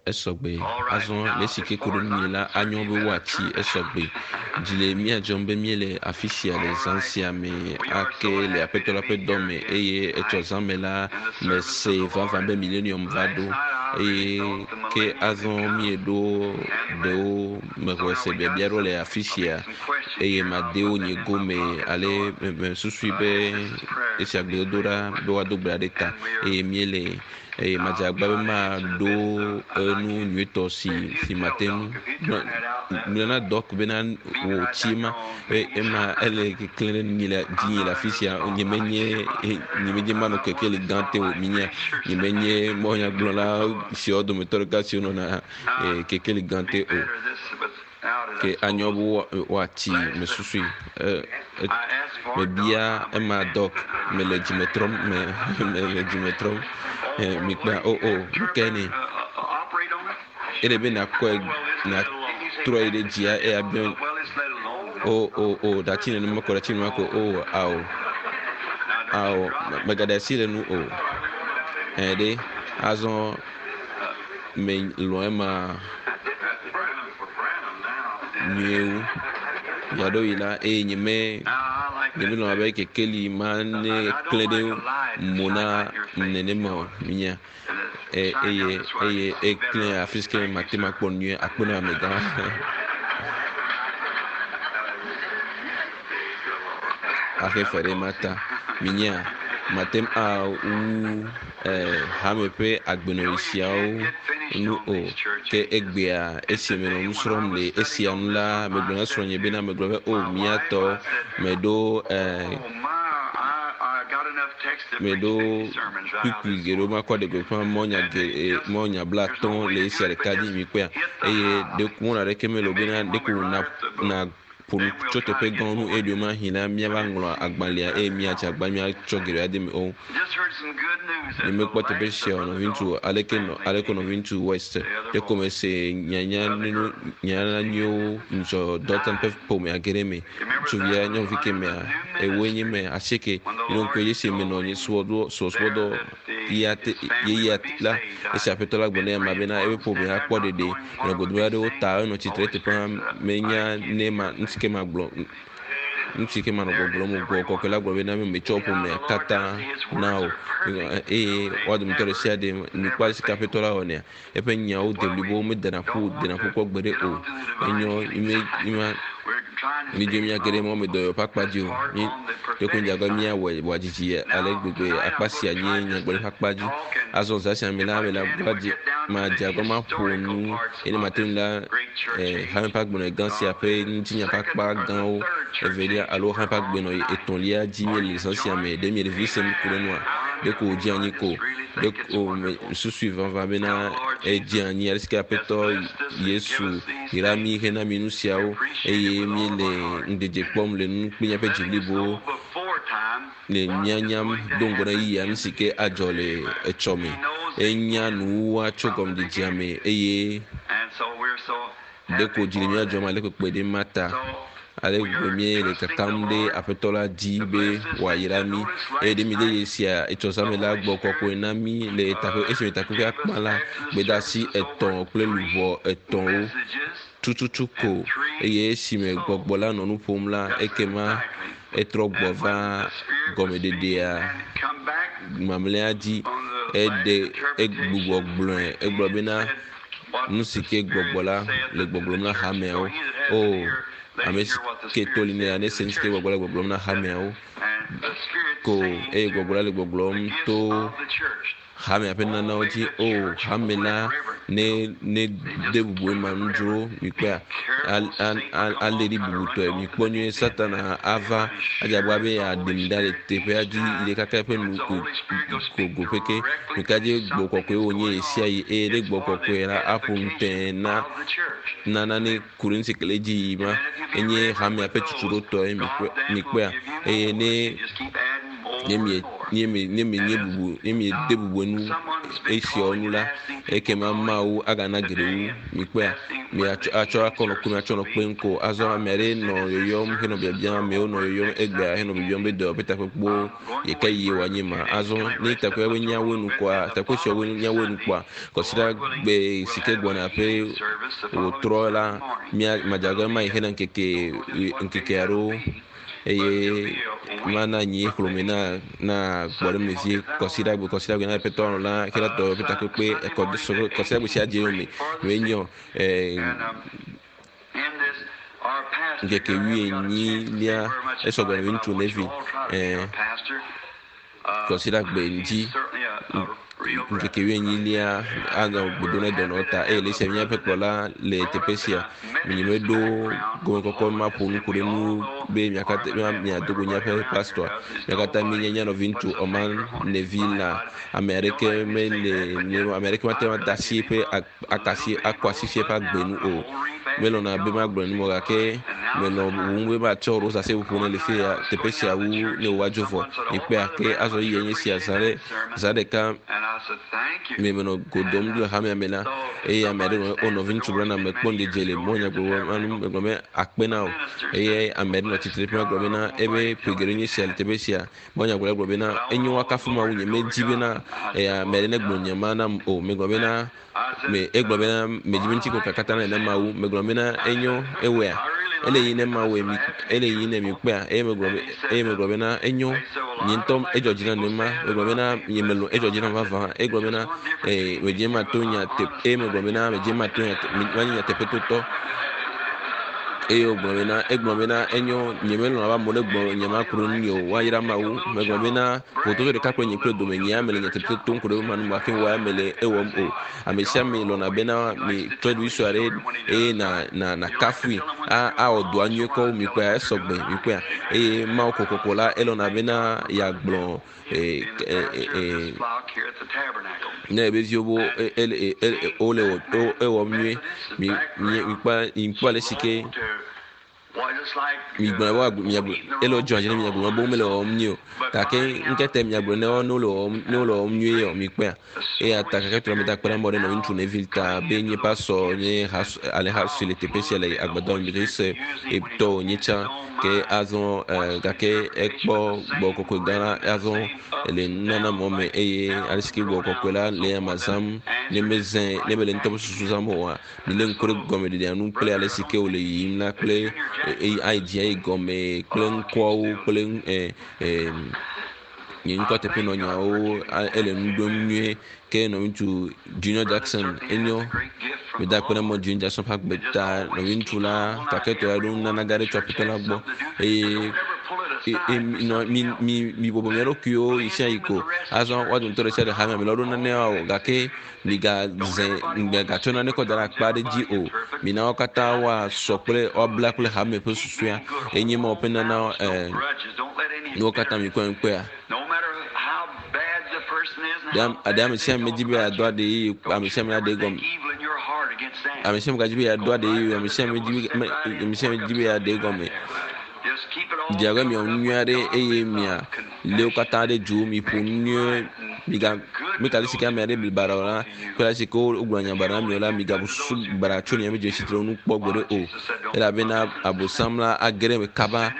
Esɔgbe. Azɔ le esi ke ku ɖe nunye la, anyɔ be woatsi esɔgbe. Dzi le mía dzɔm be míele afi sia le zã sia me ake le Aƒetɔ la ƒe dɔ me eye etsɔ zã me la mese vavã be millennium va ɖo eye ke azɔ míeɖo ɖewo mexɔe se biabia ɖewo le afi sia eye made wo nye gome ale mesusui be esia gbedodoɖa be woado gbe ɖa ɖe ta eye míele eye madze agba be maɖo enu nyuitɔ si si mate ŋu gblɔ na dɔk bena wò tsi ma be ema ele keklẽ ɖe nyi le dzinye le afi sia nyemenye nyemenye manɔ kekeli gã te o minya nyemenye mɔnyagblɔla siawo dometɔ ɖeka siwo nɔna kekeli gã te o ke anyɔ be woatsi mesusui mebia ema dɔk mele dzime trɔm me mele dzime trɔm mikpɔa o o nukae ne ele be nakɔe natrɔe ɖe dzia eya bia o o o ɖatsi nenema ko ɖatsi nenema ko o ao ao megaɖe asi le nu o ɛɖe azɔ melɔ̃ ema nyuie wu. Ɣeaɖewoɣi la, eye nyeme nyemelɔ̃ abe kekeli ma ne klẽ ɖe mo na nenema o. Minya e, eye eye eklẽ afi si ke mate ŋu akpɔ nu nyuie akpe na amegã. Axe fe ɖe ma ta. Minya mate ŋu awu eh, hame ƒe agbenɔɣi siawo nu o. Ke egbea esi menɔ nu srɔ̃m le esia ŋu la, megblɔ na srɔ̃nye bena megblɔ be o mía tɔ meɖo eh, meɖo kpukpui geɖewo makɔ ɖe gbeƒã mɔnya geɖe mɔnya blatɔ̃ le esia ɖeka dzi mikpɔea eye ɖeko mɔnu aɖeke mele o bena ɖeko na na Ƒo nu tso teƒe gãwo ŋu eye ɖewomahi la, míava ŋlɔ agbalẽa eye míadze agbagba míatsɔ geɖe ade eme o. Nyemekpɔ teƒe sia o, nɔviŋutsu. Aleke nɔ, aleke nɔviŋutsu West? Ɖeko mese nyanya nunu, nyanya nyuiwo ŋudzɔ Dalton ƒe ƒomea ge ɖe eme. Ŋutsuvia, nyɔnuvi kemɛa, ewoe nye mɛ, asieke. Ɖo ŋku edzi esi menɔ nye subɔsubɔ, subɔsubɔdɔ ya te, ɣeyiɣia la, esi Aƒetɔ la gblɔ na amea bena eƒe ƒomea akpɔ ɖeɖe. Menɔ godome aɖewo ta enɔ tsitre eteƒe menya ne ma nu si ke magblɔ nu si ke manɔ gbɔgblɔm o. Gbɔgbɔ kɔkɔe la gblɔ bena metsɔ ƒomea katã na wò eye woa dometɔ ɖe sia ɖe nukpɔ ale si ke Aƒetɔ la wɔnɛa. Eƒe nyawo de blibo medena ƒu dena ƒu kpɔ gbeɖe o. Enyɔ mi mi midzo miage ɖe mɔmedɔyɔ ƒe akpa dzi o. Mi ɖeko dze abe míawɔe wòadzidzi ale gbegbe akpa sia nye nyagblɔɖi ƒe akpa dzi. Azɔ zã sia me la, mele agba dzi madze agbagba maƒo nu eye ne mate ŋu la, eh, hame ƒe agbenɔɣi gã sia ƒe ŋutinya ƒe akpa gãwo evelia alo hame ƒe agbenɔɣi etɔ̃lia dzi míele zã sia me. Ɖe miele vivi sem ku ɖe nua? Ɖeko wòdze anyi ko. Ɖeko mesusui vavã bena edze anyi ale si ke Aƒetɔ Yesu yra mí hena mí nu siawo eye míele ŋudzedze kpɔm le nu kple míaƒe dzi blibo le míanyam do ŋgɔ na yeyea nu si ke adzɔ le etsɔme. Enya nuwuwua tso gɔmedzedzea me eye ɖeko dzi le mía dzɔm ale kpekpe ɖe ma ta. Ale gbegbe míele kakam ɖe Aƒetɔ la dzi be wòayra mí. Eye ɖe míde dzesi etsɔ zã me la gbɔ kɔkɔe na mí le takpe, esime takpekpea kpã la, gbedeasi etɔ̃ kple luʋɔ etɔ̃wo tututu ko. Eye esime gbɔgbɔ la nɔ nu ƒom la, ekema etrɔ gbɔ va gɔmeɖeɖea mamlɛa dzi. Eɖe, egbugbɔ gblɔe, egblɔ bena, Nu si ke gbɔgbɔ la le gbɔgblɔm na hameawo. O, ame si ke to li nɛ la, nese nu si ke gbɔgbɔ la le gbɔgblɔm na hameawo ko eye gbɔgbɔ la le gbɔgblɔm to hamea ƒe nunanawo dzi. O, hame la ne ne de bubu ema nu dzro mikpɔa alé ɖi bubutɔe. Mikpɔ nyuie Satana ava adze agbagba be yeaɖe mi ɖa le teƒea dzi yi ɖe kaka eƒe nu ko go peke. Nuka dzie gbɔ kɔkɔe wònye ɣesiaɣi eye ɖe gbɔ kɔkɔe la aƒo nu tẽe na na nane ku ɖe nu si ke le edzi yim ma enye hamea ƒe tutuɖotɔe mikpɔea eye ne ne mie ne mi ne mienye bubu ne miede bubu enu esiawo nu la ekema Mawu agana geɖe wu mikpɔea. Miatsɔ atsɔ akɔ nɔ kpem atsɔ nɔ kpem ko. Azɔ ame aɖe nɔ yɔyɔm henɔ biabiam amewo nɔ yɔyɔm egbea henɔ biabiam be dɔwɔƒe takpekpewo yi ke yie wòanye ma. Azɔ ne takpekpea be nyawoe nu kɔa takpekpe siawo nyawoe nu kpɔa kɔsiɖa gbe si ke gbɔna ƒe wòtrɔ la mía madzagbe ma yi hena ŋkeke ŋkeke aɖewo eye mana nyi xlome na na gbɔɖeme vie kɔsiɖagbe kɔsiɖagbe na ƒetɔ la ke la dɔwɔƒe takpekpe ekɔ kɔsiɖagbe sia dze yome me nyɔ ŋkeke wuienyilia esɔgbɔ ne ŋutsu nevi kɔsiɖagbe ŋdzi ŋkeke wuienyilia anɔ gbedo ne dɔnɔwo ta eye le esia míaƒe kplɔla le teƒe sia nyemeɖo gɔmekɔkɔ maƒo nu ku ɖe nu be miakatã miado go míaƒe pastor mia katã míenye mía nɔvi ŋutsu Oman Nevi la ame aɖeke mele ame aɖeke mate ŋu ade asi eƒe akasi akɔ asi fia eƒe agbe nu o. Melɔ̃na be magblɔ nu gake menɔ bubum be matsɔ rosa seƒoƒo ne le fi ya teƒe sia wu ne wòva dzo vɔ. Mikpɔe ke azɔ yi nye sia zã ɖe zã ɖeka me menɔ go dom le hamea me la eye ame aɖe nɔ o nɔviŋutsu Branham mekpɔ ŋudzedze le mɔ nyagblɔ anu megblɔ be akpe na wò eye ame aɖe nɔ tsitre ƒe gblɔ bena ebe ƒe geɖe nye sia le teƒe sia mɔ nyagblɔ gblɔ bena enyo woakafu Mawu nye medzi bena eya ame aɖe negblɔ nye ma nam o megblɔ bena me egblɔ bena medzi be ŋuti kɔkɔe katã ne Mawu megblɔ bena enyo ewɔea ele yi ne Mawu mi ele yi ne mi kpea eye megblɔ be eye megblɔ bena enyo nye ŋutɔ edzɔ dzi na nema megblɔ bena nye melɔ edzɔ dzi na vavã egblɔ bena ee medzi ma to nya te eye megblɔ bena medzi ma to nya manye nyateƒetotɔ eye wògblɔ bena egblɔ bena enyo nyemelɔ̃ abe amewo negblɔ nye ma ku ɖe ŋunye o woayra Mawu megblɔ bena vototo ɖeka kple nye kple dome nye ame le nyateƒe tom ku ɖe ma nu hafi wɔ ame le ewɔm o ame sia ame lɔ̃na bena mi tsɔ ɖevi sue aɖe eye na na na kafui a awɔ dɔa nyuie kɔ mi kpɔa esɔgbe mi kpɔa eye Mawu kokoko la elɔ̃na bena yeagblɔ ee ee ne ebe viwo bo ele wole ewɔm nyuie mi mi mikpɔ mikpɔ ale si ke migblɔ be woagblɔ miagblɔ ele wodzɔ dzi ne miagblɔ be womele wɔwɔm nyuie o gake ŋkete miagblɔ ne ne wole wɔwɔm ne wole wɔwɔm nyuie o mikpɔea eya ta keke trɔ meda kpe ɖe amewo ɖe nɔvi ŋutsu Neville ta be nye pastor nye ha alẽha si le teƒe sia le agbadɔ me mi se etɔ wònye tsã ke azɔ gake ekpɔ gbɔ kɔkɔe gã la azɔ le nunana mɔ me eye ale si ke gbɔ kɔkɔe la le ama zãm ne mezẽ ne mele ŋutɔ ƒe susu zãm oa milé ŋku ɖe gɔmeɖeɖea nu kple ale si ke wòle yiyim la kple ayi dzi ayi gɔme kple ŋkɔawo kple nye ŋkɔ teƒenɔnyawo ele nu ɖom nyuie ke nɔviŋutsu Junior Jackson enyo meda akpe na mɔ Junior Jackson ƒe agbe ta nɔviŋutsu la gake tɔ ya ɖo nunana gã ɖe tso aƒetɔ la gbɔ eye mi mi mi bɔbɔ mia ɖokuiwo yi sia yi ko azɔ woa dometɔ ɖe sia ɖe hame me la woɖo nanewo o gake migaze migatsɔ nane kɔ da ɖe akpa aɖe dzi o mina wo katã woasɔ kple woabla kple hame ƒe susua enye ma woƒe nana ɛɛ nuwo katã mikpɔe ŋkpɔea ɖe ame sia ame dzi be yeado aɖe eye ame sia ame aɖe gɔme ame sia ame gadzi be yeado aɖe eye ame sia ame dzi be ame sia ame dzi be yeaɖe gɔme dze abe miawɔ nu nyui aɖe eye mia lé wo katã ɖe dzo miƒo nu nyuie miga mika ale si ke ame aɖe bli baɖa o la kple ale si ke wogblɔ nya baɖa na mi o la migabu susu baɖa tso miaƒe dzesitre ŋu kpɔ gbeɖe o elabena abosam la age ɖe eme kaba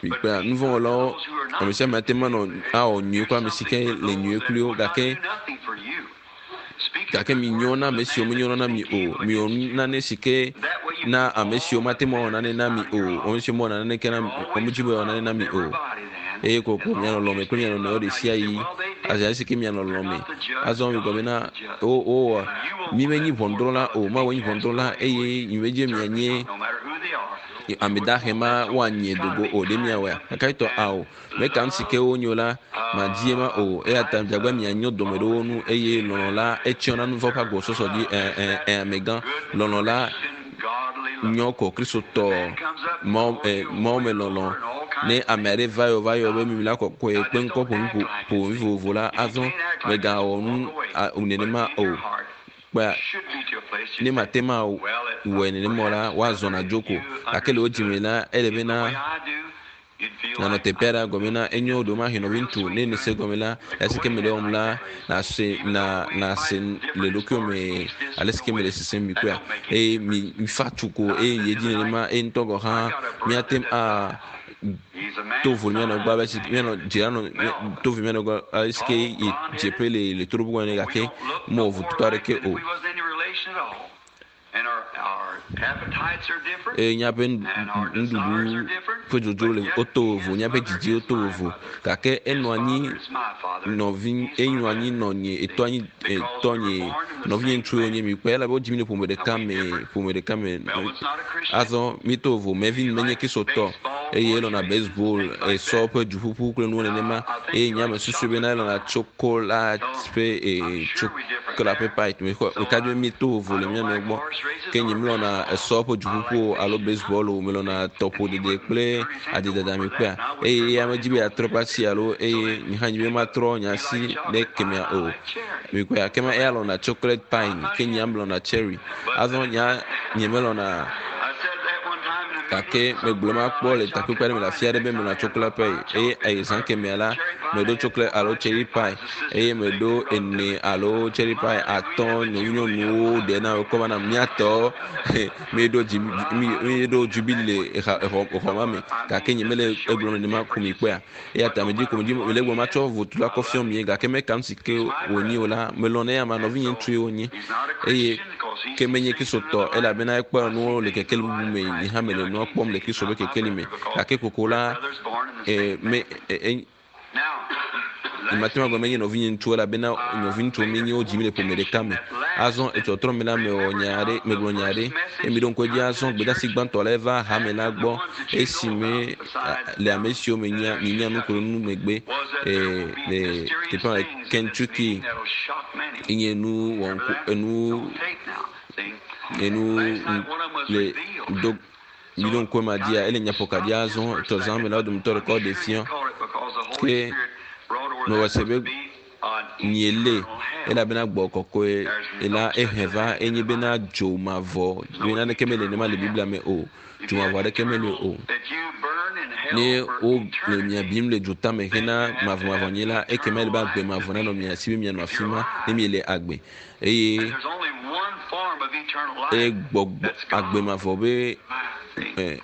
mikpea nuvɔ̃wɔlawo ame sia ame ate ŋu anɔ awɔ nyui kple ame si ke le nyui kpli wo gake Gake minyo na ame siwo menyo na mi o. Miwɔ nane si ke na ame siwo mate ŋu awɔ nane na mi o. Ame siwo mewɔ naneke na mi, womedi be yewoawɔ nane na mi o. Eye kokoko mianɔ lɔ̃me kple mia nɔnɔewo ɣesiaɣi. Azi ale si ke mianɔ lɔ̃me. Azɔ migblɔ bena, wowɔ mi menyi ʋɔnudrɔ̃la o. Mawu enyi ʋɔnudrɔ̃la eye nyemedi be mianye ame dahe ma woanye dogo o. Ɖe miawɔea? Gake etɔ ao. Meka nu si ke wonyo la, madie ma o. Eya ta miagbe mianyo dɔme ɖe wo ŋu eye lɔlɔ̃ la etsyɔna nu vɔ̃ ƒe agbɔsɔsɔ dzi. Ẽ, ẽ, ẽ, amegã, lɔlɔ̃ la nyɔ kɔ Kristotɔ Mawu, ẽ, Mawu me lɔlɔ̃. Ne ame aɖe va yɔ va yɔ be mimla kɔkɔe kpe ŋkɔ ƒo nu ƒo ƒo vovovo la, azɔ mègawɔ nu a, nenema o. Kpɔa, ne mate ŋu awɔe nenema o la, woazɔna dzo ko. Gake le wo dzime la, ele bena. Nanɔ teƒe aɖe gɔme na enyo ɖewomahi nɔvi ŋutsu ne nèse gɔme la, le si ke mele wɔm la, nàse na nàse le ɖokuiwò me ale si ke mele sesem mi kpɔea. Eye mi fa tu ko eye yi edzi nenema eye ŋutɔ gɔ̃ hã míate ŋu a to vo mía nɔ gbɔ abe si mía nɔ dzira nɔ to vo mía nɔ gbɔ ale si ke yi dzeƒe le le toɖoƒe ene gake mewɔ vototɔ aɖeke o. Eye míaƒe nuɖuɖu ƒe dzodzro le woto vovo, míaƒe didiwo to vovo gake enɔ anyi nɔvi enɔ anyi nɔnye etɔ anyi etɔnye nɔvinye ŋutsuwo nye mi kpɔe elabe wodzi mi le ƒome ɖeka me ƒome ɖeka me. Azɔ míeto vovo Melvin menye Kristotɔ eye elɔ̃na baseball esɔ ƒe duƒuƒu kple nuwo nenema eye nye ame susui bena elɔ̃na tsokolat ƒe ee tsokola ƒe pint mexɔ meka dzi be míeto vovo le mía nɔewo gbɔ ke nye melɔ̃na esɔ ƒe duƒuƒu o alo baseball o melɔ̃na tɔƒodede kple adedada mi kpea eye eya medzi be yeatrɔ eƒe asi alo eye nye hã nye be matrɔ nye asi ɖe kemea o mi kpea kema eya lɔ̃na chocolate pine ke nye melɔ̃na cherry azɔ nya nye melɔ̃na gake megblɔ ma kpɔ le takpekpe aɖe me le afi aɖe be melɔ̃na chocolate pie eye eye zã kemea la meɖo chocolate alo cherry pie eye meɖo ene alo cherry pie atɔ̃ nyɔnunyɔnuwo ɖe na wokɔ va na míatɔ míeɖo dzi míeɖo jubili le exa exɔ exɔ ma me gake nye mele egblɔm nenema ko mi kpɔea eya ta medzi ko medzi mele egblɔm matsɔ votu la kɔ fiɔ mi gake meka nu si ke wònye o la melɔ̃ ne ama nɔvinye ŋutsue wònye eye ke menye kristotɔ elabena ekpɔ nuwo le kekeli bubu me nye hã mele nua kpɔm le kristo ƒe kekeli me gake koko la e, me e, e, Nyemate ŋu agblɔ be menye nɔvinye ŋutsu elabena nɔviŋutsuwo míenye wodzi mí le ƒome ɖeka me. Azɔ etɔtrɔ me la mewɔ nya aɖe, megblɔ nya aɖe eye miɖo ŋku edzi azɔ gbedeasi gbãtɔ la eva hame la gbɔ esime le ame siwo menya mienya nu kple nu megbe e, le teƒe le Kentucky enye nu wɔŋku enu enu le do Miɖo ŋku ema dzia, ele nyaƒokaɖi azɔ tɔ zã me la wo dometɔ ɖeka woɖe fia. Ke mewɔ se be miele elabena gbɔ kɔkɔe la ehe va enye bena dzo mavɔ be naneke mele nenema le Biblia me o. Dzo mavɔ aɖeke meli o. Ne wole mia bim le dzo tame hena mavɔmavɔ nyi la, ekema ele be agbe mavɔ nanɔ mia si be mianɔ afi ma ne miele agbe. Eye eye gbɔgbɔ agbe mavɔ be eh,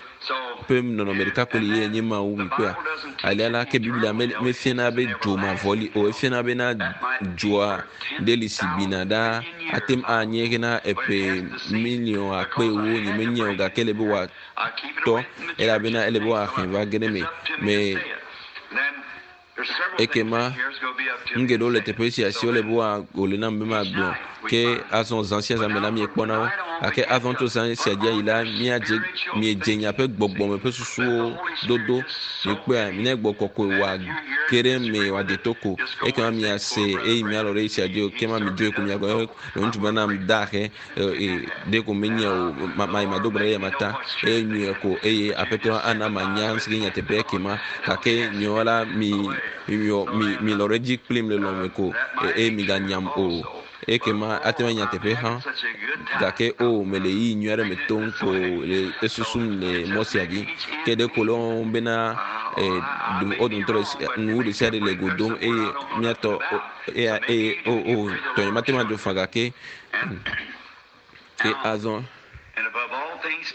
ƒe nɔnɔme ɖeka ko li ye nye Mawu mi kpɔa. Alea la ke Biblia me mefiana be dzo mavɔ li o, efiana bena dzoa ɖe li si bina ɖa ate ŋu anye hena eƒe miliɔn akpe ewo nye menye o gake ele be wòatɔ elabena ele be wòahe va ge ɖe eme me Ekema nu geɖewo le teƒe sia si wole be wòle nam be magblɔ. Ke azɔ zã sia zã me la miekpɔna wo. Gake azɔ tso zã sia dzi ayi la, míadze miedze miaƒe gbɔgbɔme ƒe susuwo dodo. Mikpɔea, ne gbɔ kɔkɔe wòage ɖe eme wòade to ko. Ekema miase eye mialɔ ɖe esia dzi o. Kema midzoe ko miagblɔ be ŋutsu bena dahe ɖe ko menye o mayi mado gbe ɖe ya mata eye nyuie ko eye aƒetɔ ana manya nu si ke nyateƒe ekema gake nyuie la mi mi mi mi lɔ ɖe edzi kplim le lɔme ko eye miganyam o ekema ate ŋu nyateƒe hã gake o mele yi nyui aɖe me tom ko le esusum le mɔ sia dzi ke ɖe ko le wɔm bena wo dometɔ ɖe nu ɖe sia ɖe le go dom eye míatɔ eya eye o o tɔnye mate ŋu adzo fã gake Ke azɔ,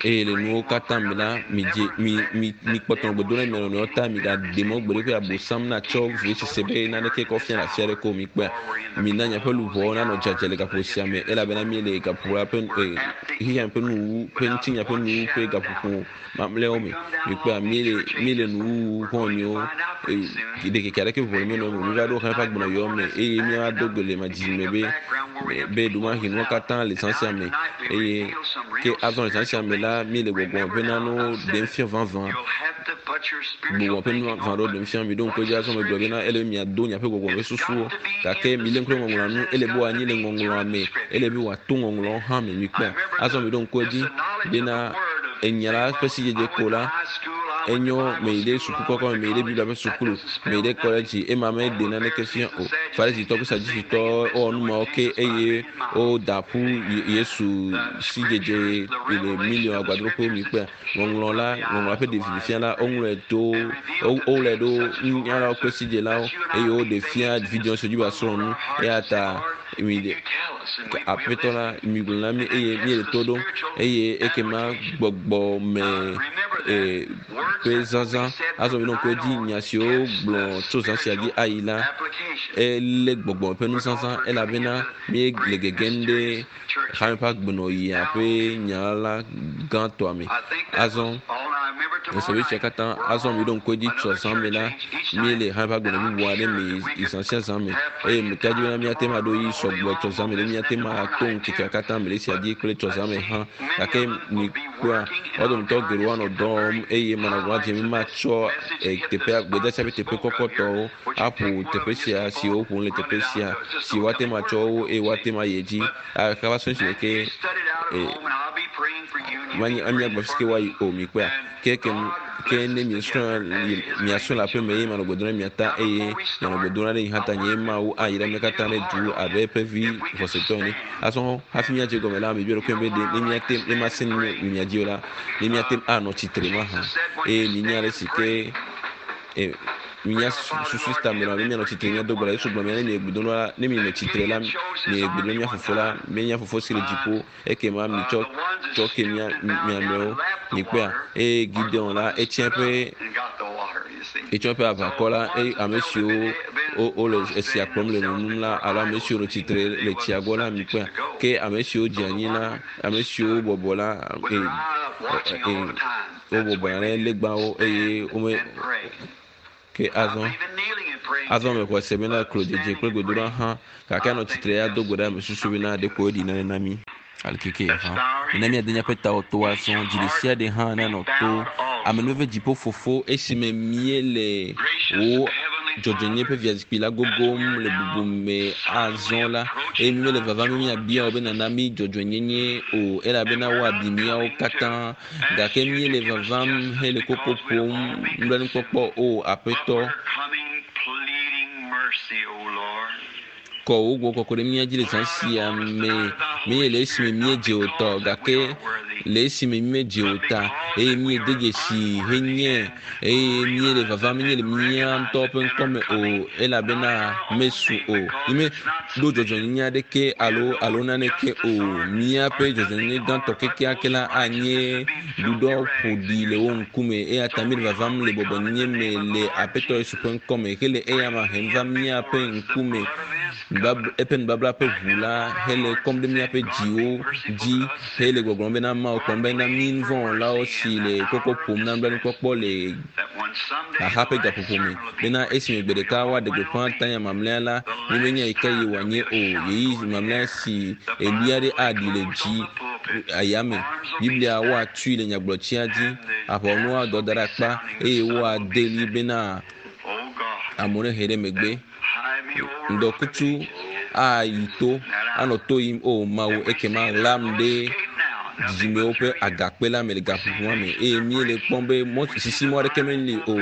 eye le nuwo katã me la, midze, mi, mi, mikpɔtɔ nɔ gbe dom ɖe mia nɔnɔewo ta, migaɖe mɔ gbeɖe be Abosam natsɔ vevesese be naneke kɔ fia le afi aɖeke o. Mikpɔea? Mina miaƒe luʋɔwo nanɔ dzadzɛ le gaƒoƒo sia me, elabena míele gaƒoƒo la ƒe, e, xexea me ƒe nuwuwu, ƒe ŋutinya ƒe nuwuwu ƒe gaƒoƒo mamlɛawo me. Mikpɔea? Míele, míele nuwuwu xɔ̃nyewo, e, ɖekeke aɖeke ʋu le mía nɔewo me. Míva ɖo xexe ƒe agbenɔyɔ me eye míava do gbe le madzime be, be ɖomahi nuwo katã le zã sia me eye ke azɔ le zã sia me la, míele gbɔgbɔ ƒe nanewo ɖem fia vavã. Gbɔgbɔ ƒe nu vavã ɖewo ɖem fia. Miɖo ŋku edzi azɔ megblɔ bena ele be miado miaƒe gbɔgbɔ ƒe susuwo. Gake milé ŋku ɖe ŋɔŋlɔa nu. Ele be wòanyi le ŋɔŋlɔa me. Ele be wòato ŋɔŋlɔawo hã me. Mikpɔea? Azɔ miɖo ŋku edzi bena enya la ƒe sidzedze ko la, Enyo meyi ɖe suku kɔkɔ me, meyi ɖe Biblia ƒe sukulu, meyi ɖe kɔledzi, ema meɖe naneke fia o. Farisitɔ kple Sadusitɔ wowɔ nu mawo ke eye woda ƒu Yesu sidzedze le miliɔn agbadroƒewo mi kpea. Ŋɔŋlɔ la, ŋɔŋlɔa ƒe ɖevi fia la, woŋlɔe to, woŋlɔe ɖo nunyalawo kple sidzelawo eye woɖe fia vidzĩwo si dzi be wòasrɔ̃ nu. Eya ta mi ɖe aƒetɔ la migblɔ na mí eye míele to ɖom eye ekema gbɔgbɔ me e, ƒe zazã azɔ mi ɖo ŋku edzi nya siwo gblɔ tso zã sia dzi ayi la elé gbɔgbɔ ƒe nuzazã elabena míele gegem ɖe hame ƒe agbenɔɣia ƒe nya la gãtɔa me. Azɔ esɔvi sia katã azɔ mi ɖo ŋku edzi tso zã me la míele hame ƒe agbenɔ bubu aɖe me yi zã sia zã me eye meka dzi bena míate ŋu aɖo yi sɔgbɔ tso zã me ɖe míate ŋu ato ŋkekea katã me le esia dzi kple tso zã me hã gake mikpɔa wo dometɔ geɖewo anɔ dɔ wɔm eye manɔ gɔ̃ dze mi matsɔ teƒea gbedeasi ƒe teƒe kɔkɔtɔwo aƒo teƒe sia si woƒom le teƒe sia si woate ŋu atsɔ wo eye woate ŋu ayi edzi kaba sɔe si ke manye amiagba fi ke woayi o mikpɔa ke ke ke ne miesrɔ̃ miasrɔ̃ le aƒe me eye manɔ gbe dom ɖe mia ta eye mianɔ gbe dom ɖe nye hã ta nye Mawu ayra mia katã ɖe du abe eƒe vi xɔsetɔ ene. Azɔ hafi míadze gɔme la, mibia ɖokui be ɖe ne míate ne masẽ nu le mia dzi o la, ne míate ŋu anɔ tsitre mahã. Eye minya ale si ke e, minya susu si ta menɔ be míanɔ tsitre míado gbe ɖa. Yesu gblɔ be ne miegbe dom ɖa, ne mienɔ tsitre la, miegbe dom mía fofo la, mía fofo si le dziƒo, ekema mitsɔ tsɔ ke mia mia nɔewo. Mikpɔea? Eye Gideon la, etsia eƒe etsɔ eƒe aʋakɔ la, eye ame siwo wole esia kplɔm le nunum la, alo ame siwo le tsitre le tsia gbɔ la, mikpɔea? Ke ame siwo dze anyi la, ame siwo bɔbɔ la, e, e, wobɔbɔna ɖe legbawo eye wome ke azɔ azɔ mexɔe se bena klodzedze kple gbedoɖa hã gake anɔ tsitre ya do gbe ɖa me susu bena ɖeko eɖi nane na mí. Aleke hã mina míade míaƒe tawo to azɔ dzi ɖe sia ɖe hã nanɔ to amenuveve dziƒo fofo esime míele wò dzɔdzɔenyenye ƒe fiazikpui la gogom le bubu me azɔ la eye mímele vavam be míabia wò be nàna mí dzɔdzɔenyenye o elabena woabi míawo katã Gake míele vavam hele koko ƒom nublanuikpɔkpɔ, O Aƒetɔ. Kɔ wò gbɔgbɔ kɔkɔe ɖe mía dzi le zã sia me. Menye le esime míedze o tɔ, gake le esime mímedze o ta, eye míede dzesi henye, eye míele vavam menye le mía ŋutɔ ƒe ŋkɔ me o, elabena mesu o. Mímeɖo dzɔdzɔenyenye aɖeke alo alo naneke o. Míaƒe dzɔdzɔenyenye gãtɔ kekeake la anye ɖuɖɔ ƒoɖi le wo ŋkume. Eya ta míele vavam le bɔbɔnyenye me le Aƒetɔ Yesu ƒe ŋkɔ me hele eyama hem va míaƒe ŋkume. Eƒe nubabla ƒe ʋu la hele kɔm ɖe míaƒe dziwo dzi hele gbɔgblɔm bena Mawu kpɔm bena mí nuvɔ̃wɔlawo si le koko ƒom na nublanuikpɔkpɔ le xaxa ƒe gaƒoƒo me bena esime gbe ɖeka woaɖe gbeƒã tanya mamlɛa la, mímenya yi ke yi wòanye o, ɣeyiɣi mamlɛa si ɣli aɖe aɖi le dzi ayame. Biblia woatui le nyagblɔtsia dzi, aʋawɔnuwo adɔ da ɖe akpa eye woade ɣli bena amewo nehe ɖe megbe. Ŋdɔkutsu ayi to, anɔ to yim, O Mawu, ekema ɣlam ɖe dzidzimewo ƒe agakpe la me le gaƒoƒo ma me. Eye míele kpɔm be mɔ, sisimɔ aɖeke meli o,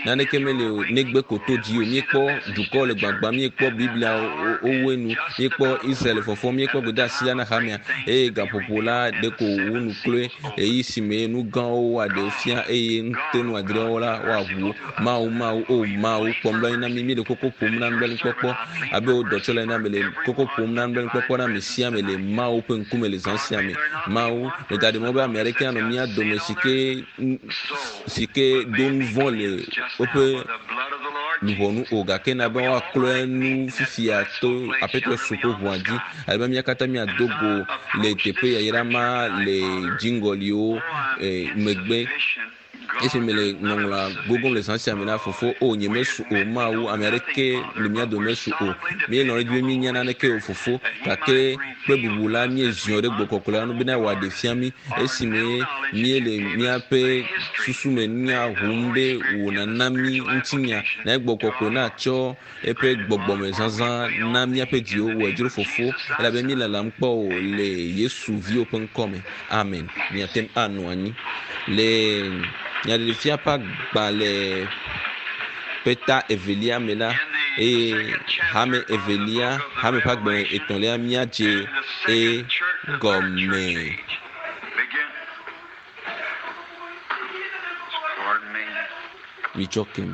naneke meli o, negbe ko to dzi o. Míekpɔ dukɔ le gbagba, míekpɔ Biblia wowoe nu, míekpɔ Israel fɔfɔ, míekpɔ gbedeasi la na hamea. Eye gaƒoƒo la ɖeko wu nu kloe, ɣeyiɣi si me nu gãwo woaɖe fia eye ŋutenu adreawo la woaʋu wo. Mawu, Mawu, o Mawu, kpɔ nublanui na mí. Míele koko ƒom na nublanuikpɔkpɔ abe wò dɔtsɔla ene. Mele koko ƒom na nublanuikpɔkpɔ na ame sia ame le Mawu ƒe ŋkume le zã sia me. Mawu, mègaɖe mɔ be ame aɖeke nanɔ mía dome si ke si ke do nu vɔ̃ le woƒe luʋɔ nu o, gake na be woaklɔe nu fifia to Aƒetɔ Yesu ƒe ʋua dzi, ale be mía katã míado go le teƒe yayra ma le dziŋgɔliwo eh, megbe. Esi mele ŋɔŋlɔa gogom le zã sia me la, fofo, o, nyemesu o, Mawu, ame aɖeke le mía dome mesu o. Míelɔ̃ ɖe edzi be míenya naneke o, fofo, gake kple bubu la, míeziɔ ɖe gbɔgbɔ kɔkɔe la ŋu bena wòaɖe fia mí esime míele míaƒe susu me nunya ʋum be wò nàna mí ŋutinya, na gbɔgbɔ kɔkɔe natsɔ eƒe gbɔgbɔme zazã na míaƒe dziwo. Wòe dzro, fofo, elabe míelalam kpɔ o le Yesu viwò ƒe ŋkɔ me. Amen. Miate ŋu anɔ anyi le. Nyaɖeɖefia ƒe agbalẽ ƒe ta evelia me la eye hame evelia hame ƒe agbalẽ etɔ̃lia míadze egɔme. Mitsɔ kem.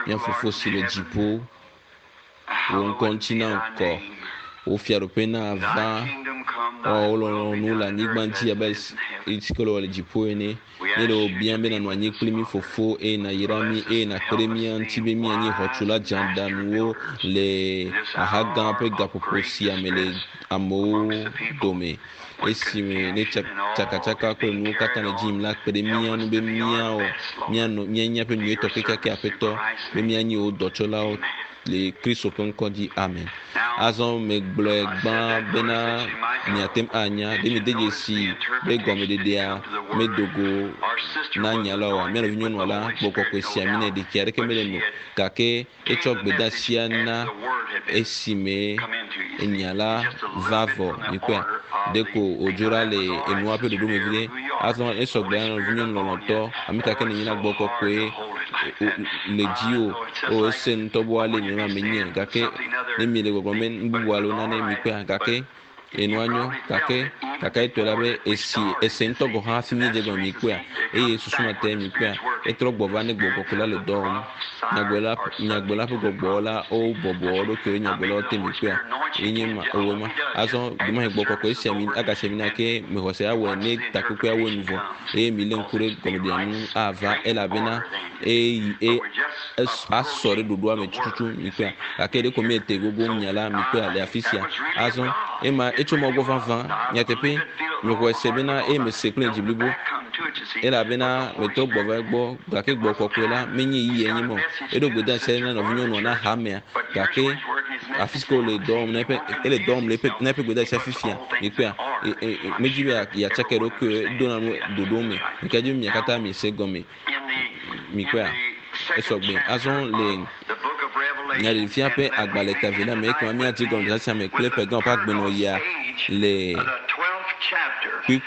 Mía Fofo si le dziƒo, wò ŋkɔ ŋuti na ŋkɔ, wò fiaɖuƒe nava, wò lɔlɔ̃nu le anyigba dzi abe si ke wòle le dziƒo ene. Míele wò biam be nànɔ anyi kpli mí Fofo eye nàyra mí eye nàkpe ɖe mía ŋuti be míanye xɔtula dzeaɖaŋuwo le xaxa gã ƒe gaƒoƒo sia me le amewo dome. Esime ne tsakatsaka kple nuwo katã le dzi yim la, kpe ɖe mía ŋu be míawɔ míanɔ míanye míaƒe nyuietɔ kekeake Aƒetɔ, be míanye wò dɔtsɔlawo le Kristo ƒe ŋkɔ dzi. Amen. Azɔ megblɔe gbã bena miate ŋu anya. Ɖe miede dzesi be gɔmeɖeɖea medo go na nya la oa? Mía nɔvinyɔnua la, gbɔgbɔ kɔkɔe si ami nɛ, ɖeki aɖeke mele eme o, gake etsɔ gbedeasia na esime enya la va vɔ. Mikpɔea? Ɖeko wòdzo ɖa le enua ƒe ɖoɖo me viɖe. Azɔ esɔ gbe na nɔvinyɔnu lɔlɔ̃tɔ, ame ka ke nènye la, gbɔgbɔ kɔkɔe le dziwò. O, ese ŋutɔ be woalé nenema menye. Gake ne miele gbɔgblɔm be nu bubu alo nane, mikpɔea? Gake enua nyo. Gake kakaetɔe la be esi ese ŋutɔ gɔ̃ hã hafi míedze egɔme mikpɔea? Eye susu ma tae mikpɔea? Etrɔ gbɔ va ne gbɔgbɔ kɔkɔe la le dɔ wɔm. Nyagblɔla, nyagblɔla ƒe gbɔgbɔ la wobɔbɔ wo ɖokuiwo ɖe nyagblɔlawo te mikpɔea? Ye nye ma, ewɔe ma. Azɔ ɖewohĩ gbɔgbɔ kɔkɔe esi ami agasi ami na ke mexɔse awɔe ne takpekpea wɔe nu vɔ eye milé ŋku ɖe gɔmeɖeɖea ŋu ava elabena eyi e asɔ ɖe ɖoɖoa me tututu mikpɔea? Gake ɖeko míete gogo nya la mikpɔea le afi sia. Azɔ ema etso mɔ gbɔ vavã nyateƒe mexɔe se bena eye mese kple dzi blibo elabena metrɔ gbɔ va egbɔ gake gbɔ kɔkɔe la menye yiyie nye ma o. Eɖo gbedeasi aɖe na nɔvinyɔnua na hamea gake afi si ke wòle dɔ wɔm na eƒe ele dɔ wɔm le eƒe na eƒe gbedeasia fifia mikpɔea medzi be yeatsaka eɖokui edona nu ɖoɖo me mika dzi be mia katã miese egɔme mikpɔea esɔgbe azɔ le nyaɖeɖefia ƒe agbalẽ ta evelia me ekema míadzi gɔmesese sia me kple ƒe gã ƒe agbenɔɣia le kpui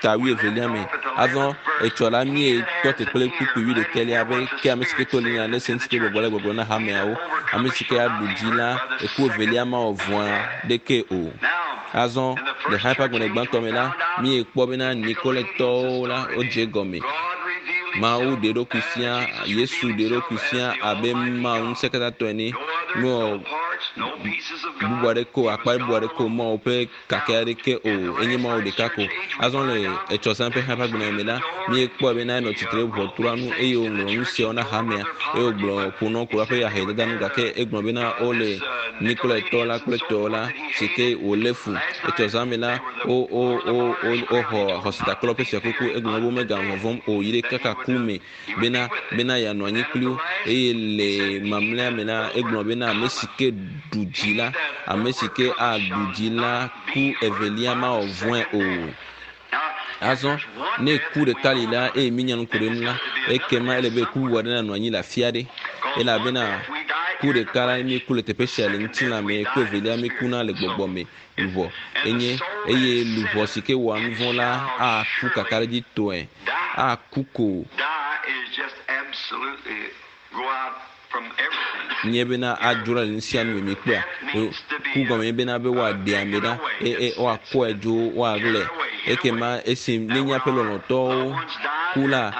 ta wuievelia me. Azɔ etsɔ la míetɔ te kple kpukpui wuiɖekɛlia be ke ame si ke to li nya ne se ŋuti ke gbɔgblɔ le gbɔgblɔ na hameawo. Ame si ke aɖu dzi la, eku evelia mawɔ vɔ̃a ɖeke o. Azɔ le hame ƒe agbalẽ gbãtɔ me la, míekpɔ bena Nikoletɔwo la wodze egɔme. Mawu ɖe eɖokui fia, Yesu ɖe eɖokui fia abe Mawu ŋusẽkatãtɔ ene. Mewɔ bubu aɖeke o, akpa bubu aɖeke o, Mawu ƒe kake aɖeke o, enye Mawu ɖeka ko. Azɔ le etsɔ zã ƒe xexe ƒe agbenɔnɔ me la, míekpɔe bena enɔ tsitre ɖe ʋɔtrua nu eye wòŋlɔ nu siawo na hamea eye wògblɔ ƒonɔ ku la ƒe ahedada nu gake egblɔ bena wole Nikolaitɔ la kple tɔwo la si ke wòlé fu. Etsɔ zã me la, wo, wo, wo, wo, woxɔ xɔsetakplɔlawo ƒe fiakuku. Egblɔ be womeganɔ vɔvɔ̃m o yi ɖe kaka ku me bena, bena yeanɔ anyi kpli wo. Eye le mamlɛa me la, egblɔ bena ame si ke ɖu dzi la, ame si ke aɖu dzi la, ku evelia mawɔ vɔ̃e o. Azɔ, ne ku ɖeka li la, eye míenya nu ku ɖe ŋu la, ekema ele be ku bubu aɖe nanɔ anyi le afi aɖe. Elabena ku ɖeka la, míeku le teƒe sia le ŋutilã me, ku evelia míekuna le gbɔgbɔ me. Luʋɔ enye, eye luʋɔ si ke wɔa nu vɔ̃ la aku kakaɖedzitɔe, aku ko. Nye bena adzro le nu sia nu me mikpɔa. Ku gɔme nye bena be woaɖe ame ɖa, eye woakɔe dzo, woaɣlae. Ekema esi ne míaƒe lɔlɔ̃tɔwo ku la,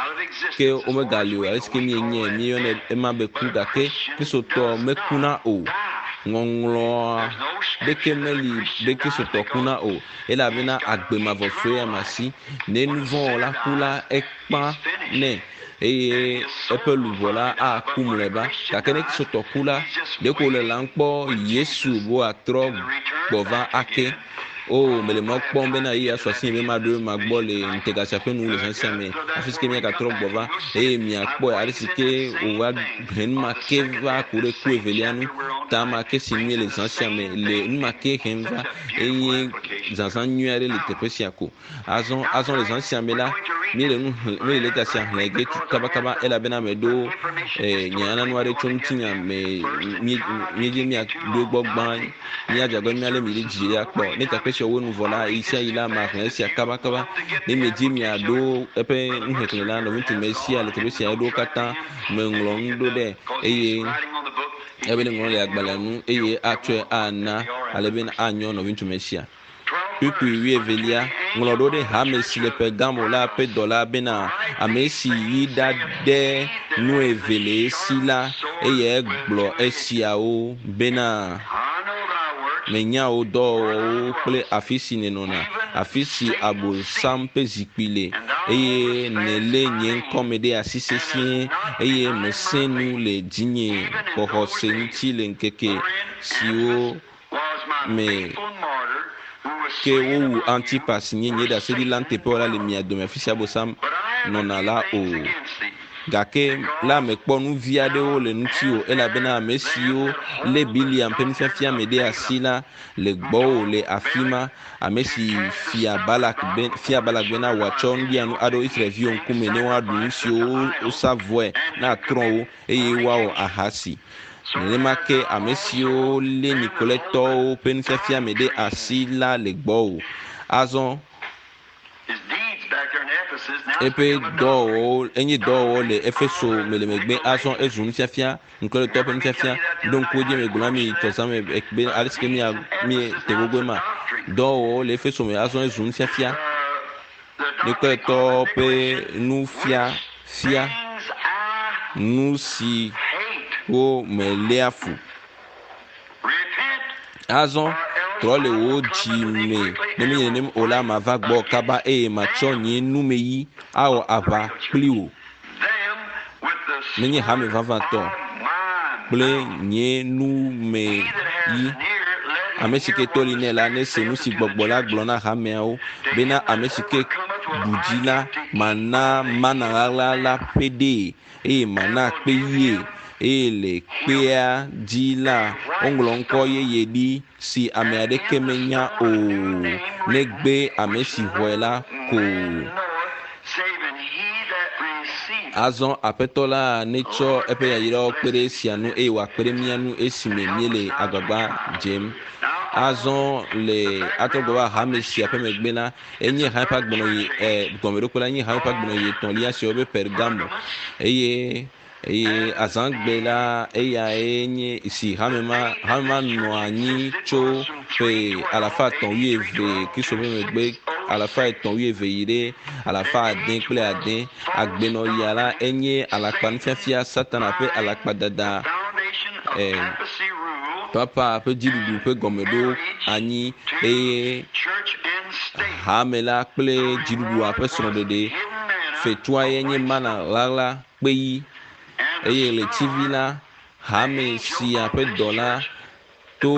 ke womegali o. Ale si ke míenyae, míeyɔnɛ ema be ku gake Kristotɔ mekuna o. Ŋɔŋlɔa ɖeke meli be Kristotɔ kuna o elabena agbe mavɔ sue ama si. Ne nuvɔ̃wɔla ku la, ekpã nɛ eye eƒe luʋɔ la aku mlɔeba. Gake ne Kristotɔ ku la, ɖeko wòle la ŋkpɔ Yesu be wòatrɔ gbɔ va ake. O, mele mɔ kpɔm bena ɣeyiɣi asu asinye be maɖo ema gbɔ le ŋutega sia ƒe nuwu le zã sia me, afi si ke míagatrɔ gbɔ va eye miakpɔe ale si ke wòva he nu ma ke va ku ɖe ku evelia nu. Ta ma ke si míele zã sia me le nu ma ke hem va eye zazã nyui aɖe le teƒe sia ko. Azɔ, azɔ le zã sia me la, míele nu xlẽ, míele lɛta sia xlẽ ge kabakaba elabena meɖo eh, nyananu aɖe tso ŋutinya me. Míedze míaɖo egbɔ gbã, míadze agbagba míalé mi ɖe dzi akpɔ. Ne teƒe sia wo nu vɔ la, ɣi sia ɣi la, maxlẽ esia kabakaba. Ne miedzi miaɖo eƒe nuxexlẽ la, nɔviŋutsu Mesia le teƒe sia eɖo katã meŋlɔ nu ɖo ɖe eye ebe ne ŋlɔ le agbalẽa nu eye atsɔe ana ale be anyɔ nɔviŋutsu Mesia. Kpukpui wuievelia, ŋlɔ ɖo ɖe hame si le Pergamo la ƒe dɔla bena, Ame si yi ɖade nu eve le esi la, eyae gblɔ esiawo bena, Menya wò dɔwɔwɔwo kple afi si nènɔna, afi si Abosam ƒe zikpui le, eye nèlé nye ŋkɔ me ɖe asi sesĩe, eye mèsẽ nu le dzinye xɔxɔse ŋuti le ŋkeke siwo me ke wowu Antipas si nye nye ɖaseɖila nuteƒewɔla le mia dome afi si Abosam nɔna la o. Gake la mekpɔ nu vi aɖewo le ŋutiwò, elabena ame siwo lé Bileam ƒe nufiafia me ɖe asi la le gbɔwò le afi ma, ame si fia Balak be, fia Balak bena wòatsɔ nuɖianu aɖo Israel-viwo ŋkume ne woaɖu nu siwo wosa vɔe na trɔ̃wo eye woawɔ ahasi. Nenema ke ame siwo lé Nikoletɔwo ƒe nufiafia me ɖe asi la le gbɔwò. Azɔ eƒe dɔwɔwɔwo enye dɔwɔwɔ le Efeso me le megbe. Azɔ ezu nufiafia, Nikoletɔwo ƒe nufiafia. Ɖo ŋku edzi megblɔ na mi tɔzã me be ale si ke mia mi te gogoe ma. Dɔwɔwɔwo le Efeso me azɔ ezu nufiafia. Nikoletɔwo ƒe nufiafia nu siwo meléa fu. Azɔ trɔ le wò dzi me, ne menye nenem o la, mava gbɔwò kaba eye matsɔ nye numeyi awɔ aʋa kpli wò. Menye hame vavãtɔ kple nye numeyi. Ame si ke to li nɛ la, nese nu si gbɔgbɔ la gblɔ na hameawo bena ame si ke ɖu dzi la, mana mana ɣaɣla la ƒe ɖee, eye mana kpe ɣie. Eye le kpea dzi la, woŋlɔ ŋkɔ yeye ɖi si ame aɖeke menya o, negbe ame si xɔe la ko. Azɔ Aƒetɔ la netsɔ eƒe yayrawo kpe ɖe esia ŋu eye wòakpe ɖe mía ŋu esime míele agbagba dzem. Azɔ le atrɔ gbɔ va hame sia ƒe megbe la, enye hame ƒe agbenɔɣi, e, gɔmeɖokpe la nye hame ƒe agbenɔɣi etɔ̃lia si woyɔ be Pergamo. Eye eye azãgbe la eyae nye si hame ma hame ma nɔ anyi tso ƒe alafa etɔ̃ wuieve Kristo ƒe megbe alafa etɔ̃ wuieve yi ɖe alafa ade kple ade. Agbenɔɣia la enye alakpanufiafia Satana ƒe alakpadada e, papa ƒe dziɖuɖu ƒe gɔmeɖo anyi eye hame la kple dziɖuɖua ƒe srɔ̃ɖeɖe fetua ye nye mana ɣaɣla kpeyi eye ɣletivi la hame sia ƒe dɔla to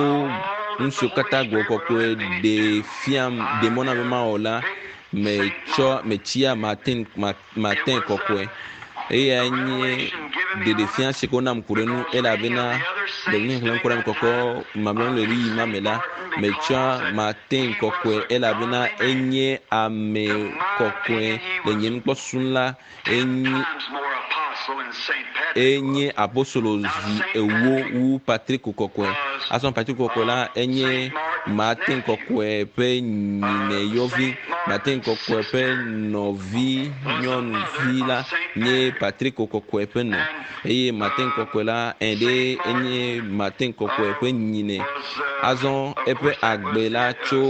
nu siwo katã gbɔ kɔkɔe ɖe fiam ɖe mɔ na be mawɔ la metsɔ metsia Martin Martin kɔkɔe eyae nye ɖeɖefia si ko nam ku ɖe nu elabena le nuxexlẽ ku ɖe ame kɔkɔ mamlɛwo le ɣeyiɣi ma me la metsɔa Martin kɔkɔe elabena enye ame kɔkɔe le nye nukpɔsusu la enye enye apostolo zi ewo wu Patrick kɔkɔe. Azɔ Patrick kɔkɔe la enye Martin kɔkɔe ƒe nyinɛyɔvi. Martin kɔkɔe ƒe nɔvi nyɔnuvi la nye Patrick kɔkɔe ƒe nɔ eye Martin kɔkɔe la eɖe enye Martin kɔkɔe ƒe nyinɛ. Azɔ eƒe agbe la tso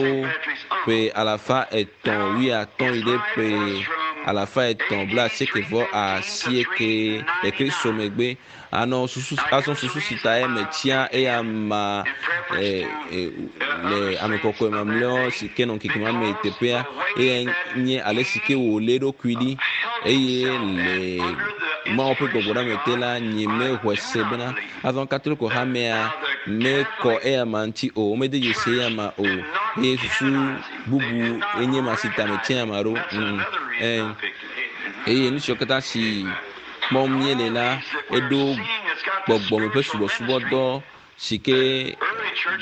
ƒe alafa etɔ̃ wuiatɔ̃ yi ɖe ƒe alafa etɔ̃ blaasieke vɔ asieke le Kristo megbe. Anɔ susu azɔ susu si ta ye metsia eya ma e, e, le ame kɔkɔe mamlɛawo si ke nɔ ŋkeke ma me teƒea eya nye ale si ke wòlé eɖokui ɖi eye le Mawu ƒe gbɔgbɔ ɖe ame te la nye mexɔe se bena azɔ Katoliko hamea mekɔ eya ma ŋuti o, womede dzesi eya ma o. Eye susu bubu enye ma si ta metia ame aɖewo. Mm, eh, eye nu siwo katã si kpɔm míele la, eɖo gbɔgbɔme ƒe subɔsubɔdɔ si ke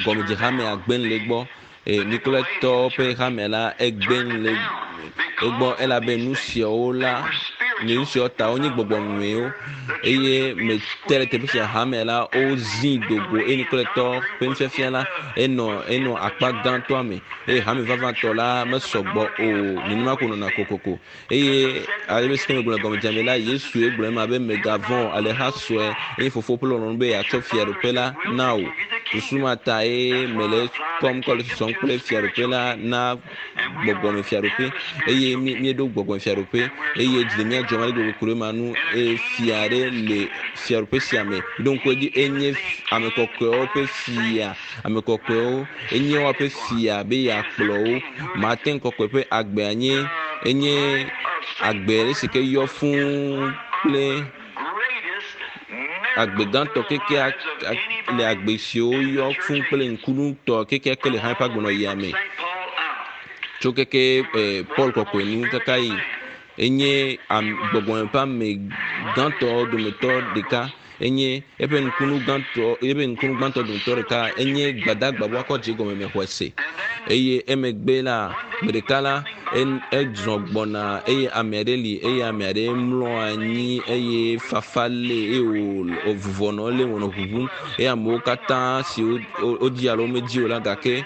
gɔmedzehamea gbe nu le egbɔ. E, Nikolatɔwo ƒe hame la egbe nu le egbɔ elabe nu siawo la, nu siawo ta wonye gbɔgbɔmewo eye mete ɖe teƒe sia hame la wozii do go eye Nikolatɔ ƒe nufiafia la enɔ enɔ akpa gãtɔa me eye hame vavãtɔ la mesɔ gbɔ o nenema ko nɔna kokoko. Eye ale be sike megblɔ le gɔmedzea me la, Yesue gblɔ ema be, Mègavɔ̃ o, alẽha sue, eye fofo ƒe lɔlɔ̃nu be yeatsɔ fiaɖuƒe la na wò. Susu ma tae mele ekpɔm kɔ le sɔsɔm kple fiaɖuƒe la na gbɔgbɔme fiaɖuƒe. Eye míeɖo gbɔgbɔme fiaɖuƒe, eye dzi le mía dzɔm ale gbegbe ku ɖe ema ŋu. Eye fia aɖe le fiaɖuƒe sia me. Ɖo ŋku edzi, enye ame kɔkɔewo ƒe fia. Ame kɔkɔewo, enye woaƒe fia be yeakplɔ wo. Martin kɔkɔe ƒe agbea nye enye agbe ɖe si ke yɔ fũu kple agbe gãtɔ kekea le agbe siwo yɔ fũu kple ŋkunutɔ kekeake le hã eƒe agbenɔɣia me. Tso keke eh, Paul kɔkɔe nu kaka yi enye gbɔgbɔme ƒe ame gãtɔ dometɔ ɖeka. Enye eƒe nukunu gãtɔ, eƒe nukunu gbãtɔ dometɔ ɖeka enye gbadagba woakɔ dze gɔme me xɔe se. Eye emegbe la, gbe ɖeka la, ezɔ gbɔna eye ame aɖe li eye ame aɖe mlɔ anyi eye fafa lé eye wòvuvɔ nɔ elé wònɔ ʋuʋum eye amewo katã si wodzi alo womedzi o la gake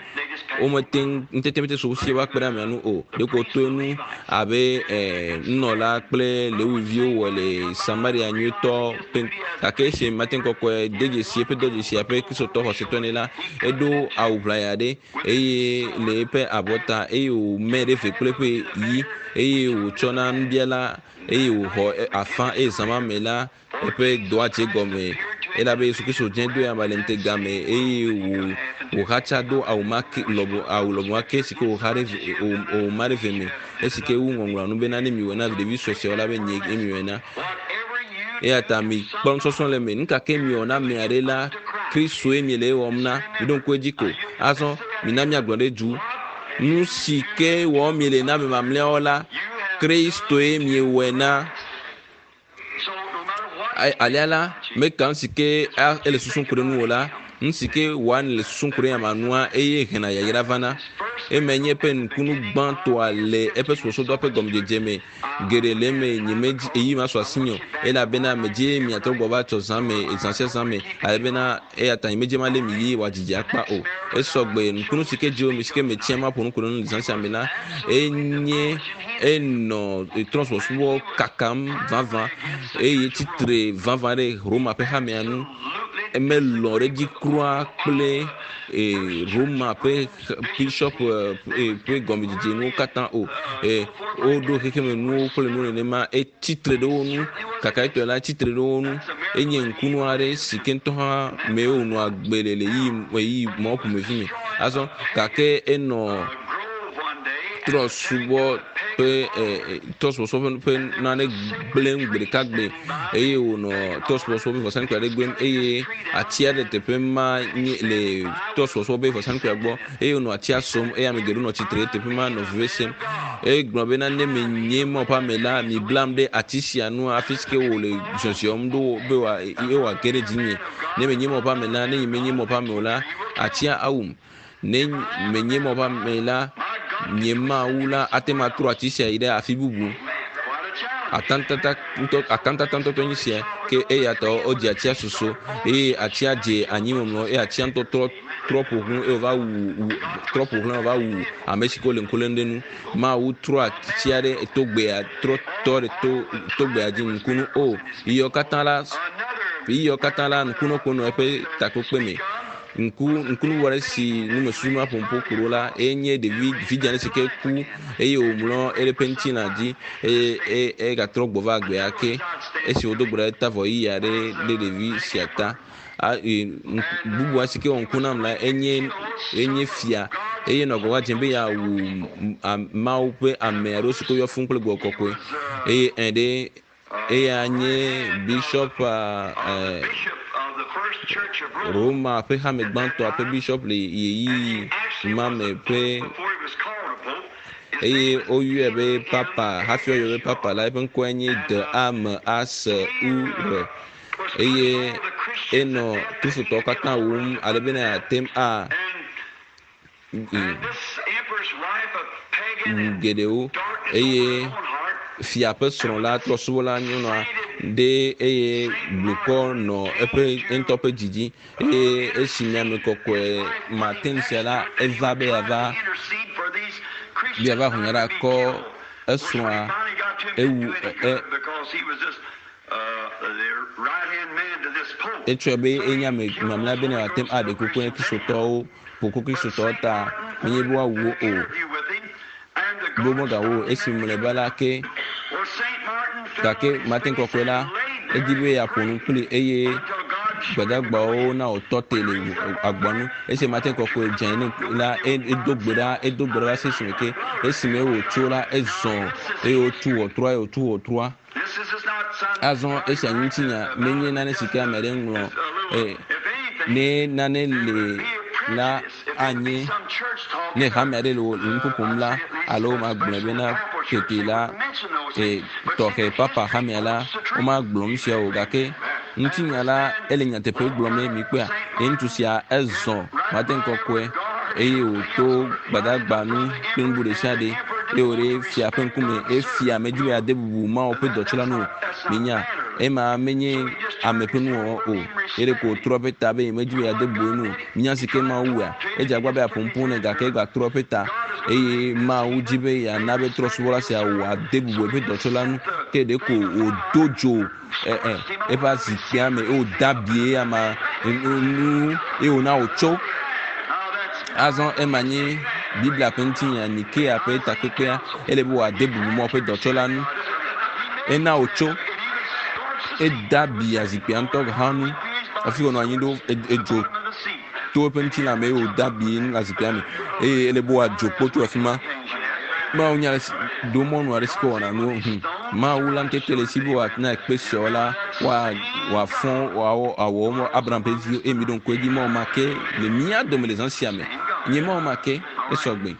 womete ŋu ŋutete mete su wo si woakpe ɖe amea ŋu o. Ɖeko woto enu abe eh, nunɔla kple Lewiviwo wɔ le Samaria nyuitɔ ƒe gake esi Martin Kɔkɔe de dzesi eƒe dɔdzesia ƒe Kristotɔ xɔsetɔ ene la, eɖo awu ʋlaya ɖe eye le eƒe abɔta eye wòmɛ ɖe eve kple eƒe yi eye wòtsɔ na nubiala eye wòxɔ afã eye zã ma me la eƒe dɔa dze gɔme elabe Yesu Kristo dze do ya le ŋutega me eye wò wòxatsa do awu ma ke lɔbɔ awu lɔbɔ ma ke si ke wòxa ɖe wòma ɖe ve me esi ke wu ŋɔŋlɔa nu bena ne miwɔe na ɖevi sue siawo la be nye ye miwɔe na. Eya ta mi kpɔ nusɔsrɔ̃ le eme. Nu ka ke miwɔ na ame aɖe la, Kristoe miele ewɔm na. Miɖo ŋku edzi ko. Azɔ mina míagblɔ ɖe du. Nu si ke wɔm miele na ame mamlɛawo la, Kristoe miewɔe na. Alea la, meka nu si ke ele susum ku ɖe nuwò la, nu si ke wɔa nèle susum ku ɖe nya ma nua, eye hena yayra vana. Emae nye eƒe nukunu gbãtɔa le eƒe subɔsubɔdɔa ƒe gɔmedzedze me. Geɖe le eme nyemedi ɣeyiɣi masu asinye o, elabena medzi miatrɔ gbɔ va tsɔ zã me, zã sia zã me, ale bena eya ta nyemedzi malé mi ɣi wòadidi akpa o. Esɔ gbe, nukunu si ke dzi mi si ke metia maƒo nu ku ɖe ŋu le zã sia me la, enye enɔ trɔ̃subɔsubɔ kakam vavã eye tsitre vavã ɖe Roma ƒe hamea ŋu. Emelɔ̃ ɖe edzi kura kple Roma ƒe bishop ƒe gɔmedzedze nuwo katã o. Woɖo xexemenuwo kple nu nenema etsitre ɖe wo ŋu. Kakaetɔe la, etsitre ɖe wo ŋu. Enye ŋkunu aɖe si ke ŋutɔ hã me wònɔa agbe le le ɣeyiɣi mawo ƒomevi me. Azɔ gake enɔ trɔsubɔ ƒe trɔsubɔsubɔ ƒe nane gblẽm gbe ɖeka gbe eye wònɔ trɔsubɔsubɔ ƒe vɔsamlekpui aɖe gblẽm eye ati aɖe le teƒe ma nye le trɔsubɔsubɔ ƒe vɔsamlekpuia gbɔ eye wònɔ atia som eye ame geɖewo nɔ tsitre ɖe teƒe ma nɔ veve sem. Egblɔ bena ne menye Mawu ƒe ame la, miblam ɖe ati sia nu hafi si ke wòle zɔzɔm ɖo be ye wòage ɖe dzinye. Ne menye Mawu ƒe ame la, ne nyemenye Mawu ƒe ame o la, atia awum. Ne menye Mawu ƒe ame la, nye Mawu la ate ŋu atrɔ ati sia yi ɖe afi bubu. Atantata ŋutɔ, akantata ŋutɔtɔ nye sia ke eya ta wodze atia soso eye atia dze anyimɔmlɔ eye atia ŋutɔ trɔ trɔ ƒo ʋu eye wòva wu wu trɔ ƒo ʋu wòva wu ame si ke wole ŋku lém ɖe nu. Mawu trɔ atia ɖe togbea trɔ tɔ ɖe to togbea dzi ŋkunu o. Yiɔ katã la yiɔ katã la ŋkunɔ ko nɔ eƒe takpekpe me. Ŋku ŋkunuwɔ ɖe si nu mesusu ma ƒom ƒo ku ɖo la, eye nye ɖevi vidzĩ aɖe si ke ku eye wòmlɔ eƒe ŋutilã dzi eye eye egatrɔ gbɔ va agbea ake. Esi wodo gbe ɖa eta vɔ ɣeyiɣi aɖe ɖe ɖevi sia ta. A e bubua si ke wɔ ŋku nam la enye enye fia eye nɔ agbagba dzem be yeawu Mawu ƒe ame aɖewo si ke woyɔ fũu kple gbɔgbɔ kɔkɔe eye ẽ ɖe eya nye bishop eh, Roma ƒe hame gbãtɔa ƒe bishop le ɣeyiɣi ma me ƒe eye woyɔe be papa. Hafi woayɔe be papa la, eƒe ŋkɔe nye De A M A S U R eye enɔ Kristotɔwo katã wum ale bena yeate ŋu a wu geɖewo eye fia ƒe srɔ̃ la trɔsubɔla nyɔnua ɖe eye blukɔ nɔ eƒe ŋutɔ ƒe dzi dzi eye esi ame kɔkɔe Martin sia la eva be yeava be yeava ʋu nya ɖa kɔ esrɔ̃a ewu e Etsɔe be enye ame mamlɛa bene wòate ŋu aɖe kuku na Kristotɔwo, ƒo ku Kristotɔwo ta, menye be woawu wo o. Be womegawu wo o. Esi mlɔeba la ke, gake Martin Kɔkɔe la, edi be yeaƒo nu kpli eye gbadagbawo na wòtɔ te le agboa nu. Esi Martin Kɔkɔe dze anyi la, edo gbe ɖa, edo gbe ɖa va se esime ke, esime wòtso la, ezɔ eye wotu ʋɔtrua, eye wòtu ʋɔtrua. Azɔ esia ŋutinya menye nane si ke ame aɖe ŋlɔ e, ne nane le la anye ne hame aɖe le nu ƒoƒom la alo magblɔe bena tete la e, tɔxɛ papa hamea la womagblɔ nu sia o gake ŋutinya la ele nyateƒe gblɔm ne mikpɔea ye ŋutsu sia ezɔ mate kɔkɔe eye wòto gbadagba nu kple nu bubu ɖe sia ɖe eye wòɖe fia ƒe ŋkume eye fia medi be yeade bubu Mawu ƒe dɔtsɔla nu o. Minya, ema menye ame ƒe nuwɔwɔ o. Ye ɖeko wòtrɔ eƒe ta be yemedi be yeade bubu enu o. Minya si ke Mawu wɔea? Edze agbagba be yeaƒo nuƒo nɛ gake egatrɔ eƒe ta eye Mawu di be yeana be trɔ̃subɔla sia wòade bubu eƒe dɔtsɔla nu. Ke ɖeko wòdo dzo e, e, eƒe azikpuia me eye wòde abi eyama nu eye wòna wòtso. Azɔ ema nye Biblia ƒe ŋutinya, Nikea ƒe takpekpea. Ele be wòade bubu Mawu ƒe dɔtsɔla ŋu. Ena wòtso, ede abi azikpuia ŋutɔ hã ŋu hafi wònɔ anyi ɖo edzo to eƒe ŋutilã me eye wòde abi azikpuia me eye ele be wòadzo kpo tso afi ma. Mawu nya ale si ɖo mɔnu aɖe si ke wɔna nuwo. Hum. Mawu la ŋutete le esi be wòana kpe siawo la wòafɔ wòawɔ awɔ wo Abraham ƒe viwo eye miɖo ŋku edzi Mawu ma ke le mía dome le zã sia me. Nye Mawu ma ke esɔ gbe.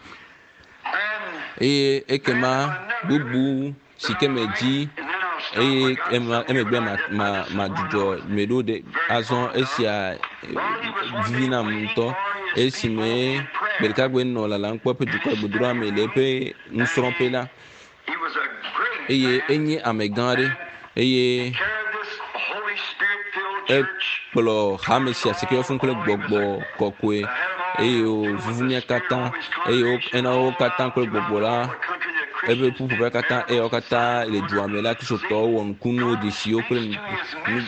Eye ekema bubu si ke medzi eye ema emegbe ma ma madzudzɔ meɖo ɖe azɔ esia vivi nam ŋutɔ esime gbeɖekagbe nɔ lalam kpɔ eƒe dukɔ gbedoɖa me le eƒe nusrɔ̃ƒe la eye enye amegã aɖe eye ekplɔ hame sia si ke yɔ fũ kple gbɔgbɔ kɔkɔe eye wòvuvu mía katã eye ena wo katã kple gbɔgbɔ la eƒe ƒuƒoƒea katã eye wo katã le dua me la kristotɔwo wɔ nukunuwo dzesiwo kple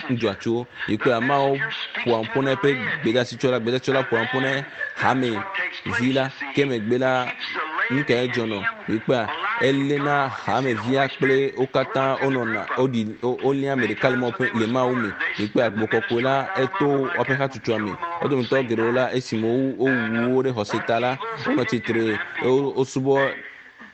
nudzɔatsuwo yi kple ameawo ƒoa ƒu na eƒe gbedeasitsɔla gbedeasitsɔla ƒoa ƒu na hame vi la ke megbe la nu kae dzɔnɔ Wikpea, eléna hamevia kple wo katã wonɔna woɖi wolia ame ɖeka le Mawu ƒe le Mawu me. Wikpea, Gbɔgbɔ Kɔkɔe la eto woƒe hatsotsoa me. Wo dometɔ geɖewo la, esime wowu wo ɖe xɔse ta la, wonɔ tsitre wosubɔ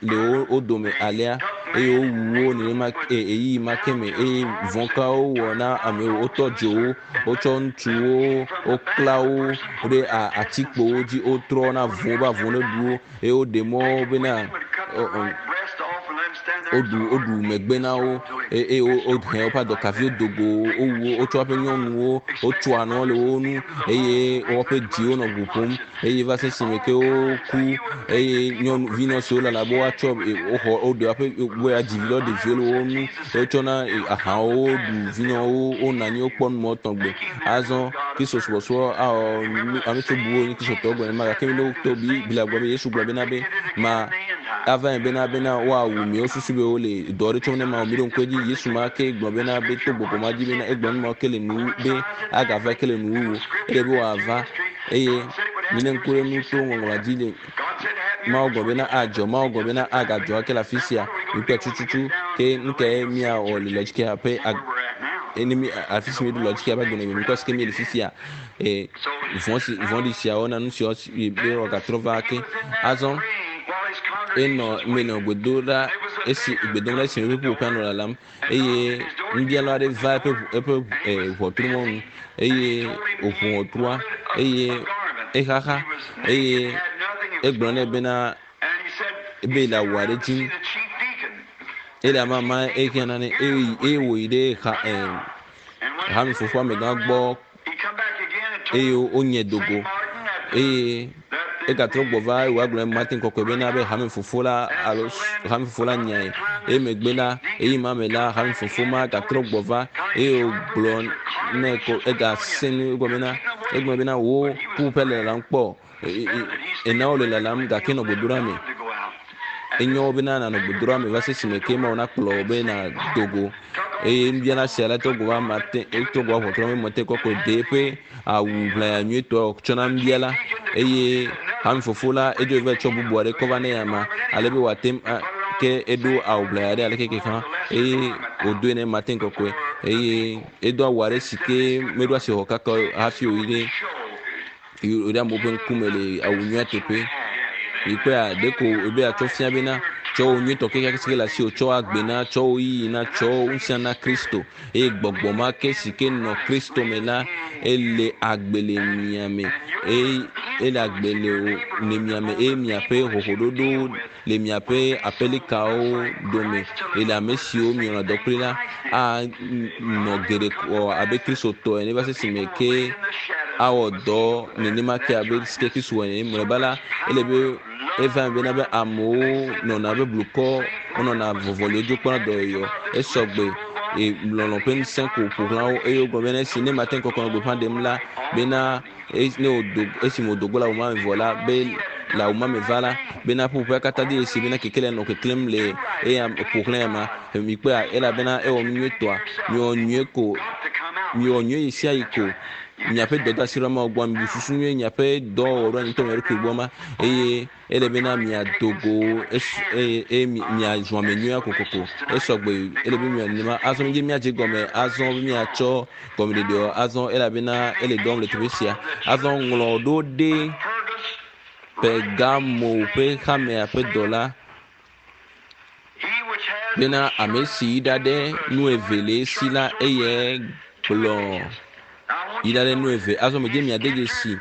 le wo dome alea eye wowu wo nenema ɣeyiɣi ma ke me eye vɔ̃ kawo wowɔ na amewo. Wotɔ dzo wo, wotsɔ ŋutsuwo, wokla wo ɖe atikpowo dzi, wotrɔ na vɔ̃ be avɔ̃ neɖu wo. Eye woɖe mɔ bena woɖu woɖu megbe na wo eye wohe woƒe adɔkaviwo do go wowu wo wotsɔ woƒe nyɔnuwo wotsoa nua le wo ŋu eye woƒe dziwo nɔ ʋu ƒom eye va se esime ke woku eye nyɔnu vinɔ siwo lala be woatsɔ woxɔ woɖe woƒe be woadzi vi la woɖe viwo le wo ŋu wotsɔna ahawo ɖu vinɔwo wonɔ anyi wokpɔ nu mɔ tɔgbe azɔ Kristo subɔsubɔ awɔ ame siwo bu wo nye Kristotɔwo gblɔ nenema gake mi to Biblia gblɔ be Yesu gblɔ bena be ma ava eme bena bena woawu mi wosusu be wole dɔ aɖe tsɔm ne Mawu mi ɖo ŋku edzi Yesu ma ke gblɔ bena be to gbɔgbɔ ma dzi bena egblɔ nu ma ke le nu be agava ke le nuwuwu ele be wòava eye mine ŋku ɖe nu to ŋɔŋlɔa dzi le Mawu gblɔ bena adzɔ Mawu gblɔ bena agadzɔ ake le afi sia mikpɔe tututu ke nu kae míawɔ le lɔdzikia ƒe ene mi afi si míeɖo lɔdzikia ƒe agbenɔnɔ mikpɔ si ke míele fifia e vɔ̃ si vɔ̃ɖi siawo na nu siawo si be wòagatrɔ va ake azɔ enɔ menɔ gbe do ɖa Esi gbe dom ɖa esime eƒe ƒuƒoƒea nɔ lalam eye nubiala aɖe va eƒe eƒe ʋɔtru mɔnu eye wòƒo ʋɔtrua eye exaxa eye egblɔ nɛ bena ebe le awu aɖe dim ele amama ehiã nane eye wòyi ɖe ha hame fofoa amegã gbɔ eye wonye dogo eye egatrɔ gbɔ va eye wòagblɔ Martin kɔkɔe bena be hame fofo la alo hame fofo la nyae eye megbe la eyi ma me la hame fofo ma gatrɔ gbɔ va eye wògblɔ nɛ ko egasẽ nu egblɔ bena egblɔ bena wo ƒuƒoƒe le lalam kpɔ ena wole lalam gake nɔ gbedoɖa me enyo bena nanɔ gbedoɖa me va se esime ke Mawu nakplɔ wò be nàdo go eye nubiala sia la trɔ go va mate etrɔ go va ʋɔtrɔ me mate kɔkɔe ɖe eƒe awu ʋlaya nyuietɔ tsɔ na nubiala eye hame fofo la edzo va tsɔ bubu aɖe kɔ va ne ama ale be wòate ke eɖo awu ʋlaya ɖe aleke ke hã eye wòdoe ne mate kɔkɔe eye edo awu aɖe si ke meɖo asi xɔ kaka hafi wòyi ɖe ɖe amewo ƒe ŋkume le awu nyuia teƒe. Mikpɔea, ɖeko ebe atsɔ fia bena tsɔ wò nyuitɔ kekeake si ke le asiwò tsɔ agbe na, tsɔ wò yiyi na, tsɔ ŋusẽ na Kristo. Eye gbɔgbɔ ma ke si ke nɔ Kristo me la, ele agbe le mia me. Eye ele agbe le wò le mia me eye miaƒe hohoɖoɖo le miaƒe aƒelikawo dome le ame siwo mielɔ̃a dɔ kpli la anɔ geɖe wɔ abe Kristotɔ ene va se esime ke awɔ dɔ nenema ke abe si ke Kristo wɔ ene. Mlɔeba la, ele be eva eme bena be amewo nɔna abe blukɔ, wonɔna vɔvɔliwo dzo kpɔna dɔyɔyɔ. Esɔgbe e lɔlɔ̃ ƒe ŋusẽ ko ƒo xlã wo eye wogblɔ bena esi ne mate ŋu kɔkɔ nɔ gbeƒã ɖem la bena ne wòdo esime wòdo go le awu ma me vɔ la be le awu ma me va la bena ƒuƒoƒea katã de dzesi bena kekelia nɔ keklẽm le eya ƒo xlã ya ma mikpɔea elabena ewɔ nu nyuietɔa miwɔ nyuie ko miwɔ nyuie ɣe sia ɣi ko miaƒe dɔdeasi ɖe Mawu gbɔ mibu susu nyuie miaƒe dɔwɔwɔ ɖo anyi ŋutɔ mia ɖokui gbɔ ma eye Ele bena miado go eye eye miazɔ ame nyuia kokoko. Esɔgbe ele be mia nenema. Azɔ midze miadze gɔme azɔ be miatsɔ gɔmeɖeɖeɔ azɔ elabena ele dɔ wɔm le teƒe sia. Azɔ ŋlɔ ɖo ɖe Pergamo ƒe hamea ƒe dɔla bena ame si yi ɖaɖe nu eve le esi la eye gblɔ yi ɖaɖe nu eve. Azɔ medze miade dzesi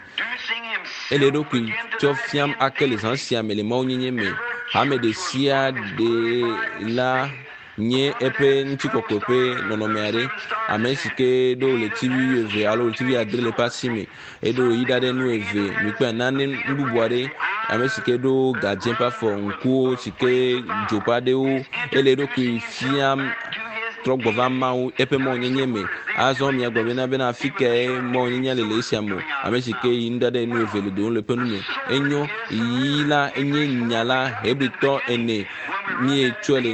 ele eɖokui tsɔ fiam ake le zã sia me le mawunyenye me. Hame ɖe sia ɖe la nye eƒe ŋutikɔkɔe ƒe nɔnɔme aɖe. Ame si ke ɖo ɣletivi wuieve alo ɣletivi adre le eƒe asi me, eɖo yi ɖaɖe nu eve. Mikpɔe nane nu bubu aɖe. Ame si ke ɖo gadzẽ ƒe afɔ, ŋkuwo si ke dzo ƒe aɖewo, ele eɖokui fiam trɔ gbɔ va Mawu eƒe mawunyenye me. Azɔ miagblɔ bena bena afi kae mawunyenye le le esia me o. Ame si ke yi nuɖaɖa enu eve le dowòm le eƒe nu me. Enyo, yi la enye nya la Hebritɔ ene. Míetsɔe le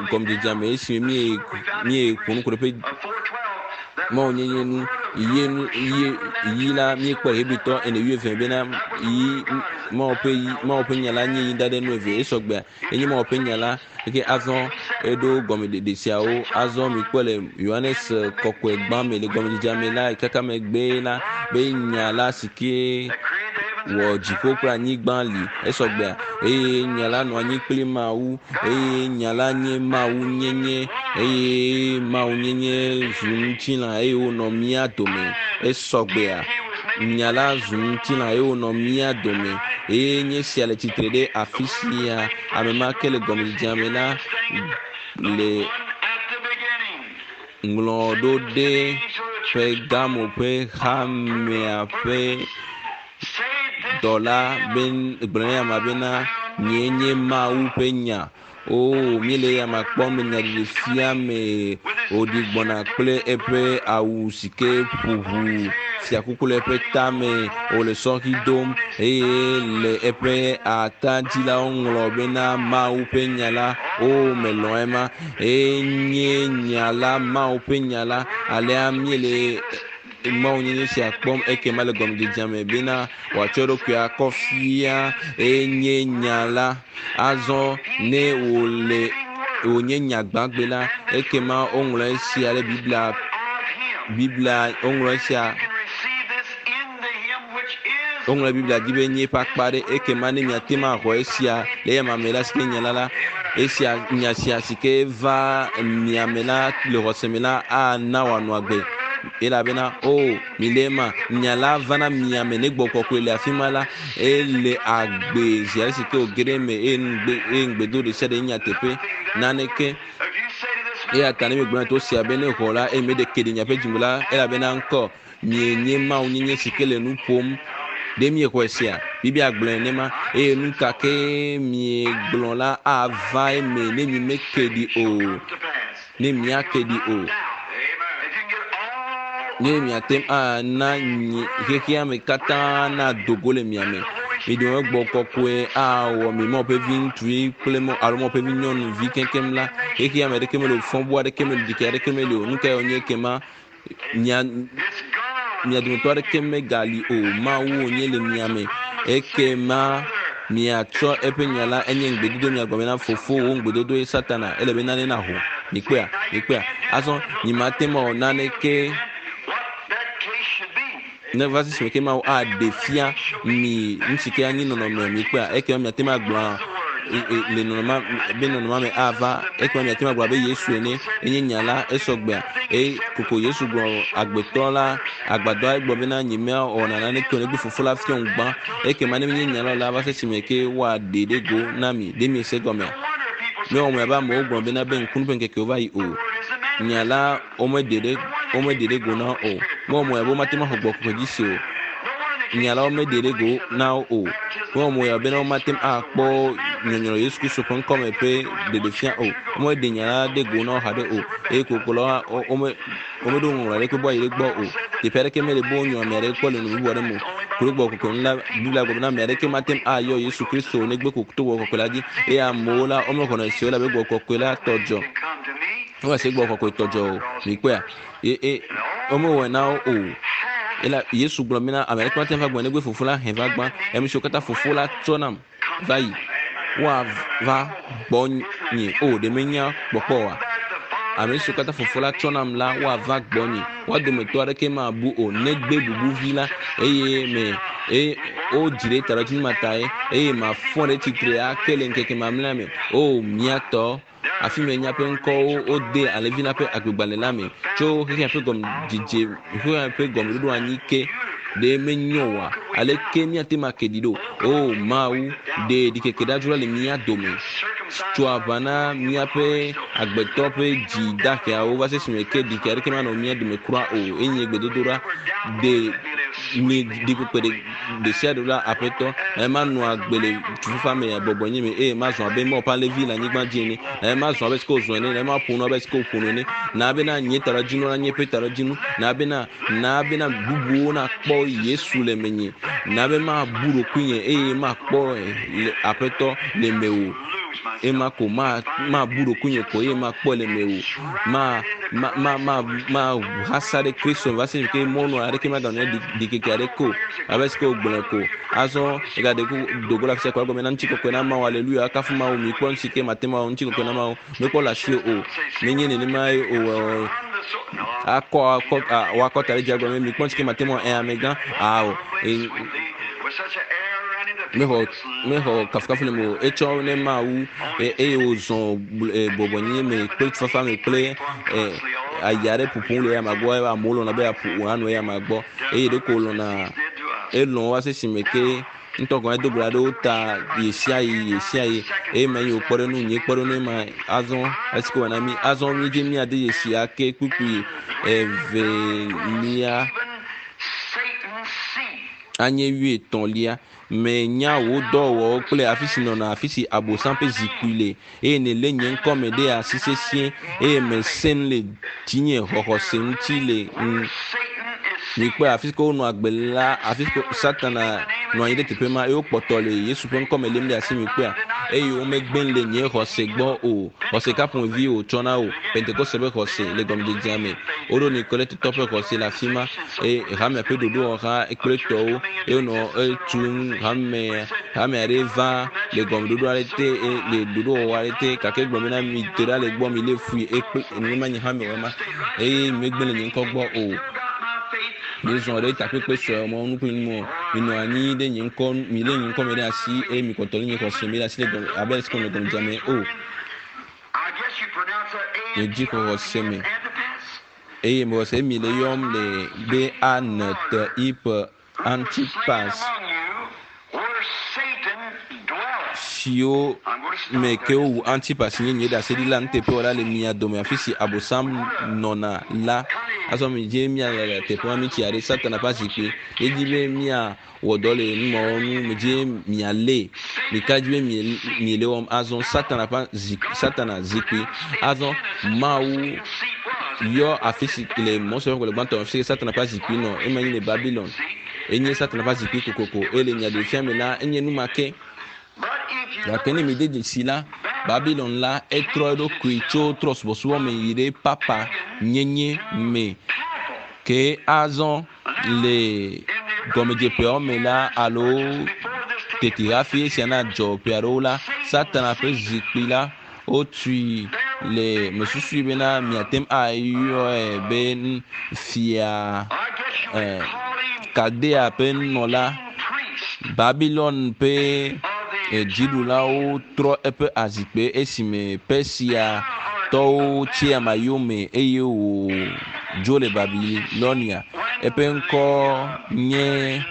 gɔmedzedzea me esime mí míeƒo nu ku ɖe eƒe mawunyenye nu. Yi nu yi yi la míekpɔ Hebritɔ ene wuieve bena yi Mawu ƒe yi Mawu ƒe nya la nye yi ɖaɖa enu eve. Esɔgbea enye Mawu ƒe nya la. Eke azɔ eɖo gɔmeɖeɖe siawo. Azɔ mikpɔe le Yohanes kɔkɔe gbã me le gɔmedzedzea me la, kaka megbe la, be nya la si ke wɔ dziƒo kple anyigba li. Esɔgbea. Eye nya la nɔ anyi kple Mawu. Eye nya la nye Mawu nyenye. Eye Mawu nyenye zu ŋutilã eye wònɔ mía dome. Esɔgbea. Nya la zu ŋutilã eye wònɔ mía dome. Eye nye sia le tsitre ɖe afi sia. Ame ma ke le gɔmedzedzea me la le ŋlɔ ɖo ɖe Pergamo ƒe hamea ƒe dɔla be gblɔ na amea bena, Nyee nye Mawu ƒe nya. Oo, míele eyama kpɔm le nyaɖeɖefia me wòɖi gbɔna kple eƒe awu si ke ƒo ʋu, fiakuku le eƒe tame, wòle sɔhi dom eye le eƒe ata dzi la woŋlɔ bena Mawu ƒe nya la. Oo, melɔ̃ ema. Enye nya la, Mawu ƒe nya la. Alea míele Mawunyenye sia kpɔm ekema le gɔmedzedzea me bena wòatsɔ eɖokui akɔ fia enye nya la. Azɔ ne wòle wònye nya gbãgbe la, ekema woŋlɔ esia ɖe Biblia Biblia woŋlɔ esia woŋlɔ Biblia dzi be nye eƒe akpa ɖe ekema ne miate ŋu axɔ esia le eya me la si ke nya la la Esia nya sia si ke va miame la le xɔse me la ana wòanɔ agbe. Elabena o mi le ema nya la vana miame ne gbɔ kɔkɔe le afi ma la ele agbe zi ale si ke wòge ɖe eme eye ŋugbe eye ŋugbedo ɖe sia ɖe nyateƒe naneke. Eya ta ne miegblɔ na to sia be ne xɔ la eye meɖe ke ɖe miaƒe dzime la elabena ŋkɔ mienye Mawu nyenye si ke le nu ƒom. Ɖe miexɔe sea? Biblia gblɔe nenema eye nu ka ke miegblɔ la ava eme ne mi meke ɖi o. Ne miake ɖi o. Ne miate ŋu ana xexea me katã nado go le mia me. Mi dome gbɔ kɔkɔe awɔ mi Mawu ƒe vi ŋutsuvi kple Mawu alo Mawu ƒe vi nyɔnuvi keŋkeŋ la, xexea me aɖeke meli o, fɔbu aɖeke meli o, ɖikeke aɖeke meli o. Nu kae wònye ekema? Mia mia dometɔ aɖeke megali o. Mawu wònye le mia me. Ekema miatsɔ eƒe nya la enye ŋugbedodo mia gblɔ bena fofo wò ŋugbedodo ye Satana ele be nane naho. Mikpɔea? Mikpɔea? Azɔ nyemate ŋu awɔ naneke ne va sisi me ke Mawu aɖe fia mi nu si ke anyi nɔnɔme mikpɔea? Ekema miate ŋu agblɔ le nɔnɔma be nɔnɔma me ava. Ekema miate ŋu agblɔ abe Yesu ene enye nya la esɔgbea. Eye koko Yesu gblɔ agbetɔ la agbadɔa egblɔ bena nyemewɔna naneke o negbe fofo la fiɔm gbã. Ekema ne menye nya la o la va se esime ke woaɖe ɖe go na mi. Ɖe miese gɔmea? Mewɔ mo abe amewo gblɔ bena be ŋkunu ƒe ŋkekewo va yi o. Nya la womeɖe ɖe womeɖe ɖe go na wo o. Mewɔ mo abe womate ŋu axɔ gbɔgbɔ kɔkɔe dzi se o. Nya la womeɖe ɖe go na wo o. Mewɔ mo bena womate ŋu akpɔ nyɔnyrɔ Yesu Kristo ƒe ŋkɔme ƒe ɖeɖefia o. Womeɖe nya la ɖe go na wo haɖe o. Eye koklo la wome womeɖo ŋɔŋlɔ aɖeke be woayi ɖe gbɔ o. Teƒe aɖeke mele be wonyɔ ame aɖeke kpɔ le nu bubu aɖe me o. Ku ɖe gbɔgbɔ kɔkɔe ŋu la, Biblia gblɔ bena ame aɖeke mate ŋu ayɔ Yesu Kristo o negbe ko to gbɔgbɔ kɔkɔe la dzi. Eye amewo la womexɔnɛ se o elabe gbɔgbɔ kɔkɔe la tɔ dzɔ. Womese gbɔgbɔ kɔkɔe tɔ dzɔ o. Mikpɔea? Ye e womewɔe na wo o. Ela Yesu gblɔ bena ame aɖeke mate ŋu ava gbɔ negbe Fofo la he va gbã. Ame siwo katã Fofo la tsɔ nam va yi woava gbɔnye. O ɖe menya kpɔkpɔ oa? Ame siwo katã Fofo la tsɔ nam la woava gbɔnye. Woa dometɔ aɖeke mabu o negbe bubuvi la eye me eye wodzi ɖe taɖodzinu ma tae eye mafɔ ɖe tsitre ake le ŋkeke mamlɛa me. O mía tɔ afi me míaƒe ŋkɔwo wode alẽvi la ƒe agbegbalẽ la me tso xexea ƒe gɔmedzedze xexea ƒe gɔmeɖoɖo anyi ke ɖe menyo oa? Aleke míate ŋu ake ɖi ɖo? O Mawu, ɖe ɖikeke ɖadzro la le mía dome. Tso aʋa na míaƒe agbetɔ ƒe dzi daheawo va se esime ke ɖikeke aɖeke manɔ mía dome kura o. Enye gbedodoɖa. Ɖe mi ɖikpekpe ɖe ɖe sia ɖe la aƒetɔ eye manɔ agbe le tufafa me bɔbɔ nye me eye mazɔ abe Mawu ƒe alẽvi le anyigba dzi ene eye mazɔ abe sike wòzɔ ene eye maƒo nu abe sike wòƒo nu ene na bena nye taɖodzinu la nye eƒe taɖodzinu na bena na bena bubuwo nakpɔ Yesu le menye na be mabu ɖokuinye eye makpɔ le aƒetɔ le mewò ema ko ma mabu ɖokuinye ko eye makpɔ le mewò ma ma ma ma ma hasa ɖe Kristo va se ke mɔnu aɖeke maganɔ ɖikeke aɖeke o abe sike wògblɔe ko azɔ egaɖe ku dogo le afisia ko egɔme na ŋutikɔkɔe na Mawu aleluya kafu Mawu mi kpɔ ŋuti ke mate ŋu awɔ ŋutikɔkɔe na Mawu mekpɔ le asi o menye nenema ye o akɔ akɔ woakɔ ta ɖe dzi agblɔ be mi kpɔ ŋuti ke mate ŋu awɔ ɛ amegã ao mexɔ mexɔ kafukafu le me o etsɔ ne Mawu eye wòzɔ bɔbɔnyenye me kple tufafa me kple aya aɖe ƒoƒom le eyama gbɔ eye amewo lɔ̃na be yeaƒo anɔ eyama gbɔ eye ɖeko wòlɔ̃na elɔ̃ va se esime ke ŋutɔ gɔ̃ edo gbe ɖa ɖe wo ta ɣesiaɣi ɣesiaɣi eye menye wò kpɔɖeŋu nye kpɔɖeŋu ma azɔ esi ke wòna mí azɔ mídze míade dzesi ake kpukpui evelia anye wuietɔ̃lia. Menya wò dɔwɔwɔwo kple afi si nɔna, afi si Abosam ƒe zikpui le, eye nèlé nye ŋkɔ me ɖe asi sesĩe, eye mèsẽ nu le dzinye xɔxɔse ŋuti le ŋu. Mikpɔe, afi si ke wonɔ agbe la, afi si ke Satana nɔ anyi ɖe teƒe ma, eye wokpɔtɔ le Yesu ƒe ŋkɔ me lém ɖe asi, mikpɔea, eye womegbe le nye xɔse gbɔ o. Xɔse ka ƒomevi wòtsɔ na wò? Pentekoste ƒe xɔse le gɔmedzedzea me. Woɖo Nikoletitɔ ƒe xɔse le afi ma. Eye hamea ƒe ɖoɖowɔha kple tɔwo eye wonɔ etum hame hame aɖe va le gɔmeɖoɖo aɖe te le ɖoɖowɔwɔ aɖe te gake egblɔ bena mi te ɖa le gbɔ mi lé fui ekple nenema nye hame wɔ ma eye megbe le nye ŋkɔ gbɔ o. Miezɔ ɖe takpekpe sue mɔ nu kple nu mɔ minɔ anyi ɖe nye ŋkɔ mi lé nye ŋkɔ me ɖe asi eye mi kpɔtɔ lé nye xɔse me ɖe asi le gɔme abe esi ke le gɔmedzedzea me o. Le dzixɔxɔse me eye mexɔse mi le yɔm le be A N T I P Antipas siwo me ke wowu Antipas nye nye ɖaseɖila nuteƒewɔla le mia dome afi si Abosam nɔna la. Azɔ midze míale le teƒe ma mitsi aɖe Satana ƒe azikpui. Edzi be míawɔ dɔ le numawo ŋu medze mialé. Mika dzi be miele wɔm azɔ Satana ƒe zi Satana zikpui. Azɔ Mawu yɔ afi si le Mose ƒe agbalẽ gbãtɔ afi si Satana ƒe azikpui nɔ ema nyi le Babilon. Enye Satana ƒe azikpui kokoko eye le nyaɖeɖefia me la enye nu ma ke. Gake ne mide dzesi la, Babilon la etrɔ eɖokui tso trɔ̃subɔsubɔ me yi ɖe papa nyenye me. Ke azɔ le gɔmedzeƒeawo me la alo tete hafi esia nadzɔ ƒe aɖewo la, Satana ƒe zikpui la wotui le mesusui bena miate ŋu ayɔe be fia eh, Kaldea ƒe nunɔla Babilon ƒe eh, dziɖulawo trɔ eƒe azikpe esime Persia tɔwo tsi ama yome eye wòdzo le Babilonia. Eƒe ŋkɔ nye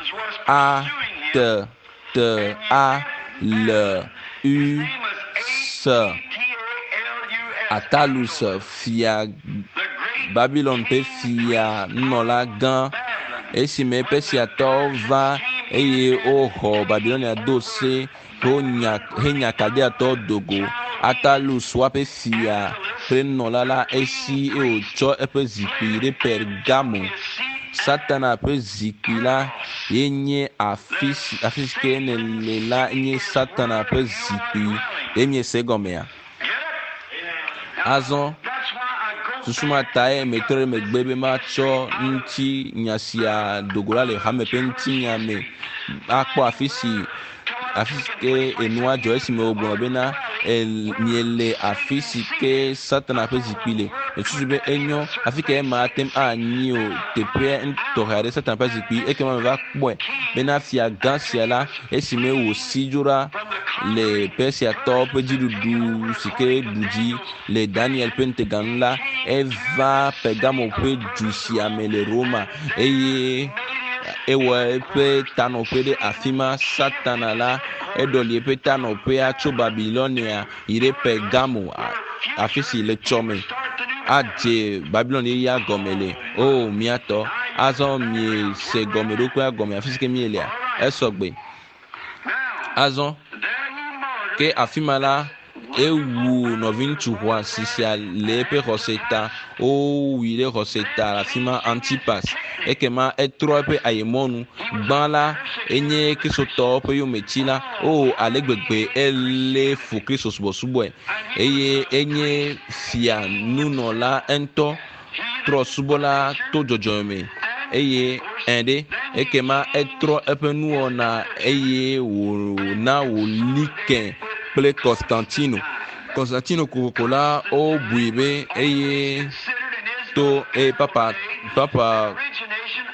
A T T A L U S Atalus fia Babilon ƒe fia nunɔla gã esime Persiatɔwo va eye woxɔ Babilonia do se wonya henya Kaldeatɔwo do go. Atalus woaƒe fia ƒe nunɔla la esi eye wòtsɔ eƒe zikpui ɖe Pergamo. Satana ƒe zikpui la ye nye afi si afi si ke nèle la nye Satana ƒe zikpui. Ɖe miese egɔmea? Azɔ susu ma tae metrɔ ɖe megbe be matsɔ ŋutinya sia do go la le hame ƒe ŋutinya me akpɔ afi si afi si ke enua dzɔ esime wògblɔ bena miele afi si ke Satana ƒe zikpui le. Mesusu be enyo afi ka ema ate ŋu anyi o teƒea tɔxɛ aɖe Satana ƒe zikpui ekema meva kpɔe bena fia gã sia la esime wòsi dzo ɖa le Persiatɔwo ƒe dziɖuɖu si ke ɖu dzi le Daniel ƒe ŋutega nu la, eva Pergamo ƒe du sia me le Roma eye ewɔ eƒe tanɔƒe ɖe afi ma. Satana la, eɖɔli eƒe tanɔƒea tso Babilonia yi ɖe Pergamo, afi si le tsɔme adze Babilon yeyea gɔme le. O, mía tɔ, azɔ miese gɔmeɖokpea gɔme afi si ke míelea? Esɔgbe. Azɔ, ke afi ma la, ewu nɔviŋutsu xɔasi sia le eƒe xɔse ta. Wowui ɖe xɔse ta le afi ma, Antipas. Ekema etrɔ eƒe ayemɔnu. Gbã la, enye Kristotɔwo ƒe yometila. O, ale gbegbe elé fu Kristo subɔsubɔe. Eye enye fia nunɔla ŋutɔ. Trɔ̃subɔla to dzɔdzɔme me eye ẽ ɖe, ekema etrɔ eƒe nuwɔna eye wòna wòli ke kple Konstantino. Konstantino kokoko la, wobui be eye to eye papa papa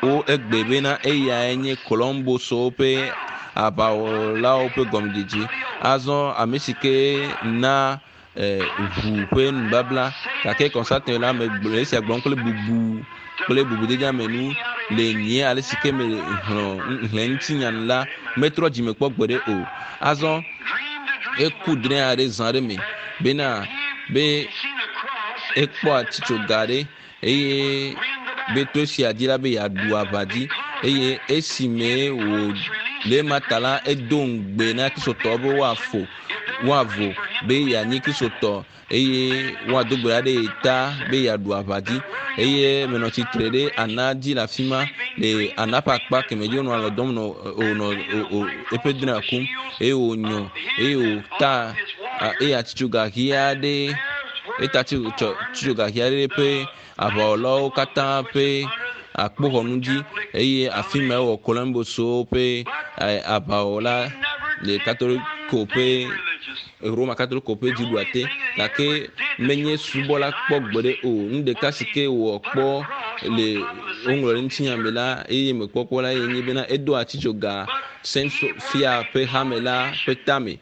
wo egbe bena eyae nye Columbuswo ƒe aʋawɔlawo ƒe gɔmedzedze. Azɔ ame si ke na ʋu ƒe nubabla gake Constantine la megblɔ esia gblɔm kple bubu kple bubudedeamenu le nye ale si ke me hlɔ hlẽ ŋutinya nu la metrɔ dzime kpɔ gbeɖe o. Azɔ eku drɔ̃e aɖe zã aɖe me bena be ekpɔ atitsoga aɖe eye be to esia dzi la be yeaɖu aʋa dzi eye esime wò le ema ta la edo ŋugbe na kristotɔwo be woafo woavo be yeanyi kristotɔ eye woado gbe ɖa ɖe ye ta be yeaɖu aʋa dzi eye menɔ tsitre ɖe ana dzi le afi ma le ana ƒe akpa kemɛ dzi wonɔ alɔ dɔm nɔ wònɔ eƒe drɔ̃ea kum eye wònyɔ eye wòta eye atitsoga ɣi aɖe Eta tso gaxi aɖe ƒe aʋawɔlawo katã ƒe akpoxɔnu dzi eye afi ma ewɔ Columbuswo ƒe aʋawɔla le Katoliko ƒe Roma Katoliko ƒe dziɖuɖua te. Gake menye subɔla kpɔ gbeɖe o. Nu ɖeka si ke wòwɔ kpɔ le woŋlɔ ɖe ŋutinya me la eye mekpɔ kpɔ la ye nye bena edo atitsoga Saint Sophia ƒe hame la ƒe tame.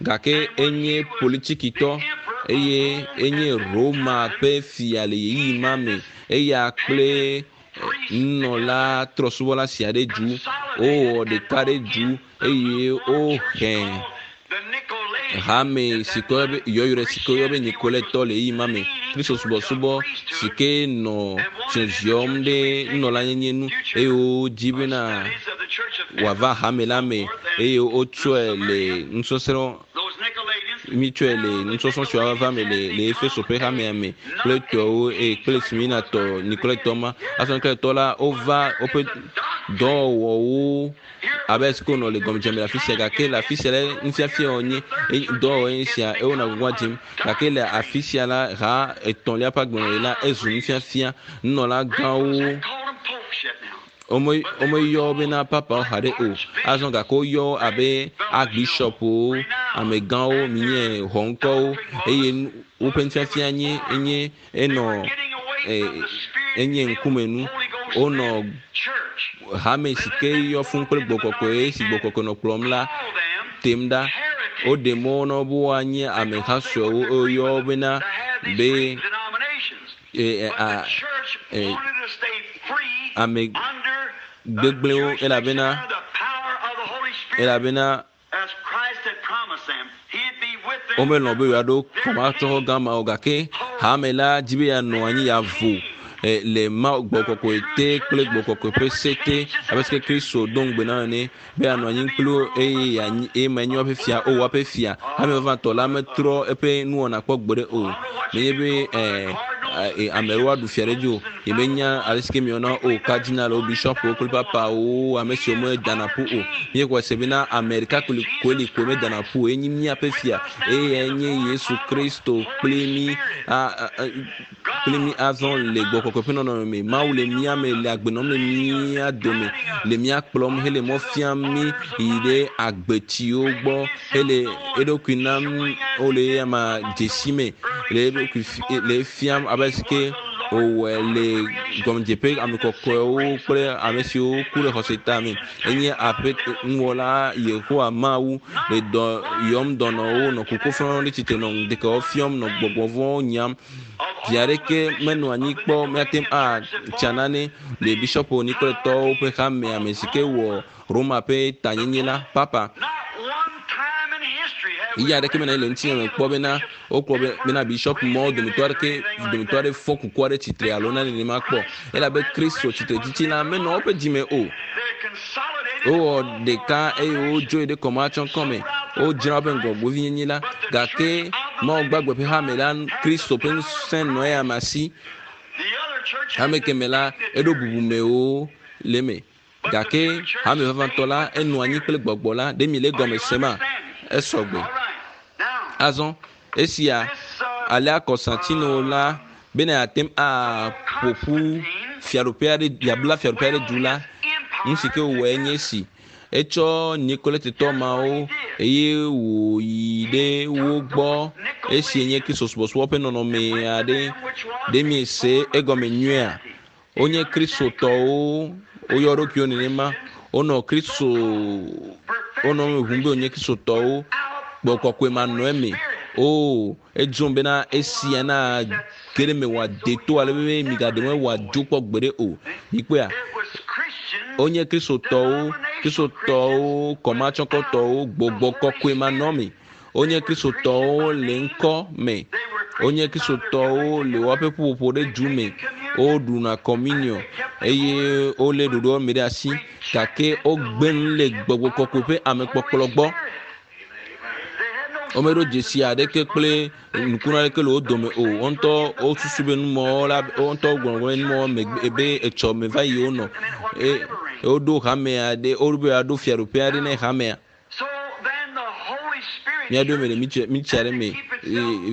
Gake enye politikitɔ eye enye Roma ƒe fia le ɣeyiɣi ma me. Eya kple nunɔla trɔsubɔla sia ɖe du wowɔ ɖeka ɖe du eye wohe hame si ke woyɔ be yɔyrɔe si ke woyɔ be Nikoletɔ le ɣeyiɣi ma me. Kristo subɔsubɔ si ke nɔ ziɔziɔm ɖe nunɔlanyenye nu eye wodzi bena wòava hame la me eye wotsɔe le nusɔsrɔ̃ mítsɔe le nusɔsrɔ̃ siwo ava me le le Efeso ƒe hamea me kple tɔwo eye kple Smirnatɔ Nikoletɔ ma. Azɔ Nikoletɔ la wova woƒe dɔwɔwɔwo abe esi ke wonɔ le gɔmedzeme le afi sia gake le afi sia la nufiafia wònye dɔwɔwɔ ye sia eye wonɔ gbɔgbɔ dzim gake le afi sia la ha etɔ̃lia ƒe agbenɔɣi la ezu nufiafia nunɔla gãwo womeyɔ bena papawo haɖe o azɔ gake woyɔ wo abe archbishopwo amegãwo minye xɔŋkɔwo eye woƒe nufiafia nye enye enɔ enye ŋkumenu wonɔ hame si ke yɔ fún kple gbɔkɔkɔe si gbɔkɔkɔe nɔ kplɔm la tem ɖa woɖe mɔ na wo be woanye ameha suewo woyɔ wo bena be ame gbegblẽwo elabena elabena womelɔ̃ be yewoaɖo kɔmatsɔxɔ gã ma o gake hame la dzi be yeanɔ anyi yeavo le Mawu gbɔkɔkɔe te kple gbɔkɔkɔe ƒe se te abe si ke Kristo do ŋugbe na ene be yeanɔ anyi kpli wo eye yeanyi eye menye woƒe fia o woaƒe fia. Hame vavãtɔ la metrɔ eƒe nuwɔna kpɔ gbeɖe o. Menye be ame ɖewo aɖu fia ɖe dzi o. Yemenya ale si ke miwɔna o kardinalwo, bishɔpwo kple papawo ame siwo medana ƒu o. Míexɔe se bena ame ɖeka koe li koe medana ƒu o. Enye míaƒe fia eye enye Yesu Kristo kpli mí kpli mí azɔ le gbɔkɔkɔe ƒe nɔnɔme me. Mawu le mía me le agbe nɔm le mía dome le mía kplɔm hele mɔ fiam mí yi ɖe agbetsiwo gbɔ hele eɖokui nam wole eyama dzesi me le eɖokui le fiam abe si ke wòwɔe le gɔmedzeƒe ame kɔkɔewo kple ame siwo ku ɖe xɔse ta me. Enye aƒe nuwɔla Yehowa Mawu le dɔ yɔm dɔnɔwo nɔ kuku fɔm ɖe tsitre nɔ ŋdekɛwo fiɔm nɔ gbɔgbɔ vɔ̃wo nyam. Vi aɖeke menɔ anyi kpɔ míate ŋu atsa nane le bishɔpwo Nikoletɔwo ƒe hamea me si ke wɔ Roma ƒe tanyenye la papa. Ɣeyiɣi aɖeke menɔ anyi le ŋutinya me kpɔ bena wokpɔ bena bishɔp mɔwo dometɔ aɖeke dometɔ aɖe fɔ kuku aɖe tsitre alo nane nenema kpɔ elabe Kristo tsitretsitsi la menɔ woƒe dzime o. Wowɔ ɖeka eye wodzoe ɖe kɔmatsɔkɔ me. Wodzra woƒe ŋgɔgbevinyenye la gake Mawu gbagbe ƒe hame la Kristo ƒe ŋusẽ nɔ eya me asi. Hame keme la eɖo bubumewo le eme gake hame vavãtɔ la enɔ anyi kple gbɔgbɔ la ɖe mi le egɔme sema esɔgbe. Azɔ esia alea Kɔstantino la bena yeate ŋu aƒo ƒu fiaɖuƒe aɖe yeabla fiaɖuƒe aɖe du la nu si ke wòwɔe nye esi etsɔ Nikoletetɔ mawo eye wòyi ɖe wo gbɔ esi nye Kristo subɔsubɔ ƒe nɔnɔme aɖe ɖe miese egɔme nyuia. Wonye Kristotɔwo woyɔ ɖokuiwo nenema wonɔ Kristo wonɔ eme ʋum be wonye Kristotɔwo gbɔkɔkɔe manɔ eme o edzrom bena esia na ge ɖe me wòade to ale be migaɖe me wòadzo kpɔ gbeɖe o. Mikpɔea wonye Kristotɔwo Kristotɔwo kɔmatsɔkɔtɔwo gbɔgbɔ kɔkɔe manɔ me. Wonye Kristotɔwo le ŋkɔ me. Wonye Kristotɔwo le woƒe ƒuƒoƒo ɖe du me. Woɖuna communion eye wolé ɖoɖoa me ɖe asi gake wogbe nu le gbɔgbɔ kɔkɔe ƒe amekpɔkplɔ gbɔ. Womeɖo dzesi aɖeke kple nukunu aɖeke le wo dome o. Wo ŋutɔ wosusu be numɔwo la wo ŋutɔ gblɔ be numɔwo megbe be etsɔ me va yi wonɔ. Eye woɖo hame aɖe wobe yewoaɖo fiaɖuƒe aɖe ne hamea. Míaɖo eme le mitsia ɖe me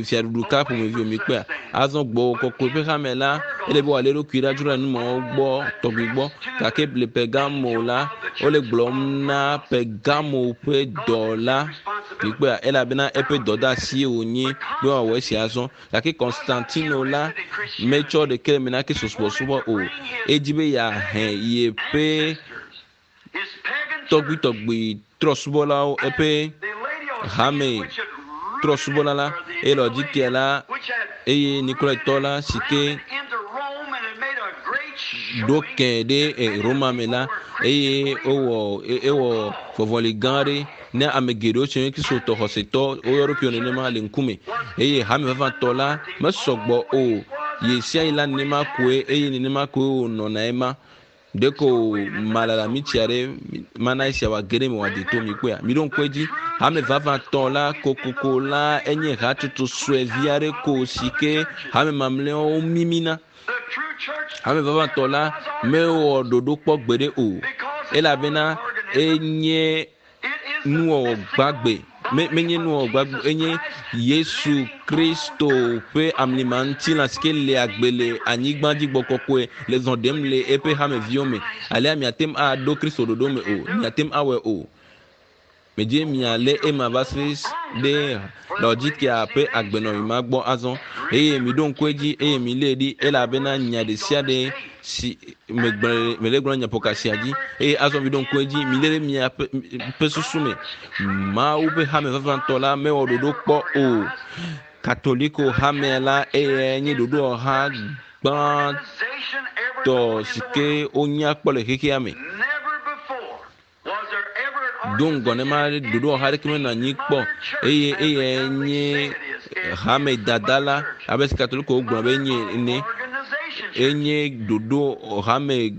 fiaɖuɖu ka ƒomevi mikpɔa. Azɔ gbɔgbɔ kɔkɔe ƒe hame la ele be wòalé eɖokui ɖa dzro le numɔwo gbɔ tɔgbi gbɔ gake le Pergamo la wole gblɔm na Pergamo ƒe dɔla mikpɔa elabena eƒe dɔdeasie wònye be wòawɔ esia azɔ gake Konstantino la metsɔ ɖeke le me na Kristo subɔsubɔ o. Edzi be yeahe yeƒe tɔgbuitɔgbui trɔsubɔlawo eƒe hame trɔsubɔla la Eye Laodikea la eye Nikolaitɔ la si ke ɖo kɛ ɖe Roma me la eye wowɔ ewɔ vɔvɔli gã aɖe ne ame geɖewo tse nye Kristotɔ xɔsetɔ woyɔ ɖokuiwo nenema le ŋkume eye hame vavãtɔ la mesɔgbɔ o ɣe sia ɣi la nenema koe eye nenema koe wònɔna ema. Ɖeko malala mitsi aɖe mana esia wòage ɖe eme wòade to mi kpɔea. Miɖo ŋku edzi hame vavãtɔ la kokoko la enye hatsotso sue vi aɖe ko si ke hame mamlɛawo mimina. Hame vavãtɔ la mewɔ ɖoɖo kpɔ gbeɖe o elabena enye nuwɔwɔ gbagbe menye nuwɔwɔ gbagbe enye Yesu Kristo ƒe amlima ŋutilã si ke le agbe le anyigba dzi gbɔ kɔkɔe le zɔ ɖem le eƒe hameviwo me. Alea miate ŋu aɖo Kristo ɖoɖo me o, miate ŋu awɔe o. Medze mialé ema va se ɖe Laodikea ƒe agbenɔɣi ma gbɔ azɔ. Eye miɖo ŋku edzi eye milée ɖi elabena nya ɖe sia ɖe si megblɔ mele gblɔ nyaƒoka sia dzi. Eye azɔ miɖo ŋku edzi, milé ɖe miaƒe ƒe susu me. Mawu ƒe hame vavãtɔ la mewɔ ɖoɖo kpɔ o. Katoliko hamea la eyae nye ɖoɖowɔha gbãtɔ si ke wonya kpɔ le xexea me. Do ŋgɔ ne ma ɖoɖowɔha aɖeke menɔ anyi kpɔ eye eyae nye hame dada la abe si Katoliko gblɔ be enye ene. Enye ɖoɖo hame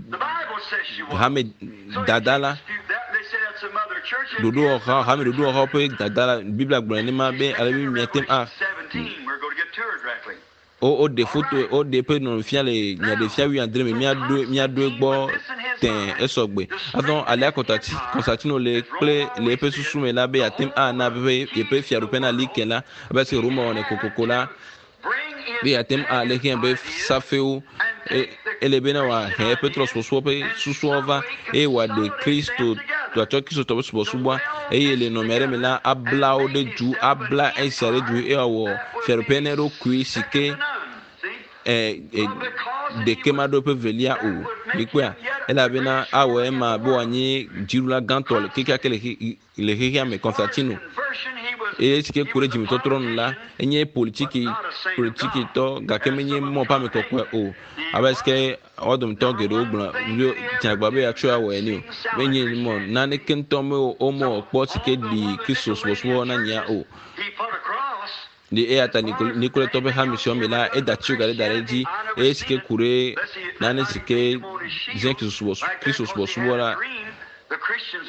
hame dada la ɖoɖowɔha hame ɖoɖowɔha ƒe dada la. Biblia gblɔ nenema be ale be miate ŋu a wo woɖe foto woɖe eƒe nɔnɔme fia le nyaɖefia wuiadre me míaɖo míaɖo egbɔ tẽ esɔgbe. Azɔ alea Kɔtati Kɔnstatino le kple le eƒe susu me la be yeate ŋu ana eƒe yeƒe fiaɖuƒe nali ke la abe se Roma wɔnɛ kokoko la be yeate ŋu ale xea be safewo e ele bena wòahe eƒe trɔsubɔsubɔ ƒe susuawo va eye wòaɖe Kristo wòatsɔ Kristotɔ ƒe subɔsubɔa eye le nɔnɔme aɖe me la abla wo ɖe du abla esia ɖe du eye wòawɔ fiaɖuƒe na eɖokui si ke e, e, ɖeke maɖo eƒe velia o. Mikpɔea? Elabena awɔ ema be wòanye dziɖula gãtɔ le kekeake le le xexea me, Constantino. Eye esi ke ku ɖe dzimetɔtrɔ nu la, enye politiki politikitɔ gake menye mɔ ƒe ame kɔkɔe o. Abe esi ke wo dometɔ geɖewo gblɔ dze agbagba be yeatsɔe awɔ ene o. Menye mɔ naneke ŋutɔ me womewɔ kpɔ si ke ɖi Kristo subɔsubɔ na nyea o. Ɖe eya ta Nikoletɔ ƒe hame siawo me la, eda tsioga ɖe da ɖe edzi eye si ke ku ɖe nane si ke ze Kristo subɔsubɔ la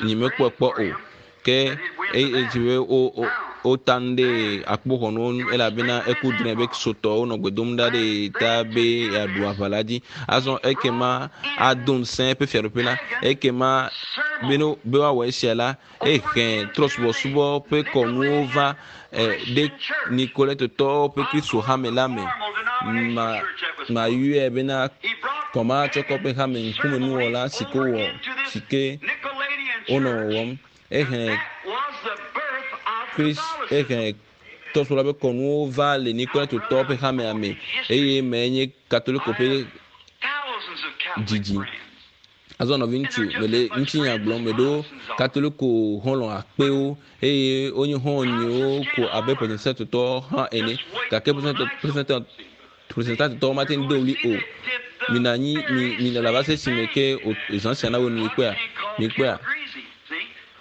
nyi mekpɔe kpɔ o. Ke eye dzi be wo wota nu ɖe akpoxɔnuwo ŋu elabena eku drɔ̃e be Kristotɔwo nɔ gbe dom ɖa ɖe ta be yeaɖu aʋa la dzi. Azɔ ekema ado ŋusẽ eƒe fiaɖuƒe la. Ekema be ne be woawɔ esia la, ehe trɔsubɔsubɔ ƒe kɔnuwo va ɖe Nikoletotɔwo ƒe Kristo hame la me. Ma mayɔe bena kɔmatsɔkɔ ƒe hame ŋkumenuwɔla si ke wowɔ si ke wonɔ wɔwɔm. Ehe Kris ehe trɔsubɔla ƒe kɔnuwo va le Nikoletotɔwo ƒe hamea me eye me nye Katoliko ƒe dzidzi. Azɔ nɔviŋutsu, mele ŋutinya gblɔm, meɖo Katoliko xɔlɔ̃ akpewo eye wonye xɔ̃nyewo ko abe Protestantotɔ hã ene. Gake Protestantotɔwo mate ŋu do ɣli o. Minɔ anyi, mi, minɔ lava se esime ke zã sia nawɔe nu mikpɔea? Mikpɔea?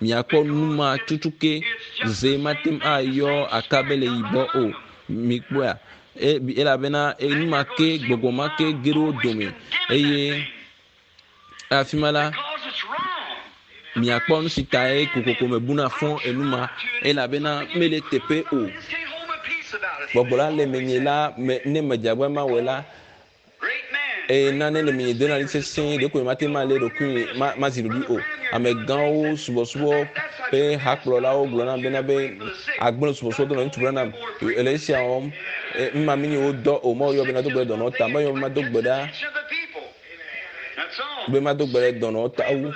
Miakpɔ nu ma tutu ke ze mate ŋu ayɔ akabe le yibɔ o. Mikpɔea? E, elabena nu ma ke, gbɔgbɔ ma ke ge ɖe wo dome eye afi ma la, miakpɔ nu si tae kokoko mebuna fɔ enu ma, elabena mele teƒe o. Gbɔgbɔ la le menye la, me, ne medze agbagba mawɔe la, eye nane le menye dona ɖi sesĩe, ɖeko nyemate ŋu malé ɖokuinye ma, mazi ɖoɖoe o. Amegãwo, subɔsubɔ ƒe hakplɔlawo gblɔ nam bena be agblẽ subɔsubɔ do na ŋutsu Branham ele esia wɔm. Ema menye wo dɔ o. Mawu yɔ be nado gbe ɖe dɔnɔwo ta. Meyɔ be mado gbe ɖa be mado gbe ɖe dɔnɔwo ta wu.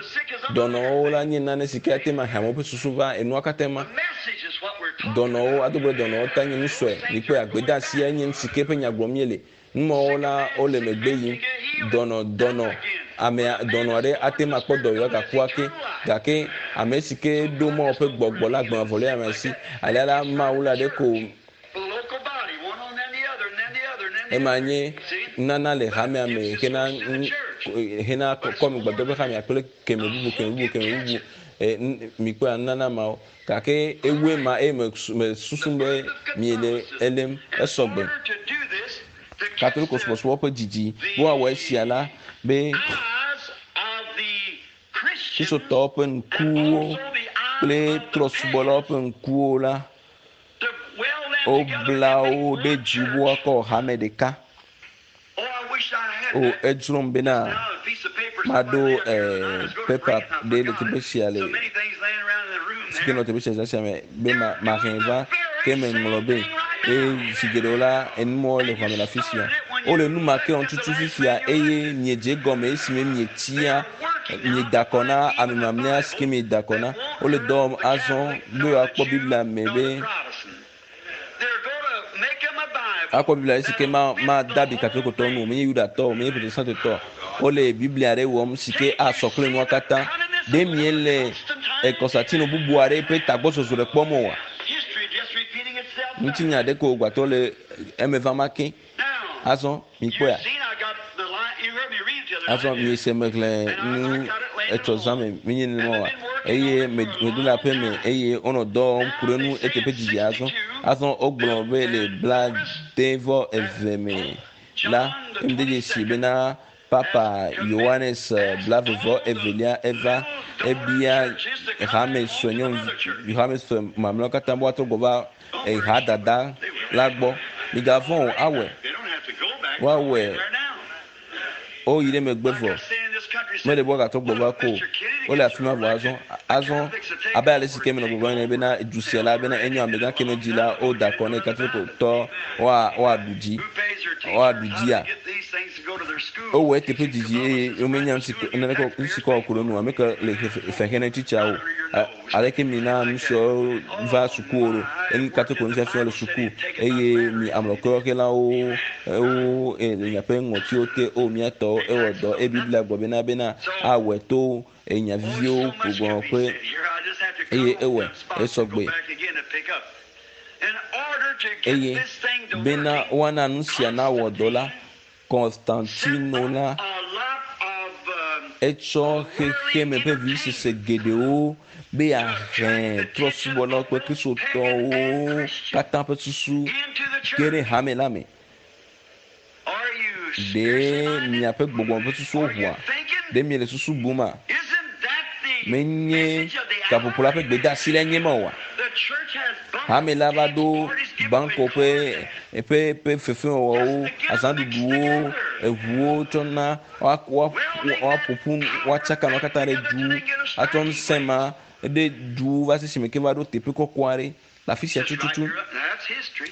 Dɔnɔwo la nye nane si ke ate ŋu ahe amewo ƒe susu va enua katã ma. Dɔnɔwo ado gbe ɖe dɔnɔwo ta nye nu sue. Mikpɔe gbedeasia nye nu si ke ƒe nya gblɔm míele. Numawo la wole megbe yim. Dɔnɔ dɔnɔ amea dɔnɔ aɖe ate ŋu akpɔ dɔyɔyɔ gaku ake gake ame si ke ɖo Mawu ƒe gbɔgbɔ la agbe mavɔ le ame si. Alea la Mawu la ɖeko. Ema nye nunana le hamea me hena hena kɔme gbadɔ ƒe hamea kple keme bubu keme bubu keme bubu. E, mikpɔa nunana mawo. Gake ewoe ma eye me me susu be miele elém esɔgbe. Katoliko subɔsubɔ ƒe dzidzi be woawɔ esia la be Kristotɔwo ƒe ŋkuwo kple trɔsubɔlawo ƒe ŋkuwo la, wobla wo ɖe dzi be woakɔ hame ɖeka. O, edzrom bena maɖo eh, pepa ɖe le teƒe sia le si ke nɔ teƒe sia zã sia me be ma mahe va ke meŋlɔ be eye zi geɖewo la enumɔwo le xɔme le afi sia. Wole nu ma ke wɔm tutu fifia eye miedze egɔme esime mietia mieda akɔ na ame mamlɛa si ke mieda akɔ na. Wole dɔ wɔm azɔ be woakpɔ Biblia me be akpɔ Biblia si ke ma made abi Katolikotɔwo nu o, menye Yudatɔ o, menye Protestantotɔ o. Wole Biblia aɖe wɔm si ke asɔ kple nua katã. Ɖe miele Konstantino bubu aɖe ƒe tagbɔsɔsɔ ɖe kpɔm oa? Ŋutinya ɖe ko wògbatɔ le eme vam ake. Azɔ mikpɔea? Azɔ miese mexlẽ nu etsɔ zã me menye nenema oa? Eye medo le aƒe me eye wonɔ dɔ wɔm ku ɖe nu eteƒe didi azɔ. Azɔ wogblɔ be le blaade vɔ eve me la, emede dzesi bena Papa Yohanes blave vɔ evelia eva ebia hame sue nyɔnuvi hame sue mamlɛawo katã be woatrɔ gbɔ va eha dada la gbɔ. Migavɔ̃ o, awɔe. Woawɔe. Woyi ɖe megbe vɔ. Mele be woagatrɔ gbɔ va ko o. Wole afi ma vɔ azɔ. Azɔ abe ale si ke menɔ gbɔgblɔm ene bena du sia la bena enyo amegã ke ne dzi la woda akɔ ne Katolikotɔ woa woaɖu dzi woaɖu dzia. Wowɔ eteƒe didi eye womenya nu si ke naneke nu si ke woawɔ ku ɖe enu o. Ame ke le fe xe ne tsitsia o. Aleke mina nu siawo va sukuwo ɖo? Enu Katoliko nufiafia le suku eye mi amlɔkɔyɔxelawo wo le miaƒe ŋɔtiwo te o mía tɔwo ewɔ dɔ eye Biblia gblɔ bena bena awɔe to enya viviwo gbɔgblɔ ƒe eye ewɔe esɔgbe. Eye bena woana nu sia nawɔ dɔ la, Konstantino la, etsɔ xexeme ƒe vivisese geɖewo be yeahe trɔ̃subɔlawo kple Kristotɔwo katã ƒe susu ge ɖe hame la me. Ɖe miaƒe gbɔgbɔ ƒe susuwo ʋua? Ɖe miele susu buma? Menye gaƒoƒo la ƒe gbedeasi lae nye ema oa? Hame la va ɖo banko ƒe ƒe ƒe fefewɔwɔwo, azãɖuɖuwo, eʋuwo tsɔ na woaƒo ƒu, woatsaka nua katã ɖe du, atsɔ ŋusẽ ma ɖe du va se esime ke va ɖo teƒe kɔkɔ aɖe le afi sia tututu.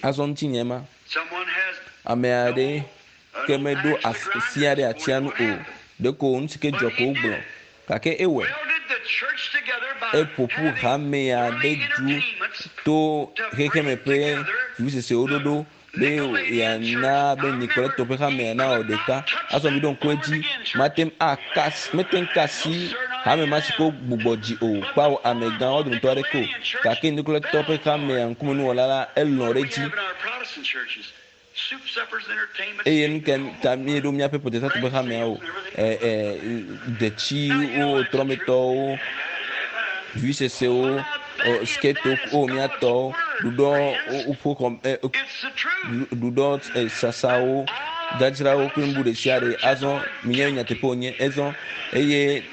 Azɔ ŋutinye ma. Ame aɖe ke meɖo afi aɖe atsia nu o. Ɖeko nu si ke dzɔ ko wogblɔ. Gake ewɔe. Eƒo ƒu hamea ɖe du to xexeme ƒe vivisesewo ɖoɖo be yeana be Nikoletɔ ƒe hamea nawɔ ɖeka. Azɔ miɖo ŋku edzi, mate ŋu aka, mete ŋu ka asi hame ma si ke wogbugbɔ dzi o, kpao amegãwo dometɔ aɖeke o. Gake Nikoletɔ ƒe hamea ŋkumenuwɔla la, elɔ̃ ɖe edzi. Eye nu ka ta míeɖo míaƒe Protestant ƒe hameawo, ɛ, ɛ, detsiwo, trɔmetɔwo, vivisesewo, sketo, o mía tɔwo, ɖuɖɔ woƒe xɔ, ɛ, ɖuɖɔ sasawo, dzadzrawo kple nu bubu ɖe sia ɖe. Azɔ minya nyateƒe wònye. Ezɔ eye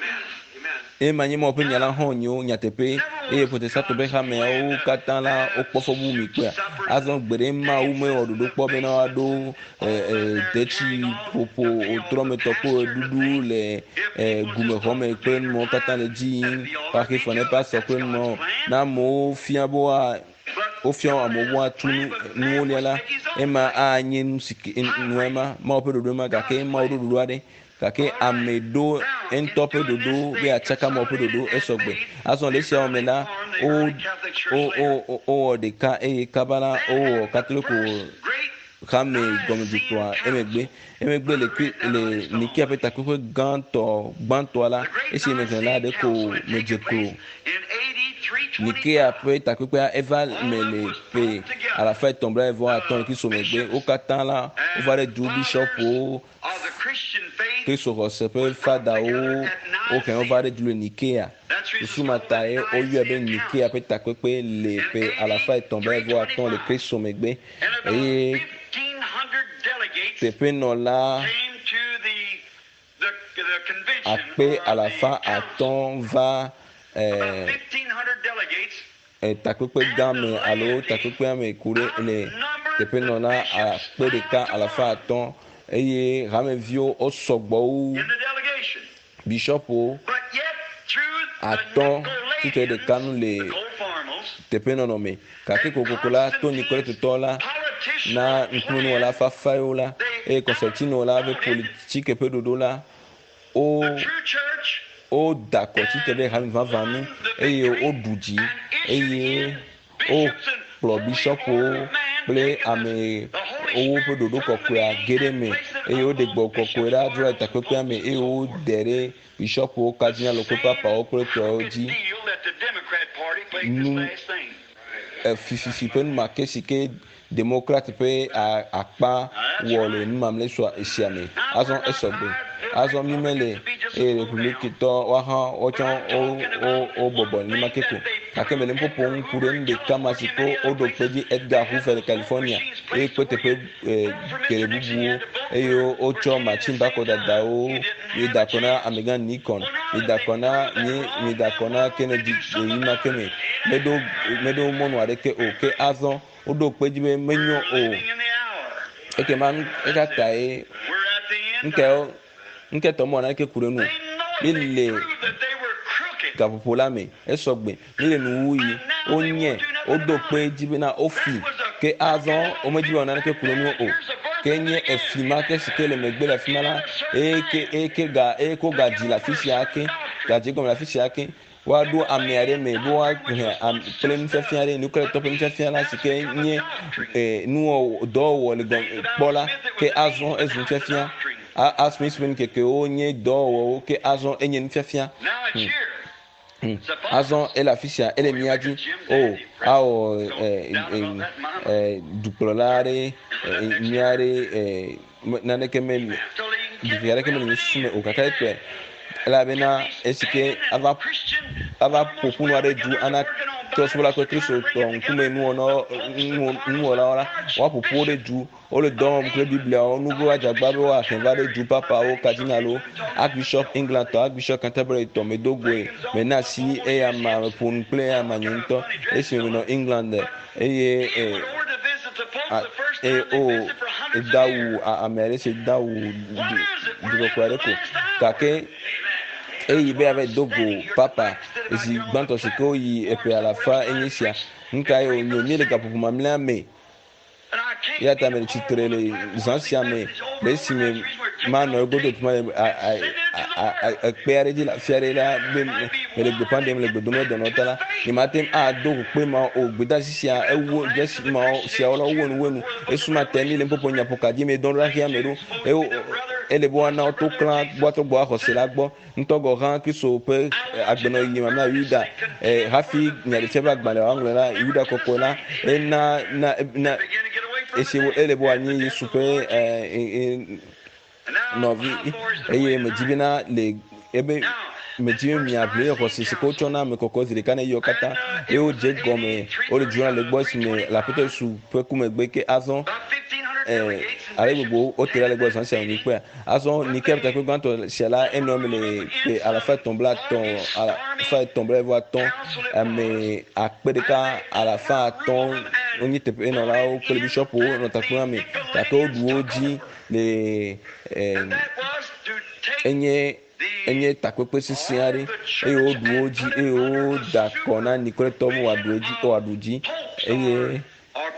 Ema nye Mawu ƒe nya la hã wònye o, nyateƒee, eye Protestantɔ ƒe hameawo katã la, wokpɔ fɔbubu mi kpɔea? Azɔ gbeɖe Mawu mewɔ ɖoɖo kpɔ bena woaɖo e, e, detsi ƒoƒo trɔmetɔ kple ɣeɖuɖu le e, gumexɔ me kple numɔwo katã le dzi yim, woaxe fe na eƒe asɔ kple numɔwo. Ne amewo fia be woa wofia amewo be woatu nu nuwo lia la, ema anye nu si ke nua ema, Mawu ƒe ɖoɖo ema, gake Mawu ɖo ɖoɖo aɖe Gake ame ɖo eŋutɔ ƒe ɖoɖo be yeatsaka amewo ƒe ɖoɖo esɔgbe. Azɔ le esiawo me la, wo, wo, wo, wowɔ ɖeka eye kaba la wowɔ Katoliko hame gɔmedzetoa emegbe. Emegbe le, le Nikea ƒe takpekpe gãtɔ gbãtɔa la, esi mexlẽ la, ɖeko medze klo. Nikea ƒe takpekpea eva me le ƒe alafa etɔ̃ blaeve-vɔ-atɔ̃ le Kristo megbe. Wo katã la wova ɖe du bishɔpwo, Kristo xɔse ƒe fadawo wohe wova ɖe du le Nikea. Susu ma tae woyɔe be Nikea ƒe takpekpe le ƒe alafa etɔ̃ blaeve-vɔ-atɔ̃ le Kristo megbe. Eye teƒenɔla akpe alafa atɔ̃ va takpekpe gã me alo takpekpea me ku ɖe le teƒenɔla akpe ɖeka alafa atɔ̃ eye hameviwo wosɔgbɔ wu bishɔpwo atɔ̃ tsitre ɖeka nu le teƒenɔnɔ me. Gake kokoko la, to Nikoletotɔ la na ŋkumenuwɔla fafaewo la eye Kɔsɛtino la ƒe politike ƒe ɖoɖo la, wo woda kɔ tsitre ɖe hame vavã nu eye woɖu dzi eye wokplɔ bishɔpwo kple ame wowo ƒe ɖoɖo kɔkɔea ge ɖe eme eye woɖe gbɔ kɔkɔe ɖa dzro le takpekpea me eye wode ɖe bishɔpwo, kardinalwo kple papawo kple tɔwo dzi. Nu efififi ƒe numake si ke Demokrat ƒe akpa wɔ le numamle sia me. Azɔ esɔgbe. Azɔ mi mele eye Republikitɔ woahã wotsɔ wo bɔbɔ nenema ke ko. Gake mele nuƒoƒo ŋu ku ɖe nu ɖeka ma si ko woɖo kpe dzi Edgar Hoover le California eye kpe teƒe geɖe bubuwo eye wotsɔ machine bakɔdadawo mi da kɔ na amegã Nikon, mi da kɔ na mi mi da kɔ na Kennedy ɣeyiɣi ma ke me. Meɖo meɖo mɔnu aɖeke o ke azɔ woɖo kpe dzi be menyo o. Ekema eka tae ŋke ŋke tɔ mɔ naneke ku ɖe nu. Mi le gaƒoƒo la me esɔgbe mi le nuwuɣi wonye woɖo kpe dzi bena wofi ke azɔ womedzi be naneke ku ɖe nu o. Ke nye efi ma ke si ke le megbe le afi ma la eye ke eye ke ga eye ko gadzi le afi sia ke gadzi gɔme le afi sia ke woaɖo ame aɖe me be woahe kple nufiafia ɖe nukletɔ ƒe nufiafia la si ke nye nuwɔ dɔwɔwɔ le gɔme kpɔ la ke azɔ ezu nufiafia. Asmith ƒe nukekewo nye dɔwɔwɔwo ke azɔ enye nufiafia. Azɔ ele afi sia ele mía dzi o awɔ dukplɔla aɖe nyui aɖe naneke meli ɖevi aɖeke mele nye susu me o gake ekpɔe elabena esi ke ava ava ƒo ƒu nu aɖe du ana trɔsubɔla kple kristotɔ ŋkume nuwɔlawo la woaƒo ƒu wo ɖe du wole dɔ wɔm kple bibliawo nu be woadzagba be woahe va ɖe du papawo kardinalwo archbishop england tɔ archbishop canterbury tɔ medo goe mena asi eya ma meƒo nu kple eya ma nye ŋutɔ esime menɔ england eye eye o edawu ame aɖe si dawu dukɔkɔe aɖe ko gake eyi be ava do go papa zi gbãtɔ si ke woyi eƒe alafa enyi sia nu kae wònye míele gaƒoƒo mamlɛa me eya ta mele tsitre le zã sia me le esime manɔ egodo fi ma le ekpe aɖe dzi le afi aɖe la be mele gbeƒã ɖem le gbedom ɖe dɔnɔ ta la nyemate ŋu ado go kpe ma o gbedasi sia ewu dzesi mawo siawo la wowu enu wu enu esu ma te mi le nuƒoƒo nyaƒoka dzi me dɔn ɖo xexea me ɖo ele be woana woto klã gbɔatɔ gbɔ axɔse la gbɔ ŋutɔ gɔ hã Kristo ƒe agbenɔɣi mamlɛa Yuda hafi nyaɖefia ƒe agbalẽ woaŋlɔ la Yuda kɔkɔe la ena na na esi ele be wòanye Yesu ƒe nɔvi eye medzi bena le ebe medzi be miaʋli xɔse si ke wotsɔ na ame kɔkɔe zi ɖeka ne yɔ katã eye wodze gɔme wole dzona le gbɔ esime le Aƒetɔ Yesu ƒe ku megbe ke azɔ ale gbogbo wote ɖa le gbɔ zã sia wònyi kpea azɔ nike takpe gbãtɔ sia la enɔ eme le ƒe alafa etɔ̃ bla etɔ̃ alafa etɔ̃ bla eve atɔ̃ ame akpe ɖeka alafa atɔ̃ wonye teƒenɔlawo kple bishɔpwo nɔ takpea me gake woɖu wo dzi le enye enye takpekpe sesẽ aɖe eye woɖu wo dzi eye woda kɔ na Nikoletɔ be wòaɖu edzi wòaɖu dzi eye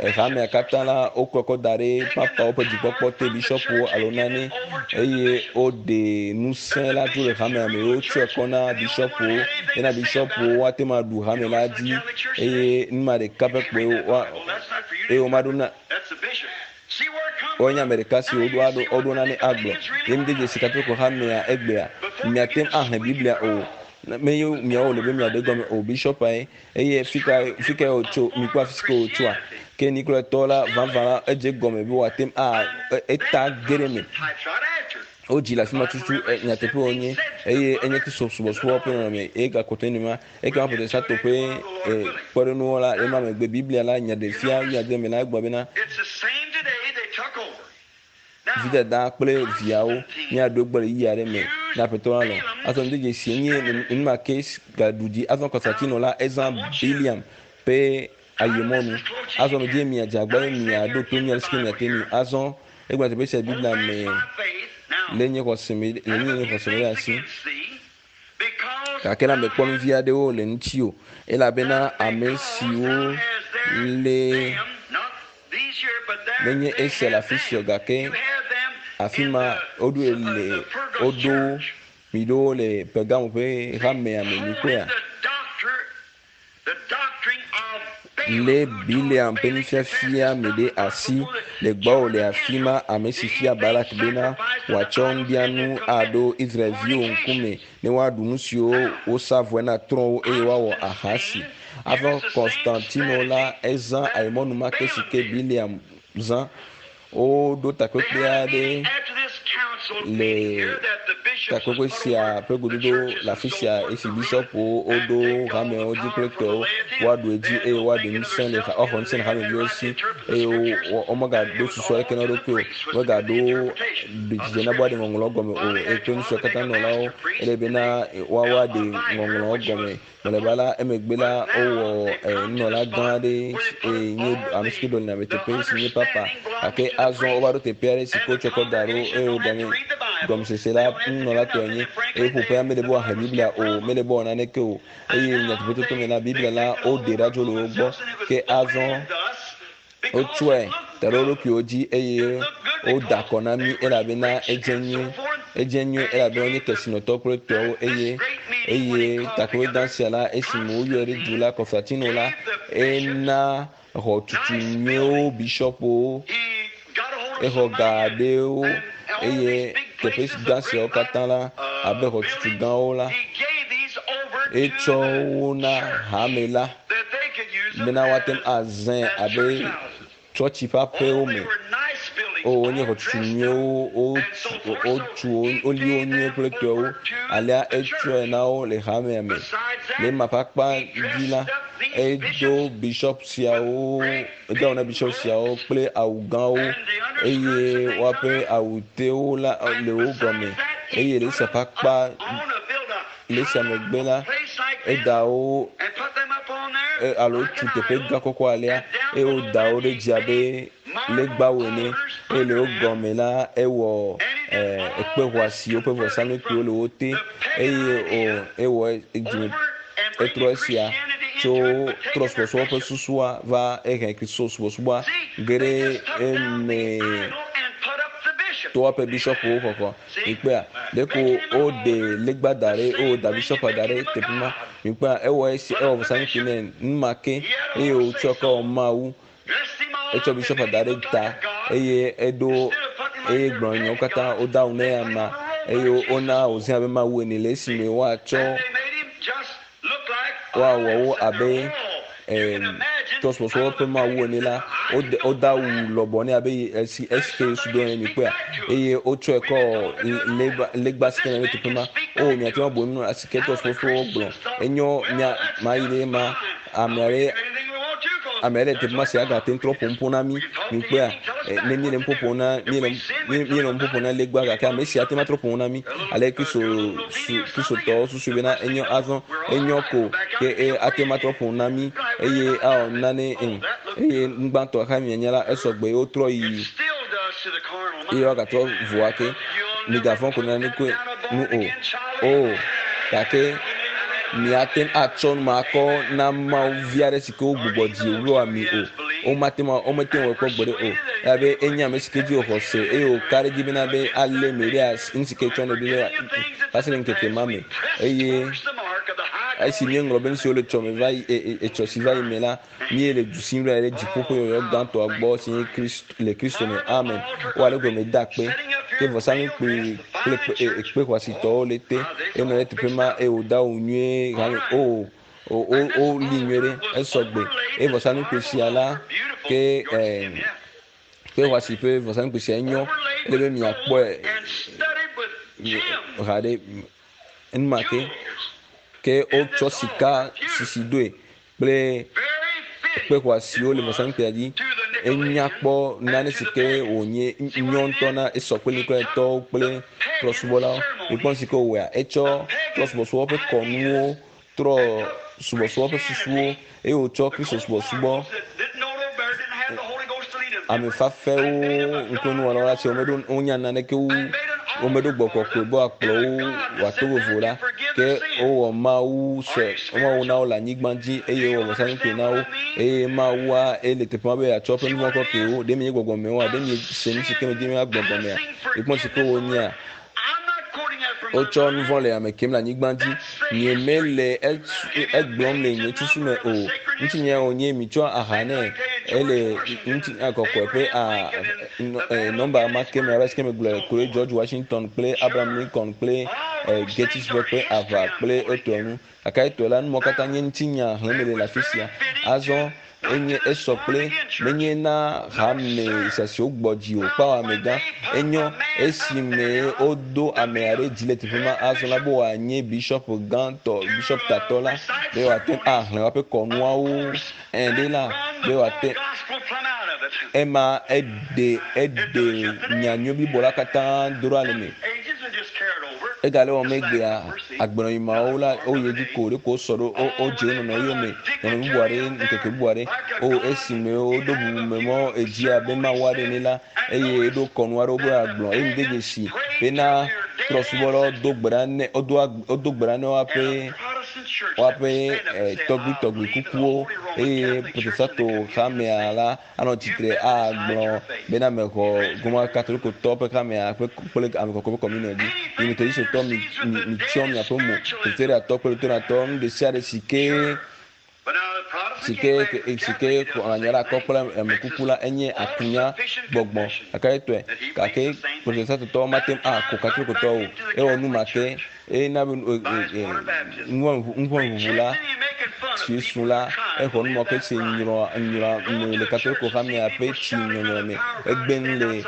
hamea katã la wokɔ kɔ da ɖe papawo ƒe dzikpɔkpɔ te bishɔpwo alo nane eye woɖe ŋusẽ la tso le hamea me wotsɔe kɔ na bishɔpwo ena bishɔpwo woate ŋu aɖu hame la dzi eye numa ɖeka ƒe kpoe wa eye womaɖo na wonye ame ɖeka si woɖo aɖo woɖo nane agblɔ ye mi de dzesi katoliko hamea egbea miate ŋu ahlẽ biblia o. Menye miawo wòle be miaɖe gɔme o, bishɔpa ye. Eye fi ka fi kae wòtso? Mikpɔ afi si ke wòtsoa? Ke Nikolatɔwo la vavã la edze egɔme be wòate ŋu a eta ge ɖe eme. Wodzi le afi ma tutu nyateƒe wònye eye enye Kristo subɔsubɔ ƒe nɔnɔme eye gakpɔtɔ nye nenema. Ekema Protestanto ƒe kpɔɖeŋuwo la ema megbe Biblia la nyaɖefia wuiade me la egblɔ bena vidada kple viawo míaɖo gbɔ le ɣeyiɣi aɖe me ne Aƒetɔ la lɔ̃. Azɔ ŋdi dzesi enye nenema ke gaɖu dzi. Azɔ Konstantino la ezã Biliam ƒe ayemɔnu. Azɔ medie miadze agbagba be miaɖo to mí alesi ke miate ŋui. Azɔ egblɔ teƒe sia Biblia me le nye xɔse me le nye xɔse me ɖe asi. Gake la mekpɔ nu vi aɖewo le ŋuti o, elabena ame siwo le menye esia le afi sia o, gake afi ma woɖoe le woɖo mi ɖo le Pergamo ƒe hamea me. Mikpɔea? Lé Bileam ƒe nufiafia me ɖe asi le gbɔwò le afi ma, ame si fia Balak bena wòatsɔ nuɖianu aɖo Israel-viwo ŋkume ne woaɖu nu siwo wosa vɔe na trɔ̃wo eye woawɔ ahasi. Azɔ Konstantino la, ezã ayemɔnu ma ke si ke Bileam zã. Woɖo takpekpe aɖe le takpekpe sia ƒe gododo le afi sia esi bishɔpwo woɖo hamewo dzi kple tɔwo woaɖu edzi eye woaɖe ŋusẽ le woaxɔ ŋusẽ le hameviwo si eye womegaɖo susu aɖeke na wo ɖokui o, womegaɖo dzidzɔ na be woaɖe ŋɔŋlɔwo gɔme o eye kple nu siwo katã nɔlawo ele bena woawo aɖe ŋɔŋlɔwo gɔme. Mlɔeba la, emegbe la, wowɔ nunɔla gã aɖe si nye ame si ke ɖɔlina ame teƒe si nye papa. Gake azɔ wova ɖo teƒe aɖe si ke wotsɔ kɔ da ɖo eye wogblɔ ne gɔmesese la nunɔla tɔe nye eye ƒoƒea mele be woaxlẽ Biblia o, mele be woawɔ naneke o. Eye nyateƒetoto me la, Biblia la woɖe ɖa dzo le wo gbɔ. Ke azɔ Wotsɔe da ɖe wo ɖokuiwo dzi eye woda akɔ na mí elabena edze nyuie. Edze nyuie elabena wonye kesinɔtɔ kple tɔwo eye eye takpekpegã sia la esime woyɔe ɖe du la Kɔstatino la ena xɔtutu nyuiwo bishɔpwo exɔ ga aɖewo eye teƒe gã siawo katã la abe xɔtutu gãwo la etsɔ wo na hame la. bena woate ŋu azãe abe tsɔtsi ƒe aƒewo me. O, wonye xɔtutu nyuiwo, wotu wo, woli wo nyuie kple tɔewo. Alea etsɔe na wo le hamea me. Le ema ƒe akpa dzi la, edo bishɔp siawo, edo awu na bishɔp siawo kple awu gãwo eye woaƒe awutewo la le wo gɔme eye le esia ƒe akpa Le esia megbe la, eda wo alo tu teƒe gã kɔkɔ alea eye woda wo ɖe dzi abe legbawo ene eye le wo gɔme la ewɔ ekpe xɔasi woƒe vɔsamlekpuiwo le wo te eye ewɔ dzime etrɔ esia tso trɔsubɔsubɔ ƒe susua va ehe Kristo subɔsubɔa ge ɖe eme to woaƒe bishɔpwo xɔxɔ. Mikpɔea? Ɖeko woɖe legba da ɖe, eye woda bishɔpa da ɖe teƒe ma. Mikpɔea? Ewɔ esi, ewɔ vɔsamlekpui nɛ enumake eye wòtsɔe kɔ wɔ Mawu. Etsɔ bishɔpa da ɖe ta eye eɖo eye gblɔ nyawo katã wode awu nɛ amea eye wona wòzẽ abe Mawu ene le esime woatsɔ woawɔ wo abe trɔsubɔsubɔ ƒe mawu ene la, wode wode awu lɔbɔ nɛ abe esi esi ke Yesu do ene mikpɔea, eye wotsɔe kɔ legba legba si ke le teƒe ma. O miate ŋu abu enu si ke trɔsubɔsubɔ gblɔ. Enyo mia mayi ɖe ma ame aɖe ame aɖe le teƒe ma si agate ŋu trɔ ƒo nuƒo na mí. Mikpɔea, ne míele nuƒo ƒom na míele míele nuƒo ƒom na legba gake ame si ate ŋu atrɔ ƒo nu na mí. Ale Kristo su Kristotɔwo susui bena enyo azɔ enyo ko ke e ate ŋu atrɔ ƒo nu na mí eye awɔ nane e eye nugbãtɔ xa mianya la esɔgbe ye wotrɔ yi eye woagatrɔ vo ake. Migavɔ̃ ko naneke nu o. O gake miate ŋu atsɔ nu ma akɔ na Mawu vi aɖe si ke wogbugbɔ dzi wòwlɔa mi o. Womate ŋu womete ŋu awɔe kpɔ gbeɖe o. Elabe enye ame si ke dzi wòxɔ se eye wòka ɖe edzi bena be alé mi ɖe asi nu si ke tsɔ nɛ ɖo ɖe va se ɖe ŋkeke ma me. Eye esi míeŋlɔ be nu siwo le tsɔme va yi etsɔ si va yi me la, míele du sim ɖe ɖe dziƒo ƒe yɔyɔ gãtɔa gbɔ si nye Kristo le Kristo me. Amen. Wo ale gɔme da akpe. Ke vɔsamlekpui kple kpe xɔasitɔwo le te. Enɔ ɖe teƒe ma eye wòdo awu nyuie hame o woli nyuie ɖe esɔgbe. Eye vɔsamlekpui sia la ke kpe xɔasi ƒe vɔsamlekpui sia enyo. Ele be miakpɔe haɖe enumake ke wotsɔ sika sisi doe kple kpe xɔasiwo le vɔsamlekpuia dzi. Enya kpɔ nane si ke wònye nyɔ ŋutɔ na esɔ kple Nikolatɔwo kple trɔ̃subɔlawo. Mikpɔ nu si ke wòwɔea, etsɔ trɔ̃subɔsubɔ ƒe kɔnuwo trɔ subɔsubɔ ƒe susuwo eye wòtsɔ Kristo subɔsubɔ ame fafɛwo ŋkumenuwɔlawo la tse womeɖo wonya naneke wu womeɖo gbɔ kɔkɔe be woakplɔ wo wòato vovo la ke wowɔ mawu sɔ mawu na wo le anyigba dzi eye wowɔ vɔsamlekpui na wo eye mawua ele teƒe ma be yeatsɔ eƒe nuvɔ̃ kɔ ke wo ɖe mienye gbɔgbɔmewoa ɖe miese nu si ke medi be míagblɔ gɔmea mikpɔ nu si ke wonyea Wotsɔ nu vɔ̃ le ame kem le anyigba dzi. Nyemele egblɔm le nye susu me o. Ŋutinya wònye mitsɔ aha nɛ. Ele ŋutinya kɔkɔe ƒe a nɔmba ma ke me abe si ke megblɔe ku ɖe George Washington kple Abraham Lincoln kple Gettysburg ƒe aʋa kple etɔe ŋu. Gake etɔe la, nu mawo katã nye ŋutinya xlẽm mele le afi sia. Azɔ enye esɔ kple menye na hame sia si wogbɔ dzi o kpao amegã. Enyo esime wodo ame aɖe dzi le teƒe ma azɔ la be wòanye bishɔp gãtɔ, bishɔp tatɔ la be wòate ŋu axlẽ woƒe kɔnuawo ẽ ɖe la be wòate ema eɖe eɖe nyanyui blibo la katã do ɖa le eme. Egale wɔm egbea. Agbenɔɣi mawo la, woyi edzi ko ɖeko wosɔ ɖo wodze wo nɔnɔewo yome nɔnɔme bubu aɖe ŋkeke bubu aɖe. O esime woɖo bubume mɔ edzi abe Mawu aɖe ene la, eye eɖo kɔnu aɖewo be yeagblɔ eye mede dzesi bena trɔ̃subɔlawo do gbe ɖa nɛ wodo gbe ɖa ne woaƒe woaƒe tɔgbuitɔgbui kukuwo eye Protestanto hamea la anɔ tsitre agblɔ bena mexɔ Roma Katolikotɔwo ƒe hamea ƒe kple ame kɔkɔe ƒe kɔmunion dzi. Mi Metodistotɔ, mi, mi, mitsyɔ miaƒe mo. Presbyteriatɔ kple Lutheratɔ, nu ɖesiaɖe si ke si ke si ke xɔ nya ɖe akɔ kple ame kuku la, enye akunya gbɔgbɔ. Gake etɔe. Gake Protestantotɔwo mate ŋu ako Katolikotɔwo o. Ewɔ nu ma ke. Eye na be nuʋɔnuʋuʋu la, si su la, exɔ nu ma ke si nyrɔ nyrɔ me le Katoliko hamea ƒe tsi nyɔnyrɔ me. Egbe nu le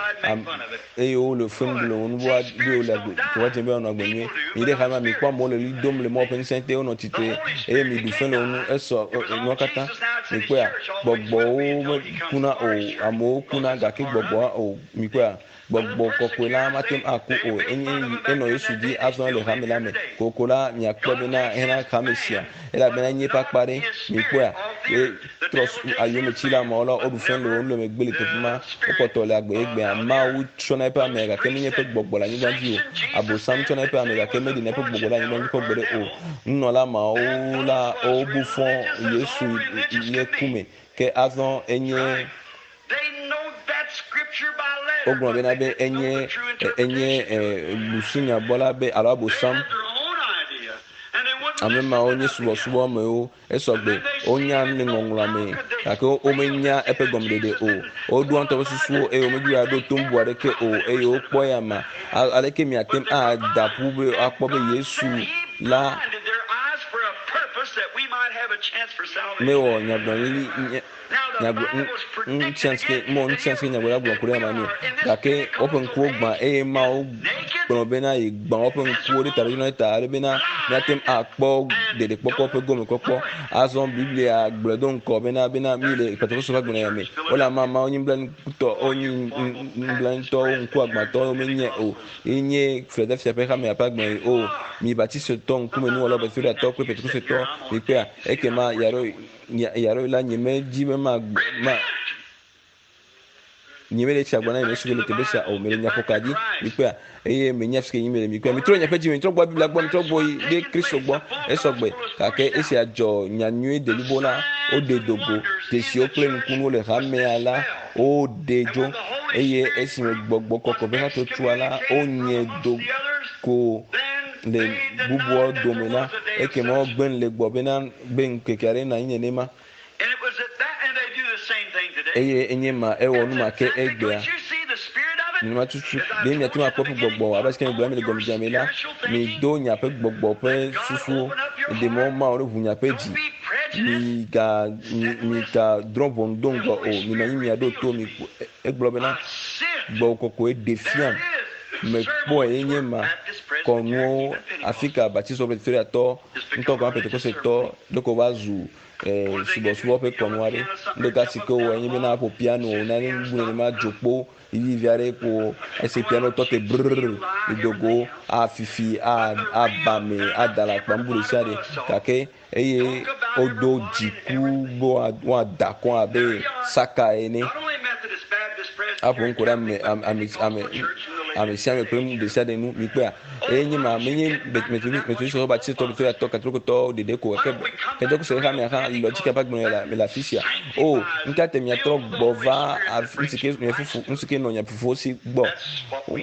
eye wole fem ɖum le wo nu be wole agbe teƒe dze be woanɔ agbe nyuie. Mi ɖe hamea mi kpɔ amewo le ɣli dom le Mawu ƒe ŋusẽ te wonɔ tsitre eye mi ɖu fe le wo ŋu esɔ nua katã. Mi kpɔea? Gbɔgbɔwo mekuna o, amewo kuna gake gbɔgbɔa o. Mi kpɔea? Gbɔgbɔ kɔkɔe la mate ŋu aku o. Enye enɔ Yesu dzi azɔ le hame la me. Kokoko la, miakpɔe bena hena hame sia, elabena enye eƒe akpa ɖe. Mikpɔea? Ye trɔ ayometsila mawo la, woɖu fe le wo nu le megbe le teƒe ma. Wokpɔtɔ le agbe egbea. Mawu tsɔna eƒe ame gake menye eƒe gbɔgbɔ le anyigba dzi o. Abosam tsɔna eƒe ame gake meɖena eƒe gbɔgbɔ ɖe anyigba dzi kpɔ gbeɖe o. Nunɔla mawo la, wobu fɔ Yesu le ku me. Ke azɔ enye Wogblɔ bena be enye enye busunyabɔla be alo abosam. Ame mawo nye subɔsubɔmewo esɔgbe. Wonya nu le ŋɔŋlɔa me gake womenya eƒe gɔmeɖeɖe o. Woɖoa ŋutɔ ƒe susuwo eye womedi be yewoaɖo to bubu aɖeke o eye wokpɔ eya ma. Aleke miate ŋu ada ƒu be woakpɔ be Yesu la mewɔ nyagblɔɖi nye nyagblɔ ŋutia si ke mɔ ŋutia si ke nyagblɔɖila gblɔ ku ɖe ema nu gake woƒe ŋkuwo gbã eye Mawu gblɔ bena yi gbã woƒe ŋkuwo ɖe taɖodzinu ɖe ta ale bena míate ŋu akpɔ ɖeɖekpɔkpɔ ƒe gomekpɔkpɔ. Azɔ Biblia gblɔe do ŋgɔ bena bena mí le Pentekoste ƒe agbenɔɣia me. Wole amama wonye nublanuitɔ wonye nublanuitɔwo ŋkuagbãtɔwo menye o. Ye nye Philadelphia ƒe hamea ƒe agbenɔɣi o. Mi Baptistotɔ ŋkumenuwɔlawo, Presbyteriatɔwo kple Pentekostetɔwo mikpɔea ekema yeaɖo Yaɖo la nyemedi be ma ma nyemele tsi agba na nye suku le teƒe sia o mele nya ƒoka dzi mikpɔa eye menya fi ke nyi mele mikpɔa mitrɔ nye ƒe dzi me mitrɔ gbɔ Biblia gbɔ mitrɔ gbɔ yi ɖe Kristo gbɔ esɔgbe gake esia dzɔ nya nyui deblibo la woɖe dogo dzesiwo kple nukunuwo le hamea la woɖe dzo eye esime gbɔgbɔ kɔkɔe ƒe hatsotsoa la wonye do ko le bubuawo dome la ekema wogbe nu le gbɔ bena be ŋkeke aɖe nɔ anyi nenema. Eye enye ma, ewɔ nu ma ke egbea. Nenema tutu ɖe miate ŋu akpɔ eƒe gbɔgbɔ abe si ke megblɔ mi le gɔmedzedzea me la, mido miaƒe gbɔgbɔ ƒe susuwo, miɖe mɔ Mawu ne ʋu miaƒe dzi. Miga migadrɔ̃ ʋɔnu do ŋgɔ o. Minɔ anyi miaɖo to mi. Egblɔ bena gbɔgbɔ kɔkɔe ɖe fiam. Mekpɔe ye nye ma kɔnuwo afi ka Baptistɔ kple Presbyteriatɔ ŋutɔ gɔme Pentekosetɔ ɖeko va zu subɔsubɔ ƒe kɔnu aɖe. Nu ɖeka si ke wowɔ nye bena aƒo piano nane nu nenema dzokpo vivivi aɖe ko esi piano tɔ te brrr do go afifi aba me ada le akpa nu ɖe sia ɖe gake eye wodo dziku be woada akɔ abe saka ene aƒo ŋku ɖe ame ame ame ame sia ame kple nu ɖe sia ɖe nu mikpɔea eye nye ma menye metodisitɔ batistɔ victoriatɔ katolikotɔ ɖeɖe ko ke pentekostɔ ƒe hamea hã lɔ dzi ke ƒe agbenɔnɔ le le afi sia o nuka te miatrɔ gbɔ va nu si ke mia fofo nu si ke nɔ mia fofowo si gbɔ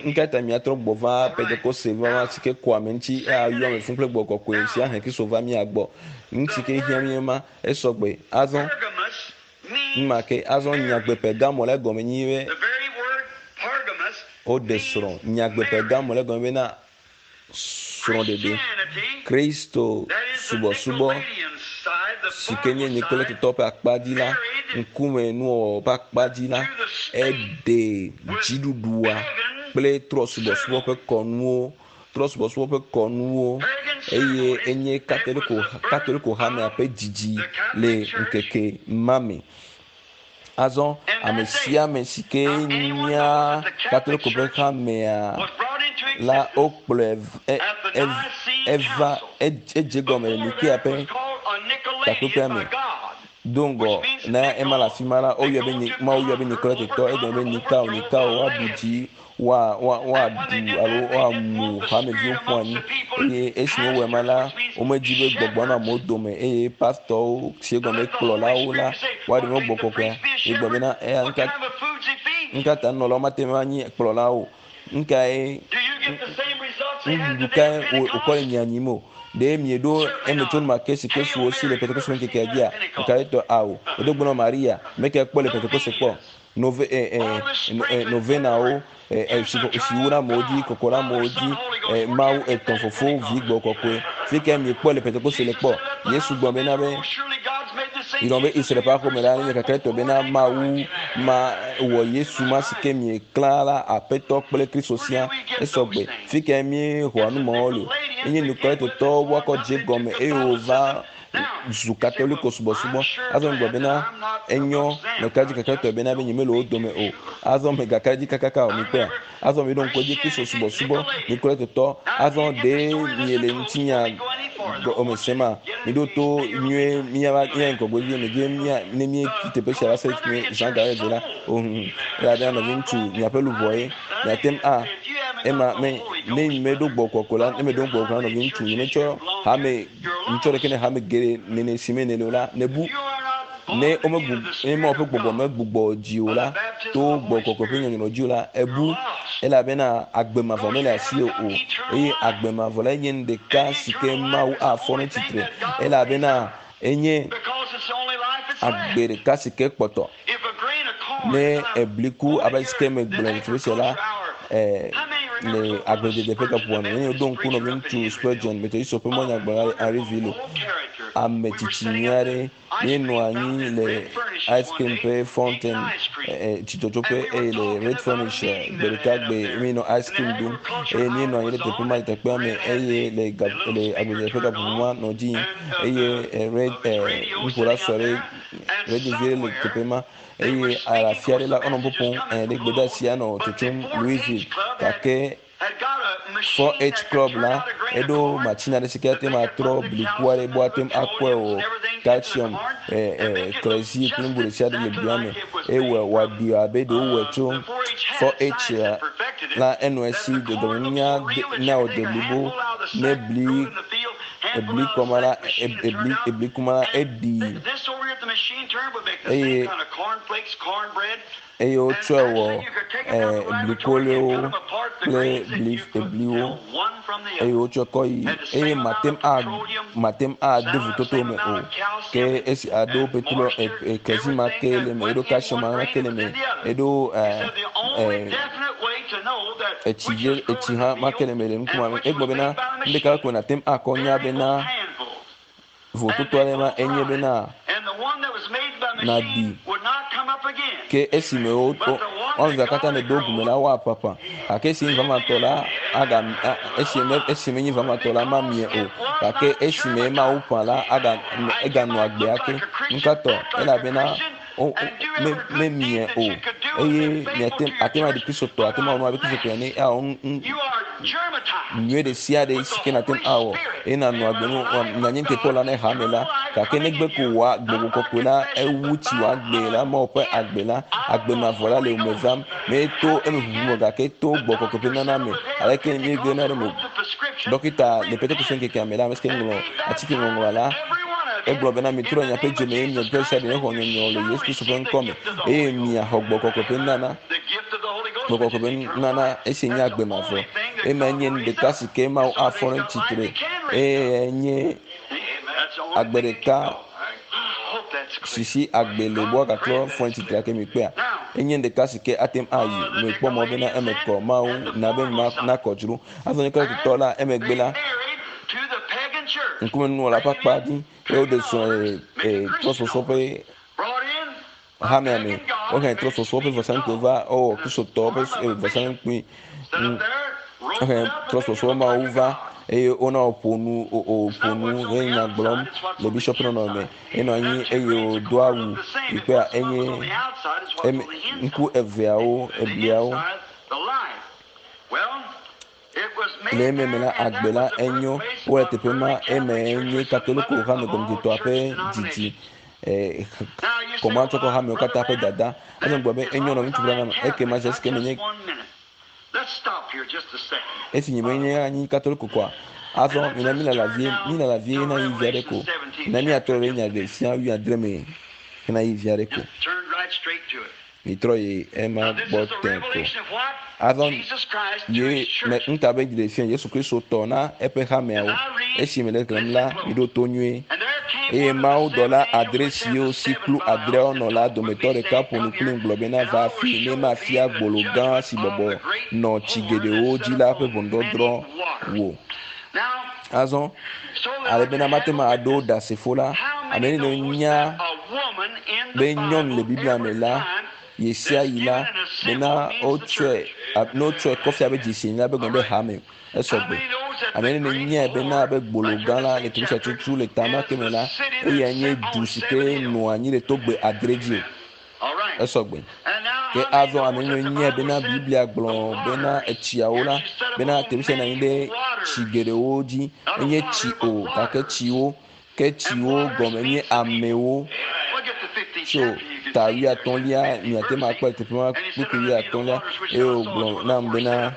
nuka ta miatrɔ gbɔ va pentekoste va si ke kɔ ame ŋuti ayɔ ame fũ kple gbɔ kɔkɔe si ahe Kristo va mia gbɔ nu si ke hiã mí ma esɔgbe azɔ numa ke azɔ nyagbe Pergamo la gɔme nyi be woɖe srɔ̃ nyagbe Pergamo la gɔme bena srɔ̃ɖeɖe Kristo subɔsubɔ si ke nye Nikoletotɔ ƒe akpa dzi la ŋkume nuwɔwɔ ƒe akpa dzi la eɖe dziɖuɖua kple trɔsubɔsubɔ ƒe kɔnuwo trɔsubɔsubɔ ƒe kɔnuwo eye enye katoliko katoliko hamea ƒe dzidzi le ŋkeke ma me. Azɔ ame sia ame si ke nya katoliko ƒe hamea la wokplɔe eva edze gɔme le Nikea ƒe takpekpea me. Do ŋgɔ na ema le afi ma la, woyɔe be Mawu yɔe be Nikoletetɔ, egɔme be Nikao, Nikao, woaɖu dzi woa, woa, woaɖu alo woamu hameviwo ƒu anyi. Eye esi wowɔe ma la, womedi be gbɔgbɔ nɔ amewo dome eye pastɔwo si egɔme kplɔlawo la, woaɖe mɔ gbɔgbɔ kɔkɔea. Egblɔ bena eya nuka, nuka ta nunɔlawo mate ŋu anyi kplɔlawo o? Nukae, nuɖuɖu kae wòkɔ le mia nyim o? Ɖe mieɖo emetsonu ma ke si ke su wo si le Pentekoste ƒe ŋkekea dzia? Nukae tɔ? Ao. Wodo gbe na Maria, meke kpɔ le Pentekoste kpɔ. Nove, eh, eh, eh, novenawo, eh, eh, siwo na amewo dzi, kɔkɔ na amewo dzi, eh, Mawu etɔ̃ fofo vi gbɔ kɔkɔe. Fi ke miekpɔ le Pentekoste le kpɔ. Yesu gblɔ bena be yrɔ be Israel ƒe aƒeme la nye kaklɛtɔ bena Mawu ma wɔ Yesu ma si ke mieklã la Aƒetɔ kple Kristo sia. Esɔgbe. Fi ke míexɔa nu mawo le. Enye Nikolatotɔwo woakɔ dze gɔme eye wova zu katoliko subɔsubɔ. Azɔ megblɔ bena enyɔ meka dzi kakatɔe bena be nyemele wo dome o. Azɔ megaka dzi kakaka o mikpɔea. Azɔ miɖo ŋku edzi Kristo subɔsubɔ Nikolatotɔ. Azɔ ɖe miele ŋutinya gɔme sema. Miɖo to nyuie míava mía ŋgɔgbe vie medze mía ne míetsi teƒe sia va se zã ga eve la. Ohun elabena nɔviŋutsu miaƒe luʋɔ ye miate ŋu a ema me ne meɖo gbɔ kɔkɔ la ne meɖo gbɔ kɔkɔ la nɔviŋutsu nyemetsɔ hame ŋutsɔ ɖeke ne hame geɖe nene si me nene o la nebu ne womegbu ne Mawu ƒe gbɔgbɔ megbugbɔ dzi o la to gbɔ kɔkɔe ƒe nyɔnyrɔ dzi o la ebu elabena agbe mavɔ mele asi o eye agbe mavɔ la nye nu ɖeka si ke Mawu afɔ ɖe tsitre elabena enye agbe ɖeka si ke kpɔtɔ ne ebli ku abe si ke megblɔ le teƒe sia la le agbledede ƒe gaƒoƒoa me. Nenye woɖo ŋku nɔviŋutsu Spurgeon, Methodist ƒe mɔnyagblɔla le Henryville, ame tsitsi nyui aɖe míenɔ anyi le ice cream ƒe fountain tsitsɔtsoƒe eye le Red Furnish gbe ɖeka gbe míenɔ ice cream ɖum eye míenɔ anyi ɖe teƒe ma le teƒea me eye le ga le agbledede ƒe gaƒoƒo ma nɔ dzi yim eye red nuƒola sɔ ɖe radio vi ɖe le teƒe ma eye afia ɖe la wonɔ ƒoƒom ɖe gbedeasia nɔ tsotsom Louisville gake 4-H club la eɖo machine aɖe si ke ate ŋu atrɔ bliku aɖe be woate ŋu akɔe o calcium klezi kple nu bubu ɖe sia ɖe le blia me eye wòaɖui abe ɖe wowɔe tso 4-H la enɔ esi dzɔdzɔmenunya na wòde blibo ne bli ebli kɔma la ebli ebli kuma la eɖi eye eye wotsɔe wɔ blikoloewo kple bli ebliwo eye wotsɔe kɔ yi eye mate ŋu a mate ŋu ade vototo me o ke esi aɖo petrol kerosene ma ke le me eɖo calcium ma ke le me eɖo. Etsi vie etsi hã make le me le ŋkume me. Egblɔ bena nu ɖeka ko nàte ŋu akɔ nya bena vototo aɖe ma enye bena nàɖi ke esime wo woame evea katã ne ɖo gu me la woaƒaƒã gake esi nye vavatɔ la aga esi me esi menye vavatɔ la mamie o gake esime Mawu ƒã la aga eganɔ agbe ake. Nukatɔ elabena wo me memie o eye miate ate ŋu aɖi kristotɔ ate ŋu awɔ nu abe kristotɔ ene awɔ nu nu nyuie ɖe sia ɖe si ke nàte ŋu awɔ eye nànɔ agbe nu nànye nuteƒewɔla ne hame la gake negbe ko wòa gbɔgbɔ kɔkɔe la ewu tsi wò agbe la Mawu ƒe agbe la agbe mavɔ la le wò me vam meto eme ʋuʋu me gake to gbɔgbɔ kɔkɔe ƒe nana me aleke míegena ɖe me ɖɔkita le Pentekoste ŋkekea me la ame si ke ŋlɔ atike ŋɔŋlɔa la Egblɔ bena, Mitrɔ miaƒe dzi me eye mia dometɔ ɖesiaɖe nexɔ nyɔnyrɔ le Yesu Kristo ƒe ŋkɔ me eye miaxɔ Gbɔgbɔ Kɔkɔe ƒe nunana. Gbɔgbɔ Kɔkɔe ƒe nunana esi nye agbe mavɔ. Ema nye nu ɖeka si ke Mawu afɔ ɖe tsitre eye nye agbe ɖeka si si agbe le be woagatrɔ fɔ ɖe tsitre ake mikpɔea? Enye nu ɖeka si ke ate ŋu ayi. Mekpɔ mɔ bena eme kɔ. Mawu na be nakɔ dzro. Azɔ nye Kristotɔ la emegbe la, ŋkumenunɔla ƒe akpa dzi eye woɖe srɔ̃ le trɔsɔsɔ ƒe hamea me. Wohe trɔsɔsɔ ƒe vɔsamlekpui va wowɔ Kristotɔwo ƒe vɔsamlekpui. Wohe trɔsɔsɔ mawo va eye wona wòƒo nu wòƒo nu he nya gblɔm le bishɔp nɔnɔme. Enɔ anyi eye wòdo awu yi kpea enye ŋku eveawo ebliawo. Le eme me la, agbe la enyo. Wole teƒe ma, eme enye Katoliko hame gɔmedzetɔa ƒe didi, kɔmatsɔkɔ hamewo katã ƒe dada. Azɔ gblɔ be enyo nɔ ŋutsu Branham, ekema esi menye esi nye menye anyi Katoliko koa, azɔ mina mílala vie, mílala vie hena ɣeyiɣi vi aɖe ko. Mina míatrɔ ɖe nya ɖe sia wuiadre me hena ɣeyiɣi vi aɖe ko. Mitrɔ yi ema gbɔ tẽ ko. Azɔ ye me ŋuta be ɖe fia Yesu Kristo tɔ na eƒe hameawo. Esi mele xlẽm la, miɖo to nyuie. Eye mawudɔla adre siwo si kplu adreawo nɔ la dometɔ ɖeka ƒo nu kplim gblɔ bena, Va afii ne mafia gbolo gã si bɔbɔ nɔ tsi geɖewo dzi la ƒe ʋɔnudɔdrɔ̃ wò. Azɔ, ale bena mate ŋu aɖo ɖasefo la, ame ne nya be nyɔnu le Biblia me la, ɣesiaɣi la, bena wotsɔe, ne wotsɔe kɔ fia be dzesi ene la, be gɔme be hame, esɔgbe. Ame ne nyae bena abe gbolo gã la le teƒe sia tutu le ta ma ke me la, eyae nye du si ke nɔa anyi le togbe adre dzi o. Esɔgbe. Ke azɔ ame ne nyae bena Biblia gblɔ bena etsiawo la, bena teƒe sia nɔ anyi ɖe tsi geɖewo dzi. Menye tsi o, gake tsiwo. Ke tsiwo gɔme nye amewo. Tso ta wuiatɔ̃lia, miate ŋu akpɔe le teƒe ma kpukpui wuiatɔ̃lia. Eye wògblɔ nam bena,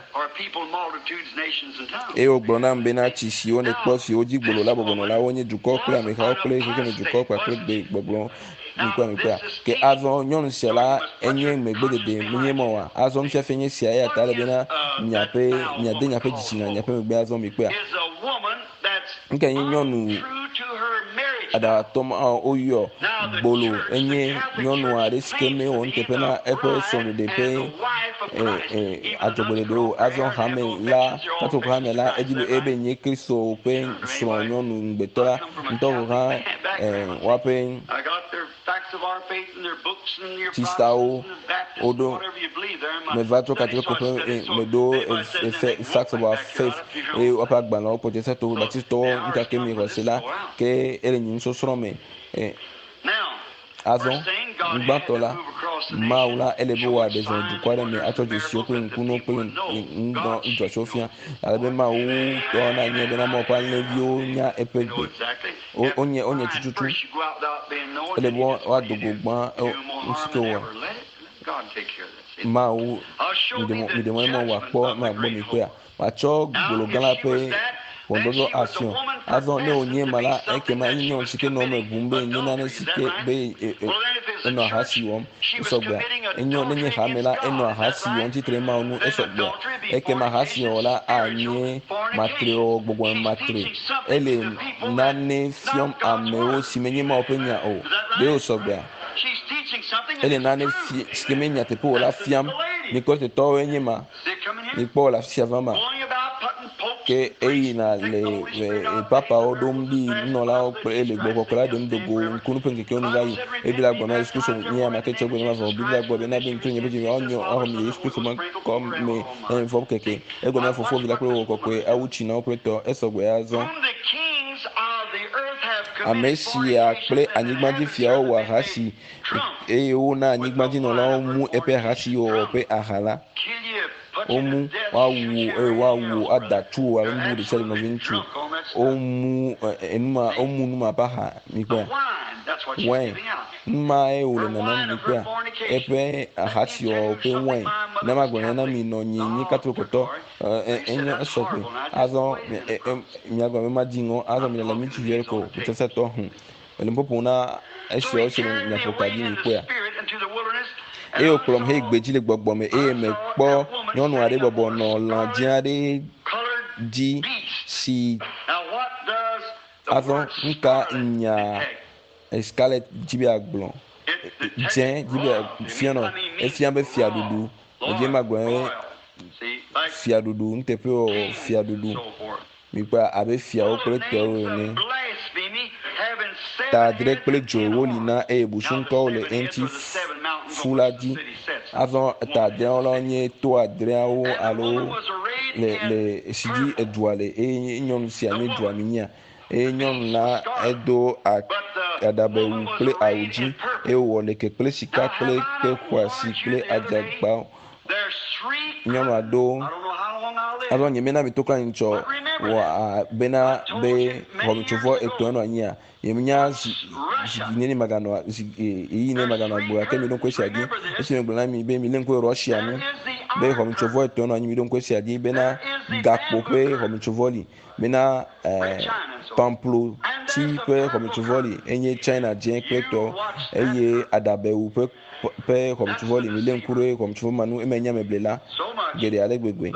eye wògblɔ nam bena, tsi siwo nèkpɔ siwo dzi gbolo la bɔbɔ nɔ la, wonye dukɔ kple amehawo kple xexeme dukɔ kpakple gbegbɔgblɔ. Mikpɔe, mikpɔea? Ke azɔ nyɔnu sia la enye megbedede, menye mɔ oa? Azɔ nufiafia nye sia, eya ta ele bena miaƒe, miade miaƒe dzitsinya miaƒe megbe azɔ, mikpɔea? Nuka nye nyɔnu aɖaŋutɔ ma woyɔ gbolo enye nyɔnu aɖe si ke mewɔ nuteƒe na eƒe srɔ̃ɖeɖe ƒe adzɔgbeɖeɖe o. Azɔ hame la, Katoliko hame la, edzi be ebe nye Kristo ƒe srɔ̃nyɔnu ŋugbetɔ la ŋutɔ gɔ̃ hã woaƒe Tsistawo woɖo meva tso Katoliko ƒe meɖo Facts of Our Faith eye woƒe agbalẽwo Protestantɔwo, Baptistɔwo ŋkake mi xɔ se la ke ele nye nusɔsrɔ̃ me. Azɔ ŋugbãtɔ la, Mawu la ele be wòaɖe zɔ dukɔ aɖe me atsɔ dzesiwo kple ŋkunuwo kple nudzɔtsiwo fia ale be Mawu tɔ nanye bena Mawu ƒe alẽviwo nya eƒe gbe. Wonye wonye tututu. Ele be woado go gbã nu si ke wowɔ. Mawu miɖe mɔ ne Mawu wòakpɔ ne wòagbɔ mi kpɔea. Matsɔ gbolo gã la ƒe ʋɔnudɔdrɔ̃ afiɔ. Azɔ ne wònye ema la, ekema enye nyɔnu si ke nɔ eme ʋum be yenye nane si ke be enɔ ahasi wɔm. Esɔgbea? Enyo nenye hame la, enɔ ahasi wɔm tsitre Mawu ŋu. Esɔgbea? Ekema ahasiwɔwɔ la anye matrewɔwɔ, gbɔgbɔme matre. Ele nane fiɔm amewo si menye Mawu ƒe nya o. Ɖe wòsɔgbea? Ele nane fi si ke menye nyateƒe o la fiam. Nikolasitɔwoe nye ma. Mikpɔ le afi sia va ma. Ke eyina le papawo ɖom ɖi nunɔlawo kple le gbɔgbɔ kɔkɔe la ɖem do go ŋkunu ƒe ŋkekewo nu va yi. Eye Biblia gblɔ na Yesu Kristo nye ame ke tsɔ gbe ne mavɔ. Biblia gblɔ bena be ŋutsu nye be dzi woanyɔ axɔ mi le Yesu Kristo me kɔ me ne vɔ keke. Egɔme na Fofo, Vi la kple Gbɔgbɔ Kɔkɔe awu tsi na woƒe tɔ. Esɔgbe azɔ. Ame sia kple anyigbadzifiawo wɔ ahasi eye wona anyigbadzinɔlawo mu eƒe ahasiwɔwɔ ƒe aha la. Womu, woawu eye woawu ada tu wò alo nu bubu ɖe sia ɖe nɔviŋutsu. Womu enuma, womu numa ƒe aha mikpɔea? Wine. Numae wòle nanam mikpɔea? Eƒe ahasiwɔwɔ ƒe wine. Ne magblɔ na mi nɔ nyi nyi katolokotɔ enye esɔgbe. Azɔ miagblɔ be madzi ŋɔ azɔ mi le ŋutsuvi aɖe ko sesẽtɔ hũ. Mele nu ƒoƒom na esiawo si le miaƒo ka dzi mikpɔea. Eye wòkplɔm heyi gbedzi le gbɔgbɔ me eye mekpɔ nyɔnu aɖe bɔbɔ nɔ lã dzẽ aɖe dzi si azɔ nuka nya scarlet dzi be yeagblɔ dzẽ dzi be fia nɔ efia be fiaɖuɖu edze magblɔ be fiaɖuɖu nuteƒewɔwɔ fiaɖuɖu mikpɔe abe fiawo kple tɔwo ene ta adre kple dzo woli na eye busuŋkɔwo le eŋuti fu la dzi azɔ ta adreawo la nye to adreawo alo le le si dzi edua le eye nyɔnu sia nye dua mi nyia Eye nyɔnu la edo aɖabɛwu kple awu dzi, eye wòwɔ leke kple sika kple kpe xɔasi kple adzagbawo. Nyɔnua do azɔ nye mena mi to kple anyi tsɔ wɔ bena be xɔmetsovɔ etɔ̃ nɔ anyia. Nye menya zi zi neni maganɔ zi ɣeyiɣi neni maganɔ agbe gake mi ɖo ŋku esia dzi. Esi megblɔ na mi be mi lé ŋku ɖe Russia ŋu be xɔmetsovɔ etɔ̃ nɔ anyi mi ɖo ŋku esia dzi bena gakpo ƒe xɔmetsovɔ li. Bena pamplo ti ƒe xɔmetsovɔ li enye China dzẽ kple tɔ eye aɖabɛwu ƒe ƒe xɔmetsovɔ li. Milé ŋku ɖe xɔmetsovɔ ma nu eme nye ameblela geɖe ale gbegbe.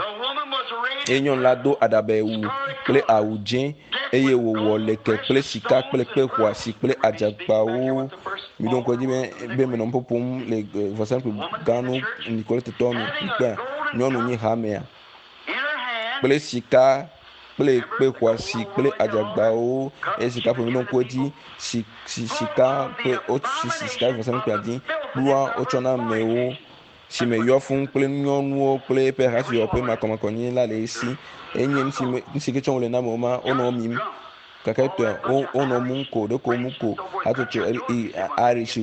Eye nyɔnu la do aɖabɛwu kple awu dzẽ eye wòwɔ leke kple sika kple kpe xɔasi kple adzakpawo. Miɖo ŋku edzi be be menɔ nu ƒoƒom le vɔsamlekpui gã nu Nikoletetɔwo nu. Mikpɔea? Nyɔnu nyi hamea. kple sika kple kpe xɔasi kple adzagbawo eye sika ƒe ɖo ŋku edzi si si sika ƒe wosi sika vɔsamlekpuia dzi. Kplua wotsɔ na amewo si me yɔ fũu kple nyɔnuwo kple eƒe hasiwɔwɔ ƒe makɔmakɔnyenye la le esi. Enye nu si me nu si ke tsɔm wole na amewo ma wonɔ mim gake etɔe wonɔ mum ko ɖeko mu ko hatsotso Irish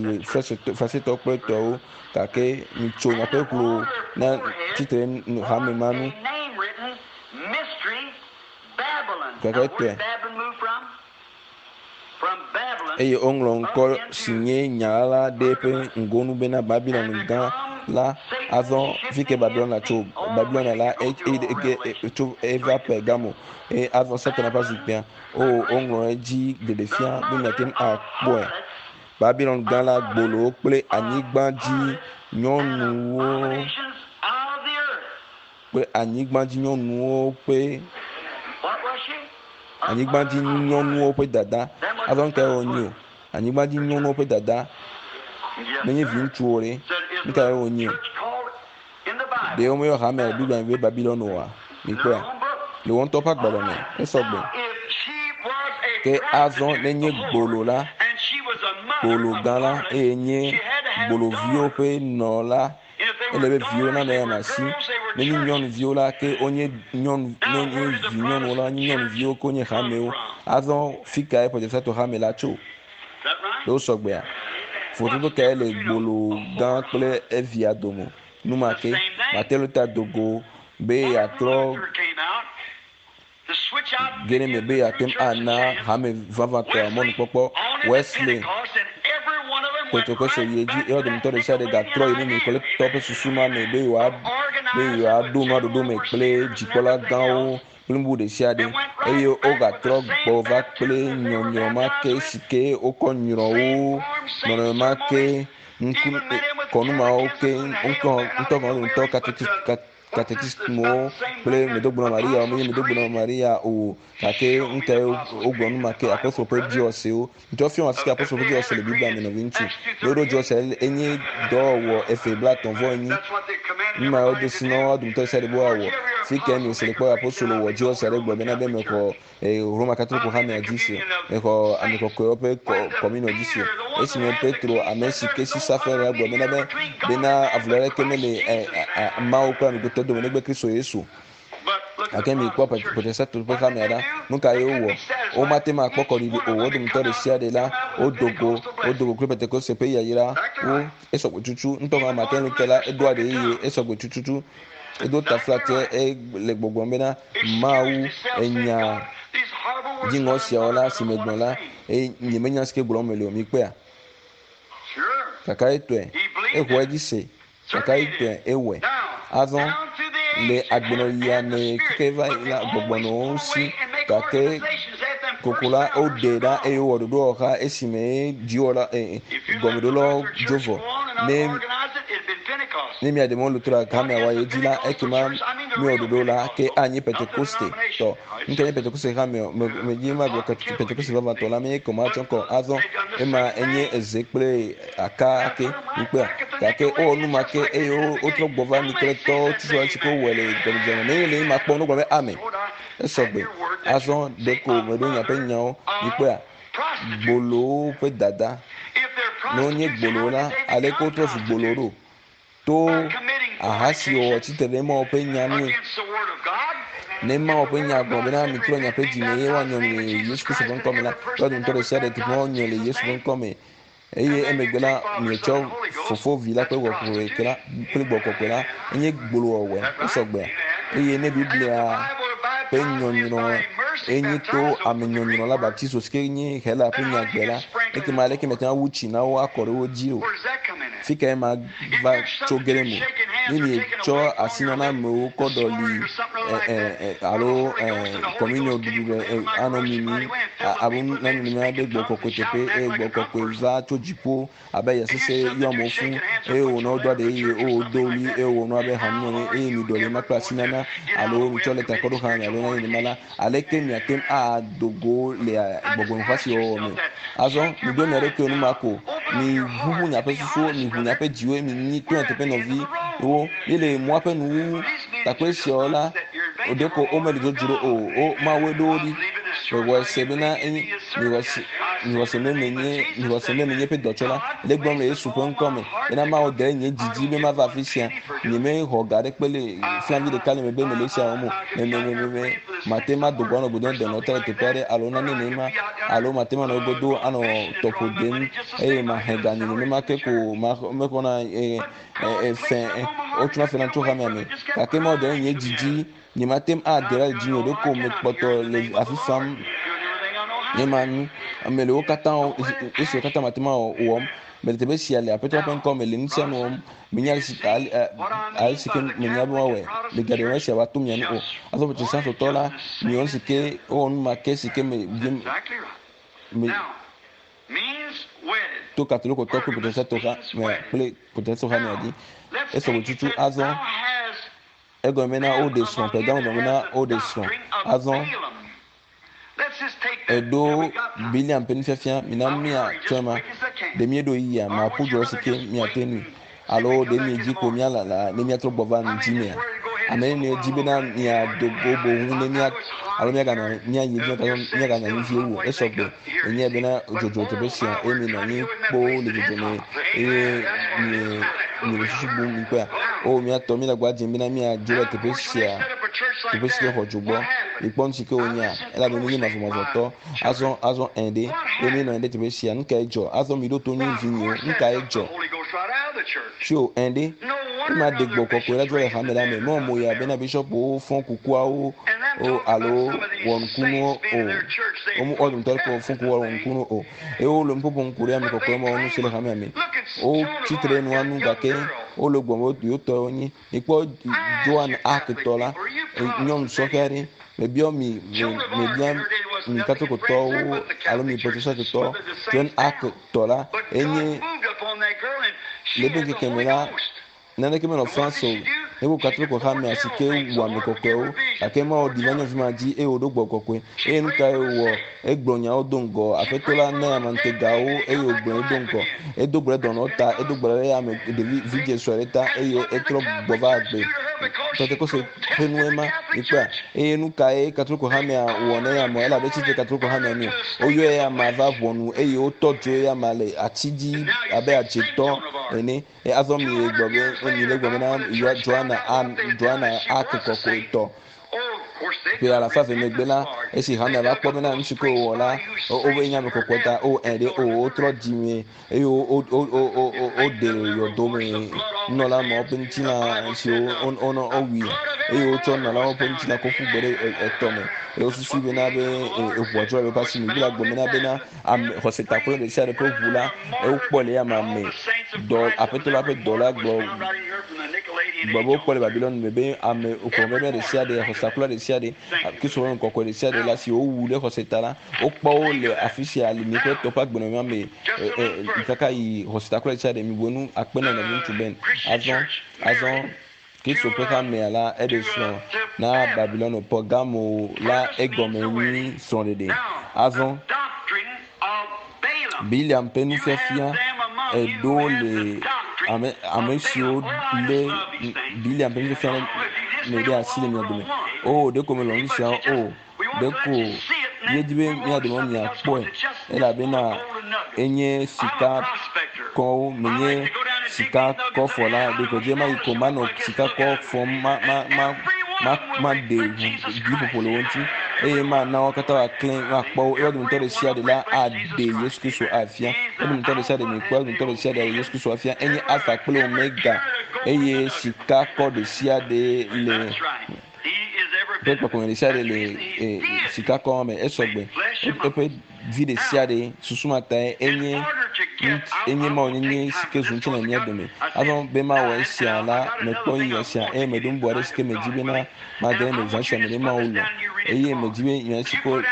fasetɔ kple tɔwo gake mitso miaƒe ʋlo na tsitre hame ma nu gake etɔe eye woŋlɔ ŋkɔ si nye nya la ɖe eƒe ŋgonu bena Babilon gã la. Azɔ fi ke Babilon tso Babilon la tso eva Pergamo eye azɔ Satana ƒe zikpuia. O woŋlɔ edzi ɖeɖefia be miate ŋu akpɔe. Babilon gã la gbolowo kple anyigba dzi nyɔnuwo kple anyigbadzi nyɔnuwo ƒe anyigbadzi nyɔnuwo ƒe dada. Azɔ nu kae wònye o? Anyigbadzi nyɔnuwo ƒe dada menye vi ŋutsuwo ɖe. Nu kae wònye o? Ɖe womeyɔ hame le Biblia me be Babilon oa? Mikpɔea? Le wo ŋutɔ ƒe agbalẽ me. Esɔ gbe. Ke azɔ nenye gbolo la, gbolo gã la eye nye gboloviwo ƒe nɔ la, Ele be viwo nanɔ eya asi. Nenye nyɔnuviwo la, ke wonye nyɔnu, ne wonye vi nyɔnuwo la, wonye nyɔnuviwo ke wonye hamewo. Azɔ fi kae Protestantɔ hame la tso? Ɖe wosɔ gbea? Vovototo kae le gbolo gã kple evia dome? Numa ke Martin Luther do go be yeatrɔ ge ɖe eme be yeate ŋu ana hame vavãtɔa mɔnukpɔkpɔ. Wesley Pentekoste yi edzi eye wo dometɔ ɖe sia ɖe gatrɔ yi ɖe Nikoletɔ ƒe susu ma me be yewoa be yewoaɖo nua ɖoɖo me kple dzikpɔla gãwo kple nu bubu ɖe sia ɖe eye wogatrɔ gbɔ va kple nyɔnyrɔ ma ke si ke wokɔ nyrɔ wo nɔnɔme ma ke ŋku kɔnu mawo ke ŋutɔ ŋutɔ ŋutɔ katekist katekismowo kple medogblɔ Maria menye medogblɔ Maria o gake ŋutɔ wogblɔ nu ma ke apostol ƒe dziwɔsewo ŋutɔ fiɔ afi ka apostol ƒe dziwɔse le Biblia me nɔvi ŋutsu ne woɖo dziwɔse enye dɔwɔwɔ efe blatɔ̃ vɔ enyi nu ma wodo si na woa dometɔ sia ɖe be woawɔ fi ke mi se le kpɔ apostolo wɔ dziwɔse aɖe gblɔ bena be mexɔ Roma Katoliko hamea dzi se mexɔ ame kɔkɔewo ƒe kɔminɔ dzi se esime Petro ame si ke si safe la gblɔ bena be bena avu aɖeke mele Mawu kple amegbetɔ dome negbe Kristo Yesu. Gake mi kpɔ Protestantwo ƒe hamea ɖa, nu ka ye wowɔ? Womate ŋu akpɔ kɔɖiɖi o. Wo dometɔ ɖe sia ɖe la, wodo go, wodo go kple Pentekoste ƒe yayra wo. Esɔgbe tutu. Ŋutɔ hã Martin Luther la, edoa ɖe eye esɔgbe tututu. Edo taflatse e le gbɔgblɔm bena Mawu enya dziŋɔ siawo la si megblɔ la, eye nyemenya si ke gblɔm mele o. Mikpɔea? Kakaɖetɔe, exɔ edzi se. Kakaɖetɔe, ewɔe. Azɔ le agbenɔɣia me keke va yi la, gbɔgbɔ nɔ wo si gake koko la woɖe ɖa eye wowɔ ɖoɖo wɔ xa esime dziwɔla gɔmeɖolawo dzo vɔ. Ne ne mia ɖe mɔ Lutheran hamea wɔ ye dzi la, ekema miwɔ ɖoɖo la ke anyi Pentekoste tɔ. Ŋkɛ nye Pentekoste hame o, me medzi magblɔ Pentekoste vavãtɔ la menye kɔ matsɔ kɔ azɔ ema enye eze kple aka ke mikpɔa gake wowɔ nu ma ke eye wotrɔ gbɔ va Nikoletɔwo tutu si ke wowɔe le gɔmedzedzea me. Ne le ema kpɔm wogblɔ be amen. Esɔgbe. Azɔ ɖeko meɖo miaƒe nyawo mikpɔa gbolowo ƒe dada. Ne wonye gbolowo la, aleke wotrɔ zu gbolowo ɖo? To ahasiwɔwɔ tsitre ɖe Mawu ƒe nya nue. Ne Mawu ƒe nya gblɔ bena mitrɔ miaƒe dzi me eye woanyɔ mi le Yesu Kristo ƒe ŋkɔ me la, woa dometɔ ɖe sia ɖe teƒe woanyɔ le Yesu ƒe ŋkɔ me. Eye emegbe la, mietsɔ Fofo, Vi la kple Gbɔgbɔ Kɔkɔe la, kple Gbɔgbɔ Kɔkɔe la, enye gbolowɔwɔe, esɔgbea. Eye ne Biblia ƒe nyɔnyrɔ enye to ame nyɔnyrɔ la, baptizo, si ke nye Hela ƒe nyagbe la, ekema aleke miate ŋu awu tsi na wo akɔ ɖe wo dzi o? Fi kae ma va tso ge ɖe eme? Ne mietsɔ asi nana amewo kɔ ɖɔli alo communion ɖuɖu ɖe anɔ mimi alo nane nenema ɖe gbɔ kɔkɔe teƒe eye gbɔ kɔkɔe va tso dziƒo abe ya sese yɔ amewo fũ eye wònɔ wodoa ɖe eye wodo ɣli eye wònɔ abe hanume ene eye miɖɔli ema kple asi nana alo mitsɔ lɛta kɔ ɖo xlã alo nane nenema la, aleke miate ŋu ado go le gbɔgbɔmeʋasiwɔwɔ me? Azɔ miɖo mia ɖokuiwo nu ma ko, miʋuʋu miaƒe susuwo, miʋu miaƒe dziwo eye minyi to nyateƒe nɔviwo. Míele mɔa ƒe nuwuwu. Takpɔe siawo la, ɖeko womele dzodzro o, wo Mawue ɖo wo ɖi. Mexɔe se bena enye, mexɔe se, mexɔe se be menye, mexɔe se be menye eƒe dɔtsɔla. Le egblɔm le Yesu ƒe ŋkɔ me bena Mawu de nye didi be mava afi sia. Nyemexɔ ga aɖekpe le flavi ɖeka le me be mele esia wɔm o. Me, me, me, me, me, mate ŋu ado go anɔ godom dɔnɔ tɔ le teƒe aɖe alo nane nenema alo mate ŋu anɔ egodo anɔ tɔƒo dem eye mahe ga nye nenema ke ko mexɔna e, e, e, fɛ, wotsona fɛ na tso hamea me. Gake Mawu de nye didi Nyemate ŋu ade ɖa le dzinye o, ɖeko mekpɔtɔ le afi fam. Nye ma nu, ame le wo katã, esiwo katã mate ŋu awɔ wɔm. Mele teƒe sia le Aƒetɔ ƒe ŋkɔ me le nu sia nu wɔm. Menya ale si ale si ke menya be woawɔe. Megaɖe mɔ esia wòato mia nu o. Azɔ Protestantotɔ la, miwɔ nu si ke wowɔ nu ma ke si ke me me to Katolikotɔ kple Protestantotɔ ha me kple Protestantotɔ hamea dzi. Esɔgbe tutu azɔ. Egɔme bena woɖe srɔ̃, Pergamo gɔme bena woɖe srɔ̃. Azɔ eɖo Bileam ƒe nufiafia, mina míatsɔe ma. Ɖe míeɖo ɣeyiɣia, maƒu dzuɔ si ke míate ŋui, alo ɖe miedzi ko míalala ne míatrɔ gbɔ va ŋdi mea? Ame nenie di bena miado go boŋ ne mía alo míaganɔ míayi edzi míaganɔ anyi vie wu? Esɔgbe. Enyae bena dzodzo teƒe sia eye mienɔ anyi kpoo le dzodzo me eye mie miele susu bum mikpɔea? O mía tɔ, míele agba dzem bena míadzo le teƒe sia, teƒe si ke xɔ dzo gbɔ. Mikpɔ nu si ke wònyea? Elabe menye mavɔmavɔtɔ. Azɔ, azɔ ẽ ɖe, eye míenɔ anyi ɖe teƒe sia. Nu kae dzɔ? Azɔ miɖo to nyuie vinyewo. Nu kae dzɔ? Tso ẽ ɖe, ema ɖe gbɔ kɔkɔe la dzo le hame la me. Mewɔ mo yaa bena bishɔpwo fɔ kukuawo o alo wɔ nukunuwo o. Womu wo dometɔ aɖeke fɔ kuku wɔ nukunuwo o. Eye wole nu ƒoƒom ku ɖe ame kɔkɔe mawo ŋu si le hamea me. Wotsi tre ɖe nua nu gake wole gbɔm be yewo tɔe wonye. Mikpɔ Joan Arc tɔ la, nyɔnu sɔhɛ aɖe. Mebiɔ mi, me, mebia mi Katolikotɔwo alo mi Protestantotɔwo. Joan Arc tɔ la enye le eƒe ŋkeke me la, naneke menɔ France o. Ɖeko Katoliko hamea si ke wu ame kɔkɔewo gake Mawu ɖi va nyɔnuvi ma dzi eye wòɖo gbɔgbɔ kɔkɔe. Eye nu kae wòwɔ? Egblɔ nyawo do ŋgɔ. Aƒetɔ la na ame ŋutegawo eye wògblɔe do ŋgɔ. Edo gbe ɖe dɔnɔwo ta, edo gbe ɖe ame ɖevi vidzĩ sue aɖe ta eye etrɔ gbɔ va agbe. Pentekoste ƒe nue ma. Mikpɔea? Eye nu kae Katoliko hamea wɔ na eya amea? Elabe etsi tre Katoliko hamea nu. Woyɔ eya amea va ʋɔnu eye wotɔ dzo eya amea le ati dzi abe adzetɔ ene. Eye azɔ mi gblɔ be mi le gblɔ bena Joana a Joana ake kɔkɔetɔ. Ƒe alafa eve megbe la, esi hamea va kpɔ bena nu si ke wòwɔ la, wobe nye ame kɔkɔe ta, o ɛ ɖe o wotrɔ dzime eye woɖe yɔdo me nunɔla mawo ƒe ŋutilã siwo wonɔ wowui eye wotsɔ nunɔlawo ƒe ŋutilã kɔ ƒu gbe ɖe etɔ me eye wosusui bena be eʋua dzɔ le woƒe asi me. Biblia gblɔ bena bena ame xɔsetakplɔ ɖe sia ɖe ƒe ʋu la wokpɔ le eyama me. Dɔ aƒetɔ la ƒe dɔla gblɔ gblɔ be wokpɔ le Babilɔni me be ame ƒomevi ɖe sia ɖe xɔsetakplɔ ɖe sia ɖe Kristo ƒe ame kɔkɔe ɖe sia ɖe la si wowu ɖe xɔse ta la wokpɔ wo le afi sia le miƒe tɔƒe agbenɔnɔ me kaka yi xɔsetakplɔ ɖe sia ɖe mibu enu akpe na nɔviŋutsu Ben azɔ azɔ Kristo ƒe hamea la eɖe srɔ̃ na Babilɔno Pergamo la egɔme nyi srɔ̃ɖeɖe. Azɔ Bileam ƒe nufiafia eɖo le ame ame siwo lé Bileam ƒe nufiafia me ɖe asi le mia dome. O ɖeko melɔ̃ nu siawo o. Ɖeko míedi be mía dome miakpɔe elabena enye sika kɔwo menye sika kɔfɔla ɖeko dze ma yi ko manɔ sika kɔ fɔm ma ma ma ma maɖe ʋu ɖiƒoƒo le wo ŋuti eye mana wo katã woaklẽ woakpɔ wo eye wo dometɔ ɖe sia ɖe la aɖe Yesu Kristo afia. Wo dometɔ ɖe sia ɖe mikpɔ wo dometɔ ɖe sia ɖe aɖe Yesu Kristo afia. Enye Alfa kple Omega eye sika kɔ ɖe sia ɖe le ƒe kpɔkplɔ ɖe sia ɖe le sikakɔ me esɔgbe eƒe vi ɖe sia ɖe susu ma tae enye enye Mawu nyenye si ke zu ŋutilã le mía dome. Azɔ be mawɔ esia la, mekpɔ ɣeyiɣi sia eye meɖo nu bubu aɖe si ke medzi bena mage ɖe eme zã sia me ne Mawu lɔ̃. Eye medzi be nya si ke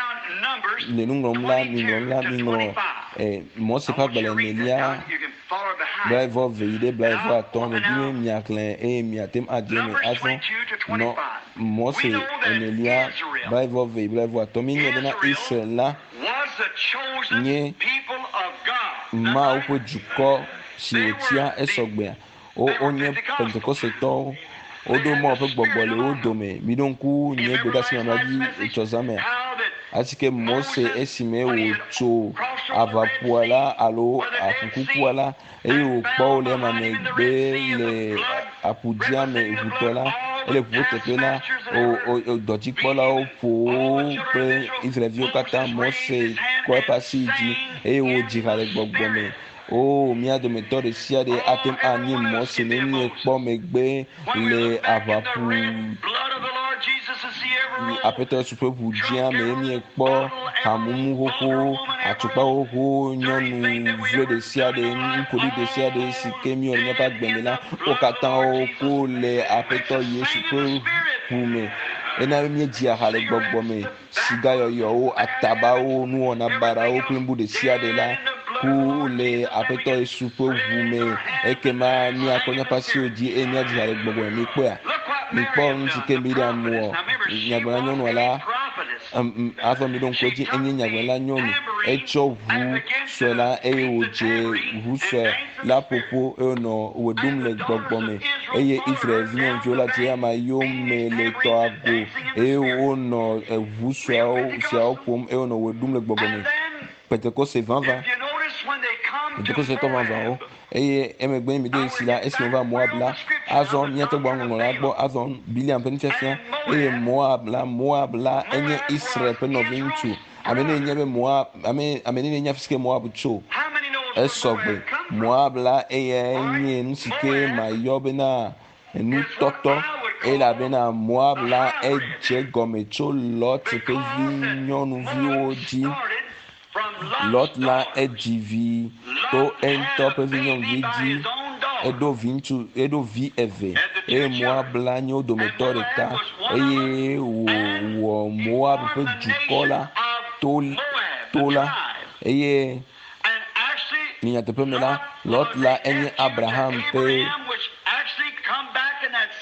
le nu ŋlɔm la, miŋlɔ nu la, miŋlɔ Mose ƒe agbalẽ enelia blaeve eve yi ɖe blaeve atɔ̃. Medi be miaxlẽ eye miate ŋu adze eme azɔ. Nɔ Mose enelia blaeve eve yi blaeve atɔ̃. Míenyae bena Israel la nye Mawu ƒe dukɔ si wòtia esɔgbea. Wonye Pentekostetɔwo. Woɖo Mawu ƒe gbɔgbɔ le wo dome. Miɖo ŋku nye gbedeasi mamlɛa dzi etsɔ zã mea? Asike Mose esime wòtso aʋaƒua la alo aƒukukua la eye wòkpɔ wo le ema megbe le aƒudzĩa me ʋutɔ la, ele ʋuƒo teƒe la, dɔdzikpɔlawo ƒo wo kple Israelviwo katã. Mose kɔ eƒe asi yi dzi eye wòdzi ha le gbɔgbɔ me. O, mía dometɔ ɖe sia ɖe ate ŋu anyi Mose ne míekpɔ megbe le aʋaƒu Aƒetɔ Yesu ƒe ʋu dzĩa me ye míekpɔ hamumu xoxo, atukpa xoxo, nyɔnu vlo ɖe sia ɖe, nukoɖi ɖe sia ɖe si ke míewɔ le míaƒe agbe me la, wo katã woko le Aƒetɔ Yesu ƒe ʋu me. Ena be míedzia ha le gbɔgbɔ me. Sigayɔyɔwo, atabawo, nuwɔna baɖawo kple nu bubu ɖe sia ɖe la ku le Aƒetɔ Yesu ƒe ʋu me. Ekema míakɔ míaƒe asiwo dzi eye míadzi ha le gbɔgbɔ me. Mikpɔea? Mikpɔ nu si ke Miriam wɔ. Nyagblɔɖila nyɔnua la, azɔ miɖo ŋku edzi, enye nyagblɔɖila nyɔnu. Etsɔ ʋu sue la eye wòdze ʋu sue la ƒoƒo eye wònɔ wɔ ɖum le gbɔgbɔ me. Eye Israel vinyɔnuviwo la dze eyama yome le tɔa go eye wonɔ eʋu sueawo siawo ƒom eye wonɔ wɔ ɖum le gbɔgbɔ me. Pentekoste vavã, Pentekoste tɔ vavãwo. Eye emegbe mi de si la, esime wova Moab la, azɔ míate gbɔ ŋɔŋlɔ la gbɔ, azɔ Bileam ƒe nufiafia, eye Moab la, Moab la enye Israel ƒe nɔviŋutsu. Ame nɛ nye be Moab, ame, ame nɛ nye afi si ke Moab tso. Esɔ gbe. Moab la eyae nye nu si ke mayɔ bena nutɔtɔ elabena Moab la edze gɔme tso Lot ƒe vi nyɔnuviwo dzi. Lot la edzi vi to eŋutɔ ƒe vi nyɔnuvi dzi. Eɖo vi ŋutsu, eɖo vi eve eye Moab la nye wo dometɔ ɖeka eye wòwɔ Moab ƒe dukɔ la to to la eye le nyateƒe me la, Lot la enye Abraham ƒe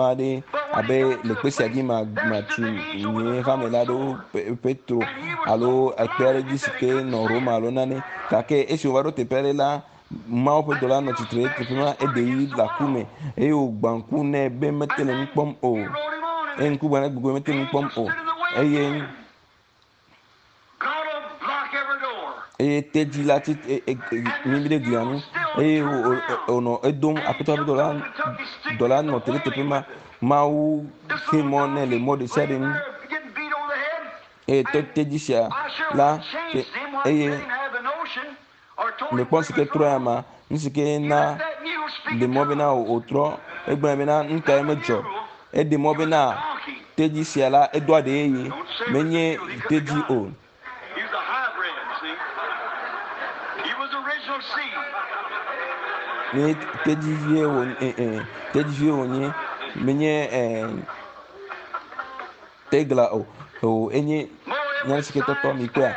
aɖe abe le kpe sia dzi ma matu nye hame la ɖo Petro alo ekpe aɖe dzi si ke nɔ Roma alo nane. Gake esi wòva ɖo teƒe aɖe la, Mawu ƒe dɔla nɔ tsitre ɖe teƒe ma, eɖe yi le aku me eye wògbã ŋku nɛ be mete le nu kpɔm o. Eye ŋku gbã ne gbogbo mete nu kpɔm o. Eye Eye tedzi la tsi mimi ɖe glia ŋu eye wònɔ edom aƒetɔ ƒe dɔla dɔla nɔ te ɖe teƒe ma. Mawu xe mɔ nɛ le mɔ ɖe sia ɖe nu eye tedzi sia la eye mekpɔ nu si ke trɔ ya ma nu si ke na ɖe mɔ bena wòtrɔ egblɔ bena nu kae medzɔ eɖe mɔ bena tedzi sia la edoa ɖe yeye menye tedzi o. He was a hybrid, see. He was original seed. Menye tedzivie wònye tedzivie wònye menye tegla o o enye nya si ke tɔtɔ mi kpɔa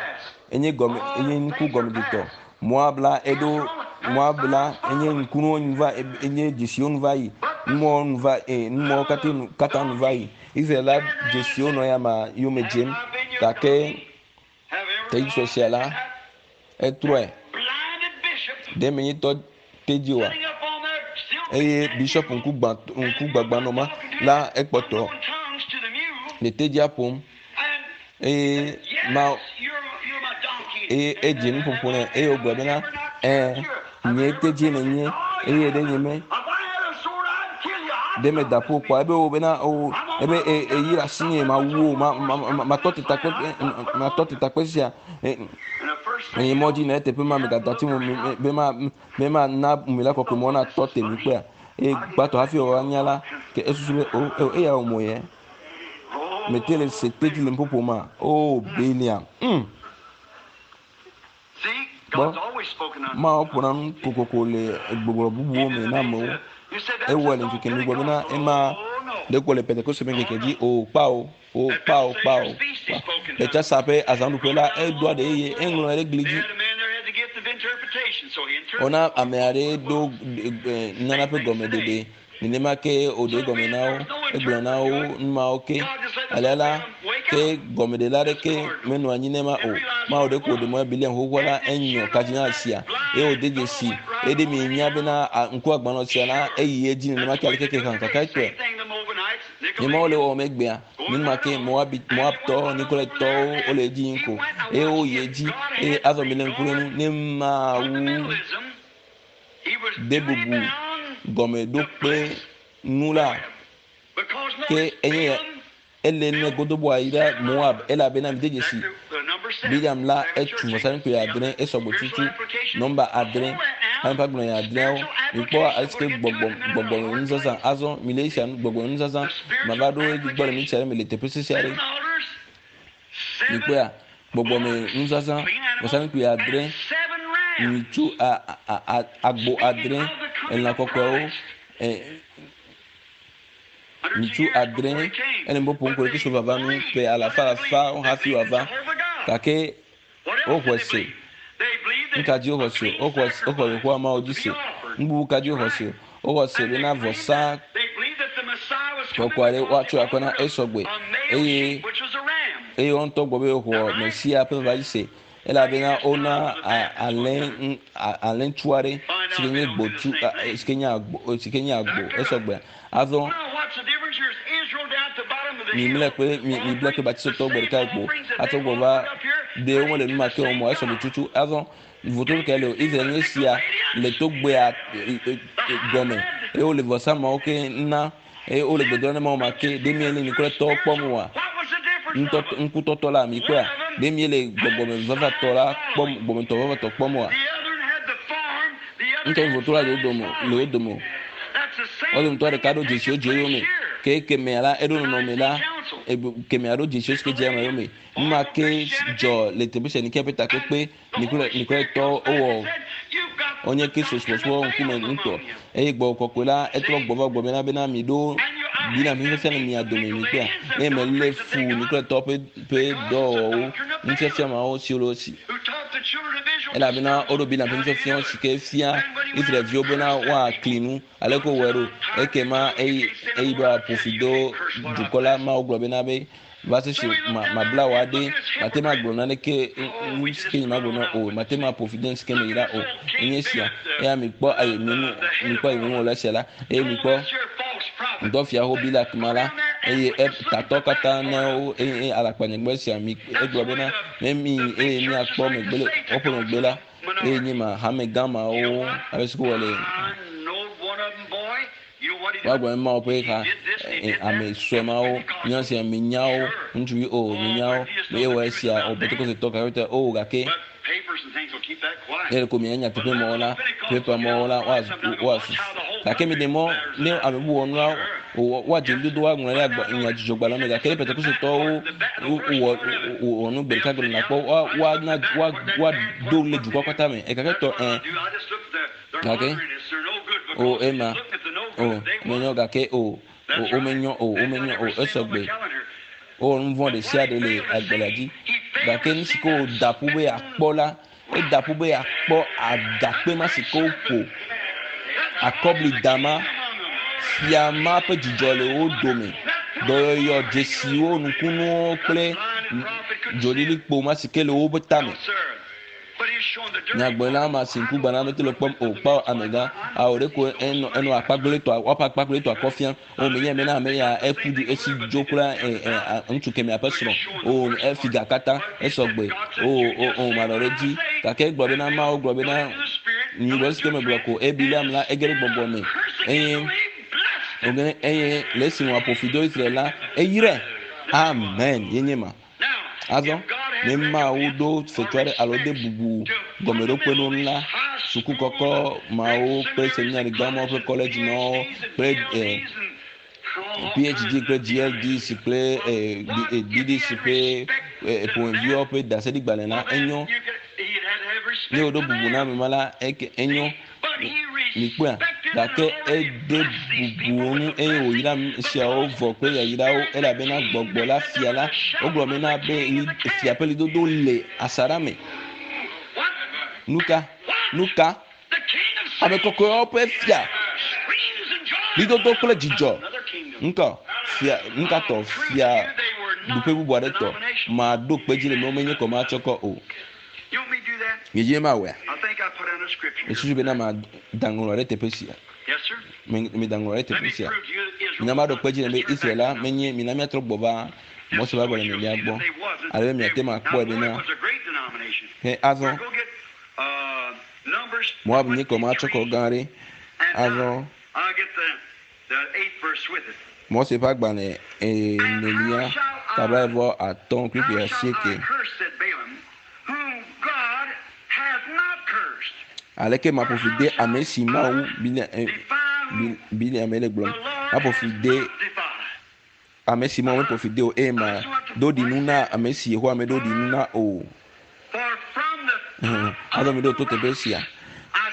enye gɔme enye ŋku gɔmedetɔ Moab la eɖo Moab la enye ŋkunuwo nu va enye dzesiwo nu va yi numɔwo nu va numɔwo katã nu katã nu va yi Israel la dzesiwo nɔ ya ma yome dzem gake tedzi sue sia la etrɔe ɖe menye tɔ tedzi oa eye bishop ŋku gbã ŋku gbagbã nɔ ma la ekpɔtɔ le tedzia ƒom eye ma eye edze nuƒoƒo nɛ eye wògblɔ bena ɛ nye tedzi nènye eye ɖe nye me ɖe meda ƒo kpɔa ebe wo bena o ebe eyi ɖe asi nye mawu wo ma ma ma matɔ te takpe matɔ te takpe sia eye mɔ dzi ne eteƒe ma megada tsi mo be ma be ma na mi la kɔkɔe mɔ na tɔ te mi kpɔa eye gbãtɔ hafi wòava nya la ke esusu be o eya wò mo yɛ mete le se tedzi le nuƒoƒo ma o Beliam. Kpɔ, Mawu ƒona nu kokoko le gbɔgblɔ bubuwo me na amewo. Ewɔe le ŋkeke nu gbɔ bena ema ɖeko le Pentekoste ƒe ŋkeke dzi o kpao o kpao kpao. Le tsasa ƒe azãɖuƒe la, edoa ɖe eye eŋlɔe ɖe gli dzi. Wona ame aɖe ɖo nunana ƒe gɔmeɖeɖe. Nenema ke wòɖe egɔme na wo, egblɔ na wo nu mawo ke. Alea la, ke gɔmeɖela aɖeke menɔ anyi ne ma o. Mawu ɖeko wòɖe mɔ Bileam xoxoa la, enyɔ kardinal sia eye wòde dzesi eye ɖe mienya bena ŋku agbalẽ sia la, eyi edzi nenema ke aleke ke hã kakatɔe. Nye Mawu le wɔwɔm egbea, nenema ke Moabi, Moabtɔwo, Nikolaitɔwo wole edzi yim ko eye woyi edzi eye azɔ mile ŋku ɖe nu ne Mawu de bubu gɔmeɖokpe ŋu la, ke enye ele ne godoboa yi ɖe Moab elabena mide dzesi Bileam la etu vɔsamlekpui adre esɔgbɔ tutu nɔmba adre ame ƒe agblɔ adreawo mikpɔ alesi ke gbɔgbɔ gbɔgbɔ nuzazã azɔ mile esia gbɔgbɔ nuzazã mava ɖo edzi gbɔ le mi sia ɖe me le teƒe sese aɖe Mikpɔea? Gbɔgbɔme nuzazã, vɔsamlekpui adre, nyitsu a, a, a, agbo adre, elã kɔkɔewo, e, nyitsu adre, ele ŋbɔ ƒom ko ɖe Kristo vava nu ƒe alafa alafa hafi wòava. Gake woxɔe se. Nuka dzi woxɔ se? Woxɔ woxɔ Yehowa Mawu dzi se. Nu bubu ka dzi woxɔ se? Woxɔ se bena vɔsa kɔkɔe aɖe woatsɔ akɔ na esɔgbe eye eye woa ŋutɔ gbɔ be woxɔ Mesia ƒe vava dzi se elabena wona alẽ alẽtsu aɖe si ke nye gbotsu si ke nye agbo si ke nye agbo esɔgbe. Azɔ mimlɛ kple mi miblɛ kple batisotɔwo gbe ɖeka kpo atsɔ gbɔ va ɖe womele nu ma ke wɔm o esɔgbe tutu azɔ Vototo kae le o? Israel nye sia le togbea gɔme eye wole vɔsa mawo ke na eye wole gbedoɖa na Mawu ma ke. Ɖe miele Nikolatɔwo kpɔm oa? Ŋutɔtɔ, ŋkutɔtɔ la, mikpɔea? Ɖe miele gbɔgbɔme vavatɔ la kpɔm, gbɔgbɔmetɔ vavatɔ kpɔm oa? Ŋutɔ vototo la le wo dome, le wo dome o. Wo dometɔ ɖeka ɖo dzesiwo dze yome ke kemɛa la eɖo nɔnɔme la kemɛa ɖo dzesiwo si ke dze ame yome. Nu ma ke dzɔ le teƒe sia Nikea ƒe takpekpe Nikolatɔwo wowɔ wonye Kristo subɔsubɔ ŋkume ŋutɔ eye gbɔgbɔ kɔkɔe la etrɔ gbɔ va gbɔ bena bena miɖo Biblia nufiafia le mia dome mikpɔa eye melé fu Nikolatɔwo ƒe ƒe dɔwɔwɔwo nufiafia mawo siwo le wo si elabena woɖo Biblia ƒe nufiafiawo si ke fia Israelviwo bena woakli nu aleke wowɔe ɖo ekema eyi eyi ɖo aƒo fi do dukɔ la Mawu gblɔ bena be Va se si ma mabla wò aɖe, mate ŋu agblɔ naneke nu si ke nyemagblɔ na o, mate ŋu aƒo fi de nu si ke meyra o. Enye esia. Eya mikpɔ ayi minu mikpɔ ayi minu le esia la, eye mikpɔ ŋdɔ fia ho Bilak ma la, Eye tatɔ katã na wo eye alakpanyagbe sia mi egblɔ bena ne mi eye miakpɔ megbe le woƒe megbe la eye nye ma hame gã mawo abe si ko wɔ le woagblɔ ne mawo ƒe ha ame sue mawo nya sia mi nyawo ŋutsuvi o mi nyawo eye wɔ esia o pentekoste tɔ gake o gake ne ɖeko mianya nyateƒe mɔwo la pepa mɔwo la woasu gake mi ɖe mɔ ne ame bubu wɔ nua woadze nudodo woaŋlɔ ɖe agba nyadzɔdzɔgbalẽ me gake ne pentekostetɔwo wɔ wɔ nu gbe ɖeka gbe nakpɔ woana woado le dukɔ katã me gake tɔ ɛ gake o ema o menyɔ gake o womenyɔ o womenyɔ o esɔgbe wowɔ nu vɔ̃ ɖe sia ɖe le agbalẽa dzi gake nu si ke wòda ƒu be yeakpɔ la eda ƒu be yeakpɔ agakpe ma si ke woƒo akɔbli dama fia ma ƒe dzidzɔ le wo dome dɔyɔyɔ dzesiwo nukunuwo kple dzolilikpo ma si ke le woƒe tame Nyagblɔɖila ma si ŋku gbana mete le kpɔm o kpɔ amegã awo ɖe ko enɔ enɔ akpagblẽtɔa woaƒe akpagblẽtɔa kɔ fia o menye mena ame ya eku du esi dzo kple ɛ ɛ ŋutsu kemɛa ƒe srɔ̃ o efi ga katã esɔgbe o o o manɔ ɖe edzi gake egblɔ bena Mawu gblɔ bena nyuigbɔ si ke megblɔ ko eye Bileam la ege ɖe gbɔgbɔ me eye eye le esi wòaƒo fi do Israel la eyrae amen ye nye ma. Azɔ, ne Mawu ɖo fetu aɖe alo de bubu gɔmeɖokpe nu la, suku kɔkɔ mawo kple seminari gã mawo kple kɔledzi mawo kple eh, PhD kple GLDC kple eh, BDC ƒe eh, ƒomeviwo ƒe ɖaseɖigbalẽ la, enyo. Ne woɖo bubu na ame ma la, enyo. Mikpɔea? Gake ede bubu wo ŋu eye wòyra nu siawo vɔ kple yayrawo elabena gbɔgbɔ la fia la wogblɔ bena be fia ƒe lidodo le asaɖa me. Nuka? Nuka? Ame kɔkɔewo ƒe fia lidodo kple dzidzɔ. Ŋkɔ fia nukatɔ fia ɖuƒe bubu aɖe tɔ maɖo kpe dzi le me womenye kɔ matsɔ kɔ o. Miedzi be mawɔea? Mesusu bena mada ŋlɔ ɖe teƒe sia. Meda ŋlɔ ɖe teƒe sia. Mina maɖo kpe dzi le be Israel la menye mina míatrɔ gbɔ va Mose ƒe agbalẽ enelia gbɔ ale be miate ŋu akpɔe bena he azɔ Moab nye kɔmatsɔkɔ gã aɖe. Azɔ Mose ƒe agbalẽ enelia ta blaeve-vɔ-atɔ̃ kpukpui asieke. Aleke maƒo fi de ame si Mawu Bileam le gblɔm? Maƒo fi de ame si Mawu meƒo fi de o eye mado ɖinu na ame si Yehowa meɖo ɖinu na o. Azɔ miɖo to teƒe sia.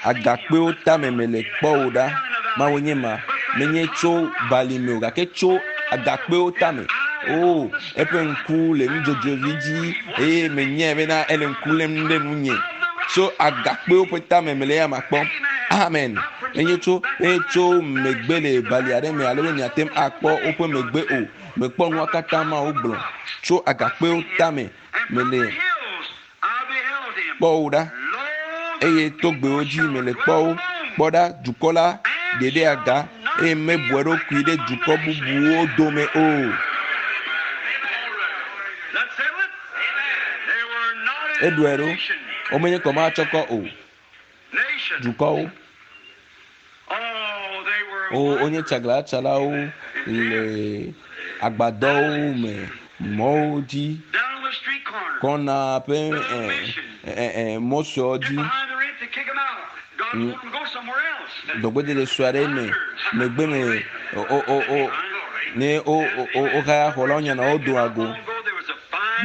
Agakpewo tame mele kpɔ wò ɖa. Mawu nye ma. Menye tso bali me o, gake tso agakpewo tame. O, eƒe ŋku le nudzodzoevi dzi eye menyae bena ele ŋku lém ɖe nunye. Tso agakpewo ƒe tame mele eya ma kpɔm. Amen. Menye tso, menye tso megbe le bali aɖe me ale be miate ŋu akpɔ woƒe megbe o. Mekpɔ nua katã Mawu gblɔ. Tso agakpewo tame mele kpɔ wo ɖa, eye togbɛwo dzi mele kpɔ wo. Kpɔ ɖa, dukɔ la ɖe ɖe aga, eye mebu eɖokui ɖe dukɔ bubuwo dome o. Eɖɔe ɖo, womenye kɔmatsɔkɔ o. Dukɔwo, o wonye tsaglalãtsalawo le agbadɔwo me, mɔwo dzi, kɔna ƒe mɔ suewo dzi, dɔgbedede sue aɖe me, megbe me o o o ne wo wo wohaya xɔ la wonyana wo doa go.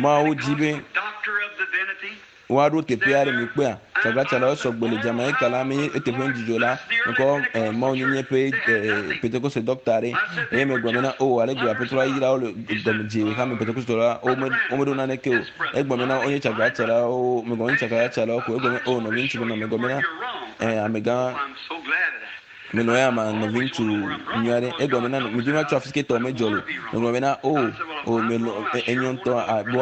Mawu dzi be woaɖo teƒe aɖe mi kpɔa tsaglalãtsalawo sɔgbe le Jamaica la menye eteƒe ŋudzidzo la mekɔ eh, Mawu nyenye ƒe eh, Pentekoste dɔkta aɖe eye megblɔ bena o oh, ale gbe aƒetɔ la yra wo le dɔmedzoe ɖeka me Pentekoste la wome womeɖo naneke o egblɔ bena wonye tsaglalãtsalawo megblɔ wonye tsaglalãtsalawo ko egblɔ be o oh, nɔviŋutsu bena megblɔ bena eh, amegã Menɔ ya ma nɔviŋutsu nyui aɖe. Egblɔ bena medi be matsɔ afi si ke tɔ medzɔ le. Megblɔ bena o o melɔ enyo ŋutɔ be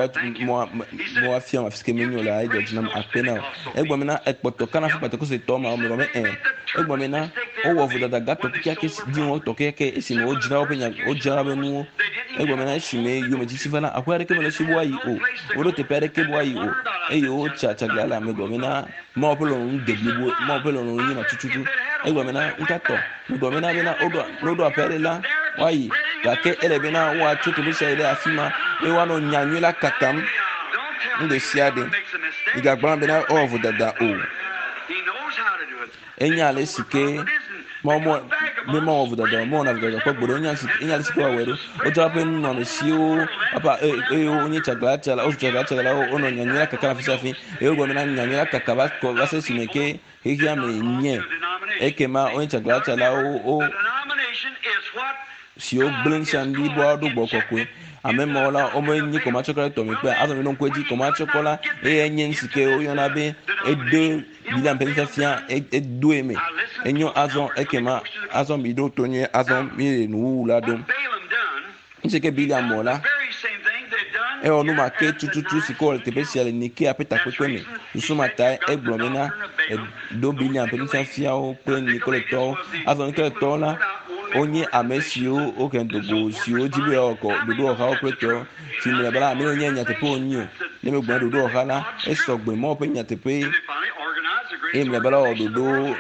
woafiam afi si ke menyo le edzɔ dzi nam akpe na wò. Egblɔ bena ekpɔtɔ kana ƒe Pentekoste ma megblɔ be ẽ. Egblɔ bena wowɔ vodada gãtɔ kekeake si dziŋɔtɔ kekeake esime wodzra woƒe nya wodzra woƒe nuwo. Egblɔ bena esime yometiti va la, aƒe aɖeke mele esi be woayi o. Woɖo teƒe aɖeke be woayi o. Eye wotsa tsagla le ame gblɔ bena Mawu ƒe lɔlɔ̃nu de blibo, Mawu ƒe lɔlɔ̃nu nye ma tututu. Egblɔ bena ŋkatɔ, megblɔ bena bena woɖo ne woɖo aƒe aɖe la, woayi. Gake ele bena woatso teƒe sia yi ɖe afi ma eye woanɔ nyanyui la kakam nu ɖe sia ɖe. Migagblɔ bena ewɔ vodada o. Enya ale si ke Mawu mɔ be mawɔ vodada o, mewɔna vodada kpɔ gbeɖe o. Enya si enya ale si ke woawɔe ɖo. Wotsɔ woƒe nunɔamesiwo woƒe eye wonye tsaglalãtsala wozu tsaglalãtsalawo wonɔ nyanyui la kakam afi sia afi eye wogblɔ bena nyanyui la kaka va kɔ va se esime ke xexea me nye. Ekema wonye tsaglalãtsalawo wo siwo gblẽ ŋusẽ bliboa ɖo gbɔ kɔkɔe. Ame mawo la, womenye kɔmatsɔkɔ ɖe tɔme kpea. Azɔ miɖo ŋku edzi, kɔmatsɔkɔ la, eye nye nu si ke woyɔna be edo Biblia ƒe nufiafia edoe me. Enyo azɔ ekema azɔ miɖo to nyuie azɔ míele nuwuwu la ɖom. Nu si ke Biblia mɔ la, ewɔ nu ma ke tututu si ke wɔ le teƒe sia le Nikea ƒe takpekpe me. Susu ma tae egblɔ bena eɖo Biblia ƒe nufiafiawo kple Nikoletɔwo. Azɔ Nikoletɔwo la, wonye ame siwo wohe do go siwo di be yewoawɔ ɖoɖowɔhawo kple tɔwo. Si mlɔeba la, ame yiwo nye nyateƒe wonye o. Ne megblɔ ɖoɖowɔha la, esɔ gbe Mawu ƒe nyateƒe eye mlɔeba la wɔ ɖoɖo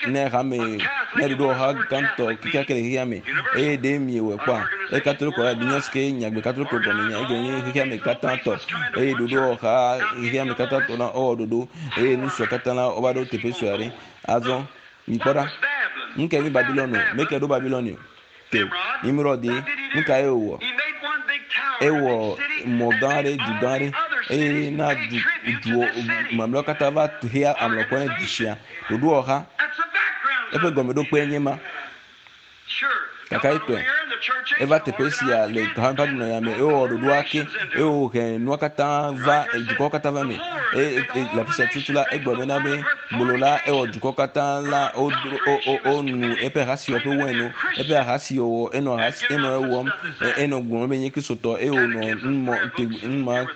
ne hame ne ɖoɖowɔha gãtɔ kekeake le xexea me. Eye ɖe miewɔe kpɔa? Eye Katoliko la minya si ke nyagbe Katoliko gɔme nya egɔme nye xexea me katã tɔ. Eye ɖoɖowɔha xexea me katã tɔ la wowɔ ɖoɖo eye nu siawo katã la wova ɖo teƒe sue aɖe. Azɔ mikpɔ ɖa. Nu kae nye Babilon o? Meke ɖo Babilon o. Ke Nimrod ye, nu kae wòwɔ? Ewɔ mɔ gã aɖe, du gã aɖe eye na du duwo mamlɛawo katã va hea amlɔkɔ ne du sia. Ɖoɖowɔha eƒe gɔmeɖokpe nye ma. Kakaetɔe eva teƒe sia le hame ƒe agbenɔnɔya me eye wòwɔ ɖoɖoa ke eye wòhe nua katã va dukɔwo katã va eme eye le afi sia tutu la egblɔ bena be gbolo la ewɔ dukɔ katã la wonu eƒe ahasiwɔwɔ ƒe wain no eƒe ahasiwɔwɔ enɔ ahasi enɔ ewɔm enɔ gblɔm be nye kristotɔ eye wònɔ numɔ numa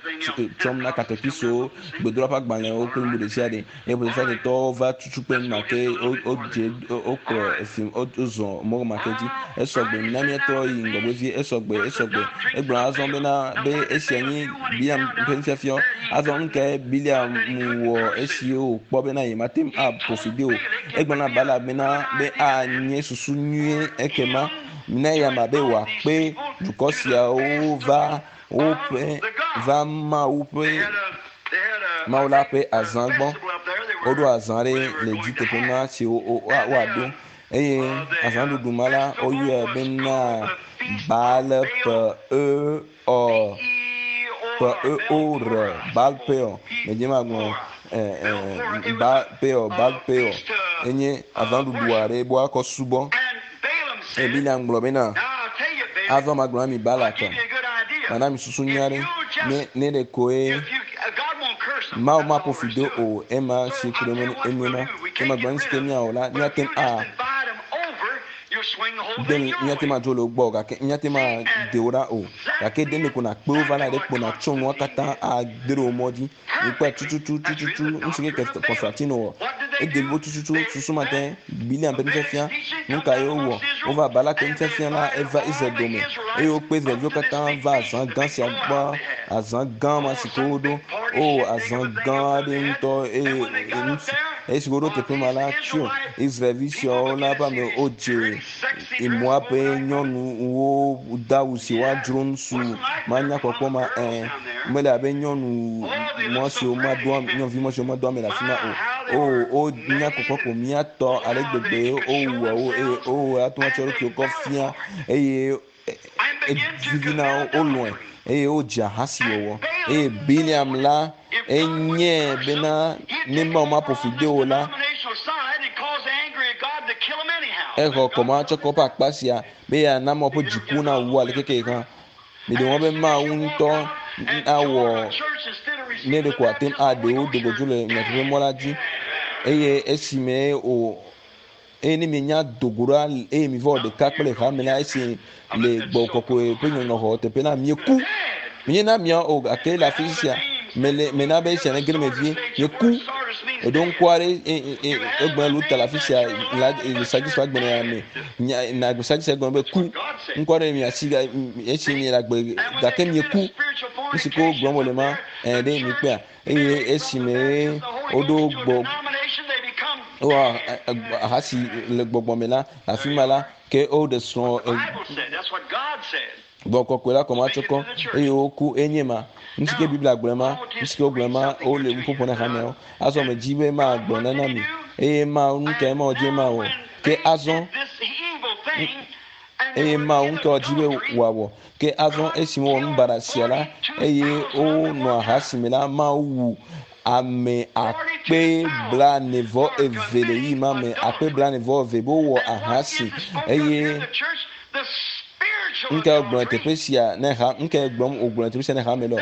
tsɔm na katekisowo gbedoɖa ƒe agbalẽwo kple nu ɖe sia ɖe. Eye Protestantɔwo va tutu kpe nu ma ke wodze wokplɔ efi wozɔ mɔ ma ke dzi. Esɔgbe mina míatrɔ yi ŋgɔgbe vie. Esɔgbe esɔgbe. Egblɔ azɔ bena be esia nye Bileam ƒe nufiafia. Azɔ nu kae Bileam wɔ esi wòkpɔ bena yemate ŋu aƒo fi de o? Egblɔ na Balak bena be anye susu nyuie ekema mina eyama be wòakpe dukɔ siawo va woƒe va Mawu ƒe Mawu la ƒe azã gbɔ. Woɖo azã ɖe le dzi teƒe ma si woaɖo eye azãɖuɖu ma la woyɔe bena Baal ƒe e ɔ ƒe e o r Baal Peor. Medze magblɔ Baal Peor Baal Peor enye azãɖuɖu aɖe be woakɔ subɔ. Eye Bileam gblɔ bena, Azɔ magblɔ na mi Balak, mana mi susu nyui aɖe, ne ne ɖe koe Mawu maƒo fi do o, ema si ku ɖe enu ma. Ke magblɔ nu si ke míawɔ la, míate ŋu a de míate ŋu adzo le wo gbɔ o, gake míate ŋu ade wo ɖa o. Gake ɖe ɖeko nàkpe wo va la, ɖe kpo nàtsɔ nua katã ade ɖe wò mɔ dzi. Wokpɔe tututu tututu nu si ke Konstantino wɔ. Ede blibo tututu susu ma te Bileam ƒe nufiafia. Nu kae wowɔ? Wova Balak ƒe nufiafia la eva Israel dome eye wokpe Israelviwo katã va azã gã sia gbɔ, azã gã ma si ke woɖo. O, azã gã aɖe ŋutɔ eye esi woɖo teƒe ma la, tso Israelvi siawo la ƒe ame wodze Moab ƒe nyɔnuwo de awu si woadzro ŋutsu manya kpɔkpɔ ma ẽ. Mele abe nyɔnu mɔ siwo madoa nyɔnuvi mɔ siwo madoa ame le afi ma o. O wonya kpɔkpɔ ko míatɔ ale gbegbe wowua wo eye wowɔ ate ŋu atsɔ ɖokuiwo kɔ fia eye evivi na wo wolɔ̃e eye wodze ahasiwɔwɔ. Eye Bileam la enyae bena ne Mawu maƒo fi de o la, exɔ kɔmatsɔkɔ ƒe akpa sia be yeana Mawu ƒe dziku nawu aleke ke hã. Miɖe mɔ be Mawu ŋutɔ awɔ ne ɖeko ate ŋu aɖe wo do godzo le nyateƒe mɔ la dzi. Eye esime o eye ne mienya do go ɖa eye miva wɔ ɖeka kple hame la esi le gbɔgbɔ kɔkɔe ƒe nyɔnyrɔxɔ teƒe la mieku. Menye na miawo o gake le afi sia mele mena be esia nege ɖe me vie. Mieku. Eɖo ŋku aɖe egblɔ Luther le afi sia la le Sadisi ƒe agbalẽ me. Nya na Sadisi gblɔ be ku. Ŋkɔ aɖe mi asi esi mi le agbe gake mieku. Nu si ke wogblɔm wole ma ɛ ɖe mi kpea eye esime woɖo gbɔ wowɔ ahasi le gbɔgbɔ me la afi ma la ke woɖe srɔ̃ Gbɔgbɔ kɔkɔe la kɔma tsɔ kɔ eye woku enye ma. Nu si ke Biblia gblɔe ma, nu si ke wogblɔe ma, wole nu ƒoƒo na hameawo. Azɔ medzi be magblɔ nana mi eye Mawu nu kae Mawu dzi be mawɔ. Ke azɔ eye Mawu ŋutɔ dzi be wòawɔ. Ke azɔ esi wowɔ nu baɖa sia la eye wonɔ aha si me la, Mawu wu ame akpe blaene vɔ eve le ɣeyiɣi ma me, akpe blaene vɔ eve be wowɔ aha si eye Nuka wògblɔ le teƒe sia ne ha? Nuka gblɔm wògblɔ le teƒe sia ne hame lɔ?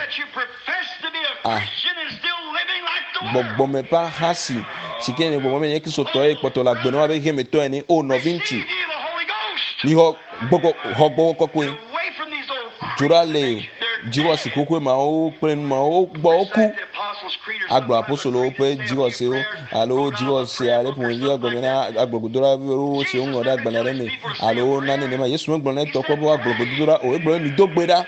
Ah, gbɔgbɔme ƒe ahasi si ke nye gbɔgbɔme nye Kristotɔ ye kpɔtɔ le agbe nɔm abe xexemetɔ ene. O nɔviŋutsu, mixɔ gbɔgbɔ xɔ gbɔgbɔ kɔkɔe. Dzo ɖa le dziwɔsi xoxoe mawo kple nu mawo gbɔ woku. Agblɔ apostolowo ƒe dzixɔsewo alo dzixɔse aɖe ƒomevi agblɔ na agblɔgodola aɖewo si woŋlɔ ɖe agbalẽ aɖe me alo nane nenema. Yesu megblɔ na etɔ kpɔ be woagblɔ gbedodoɖa o. Egblɔ be mido gbe ɖa.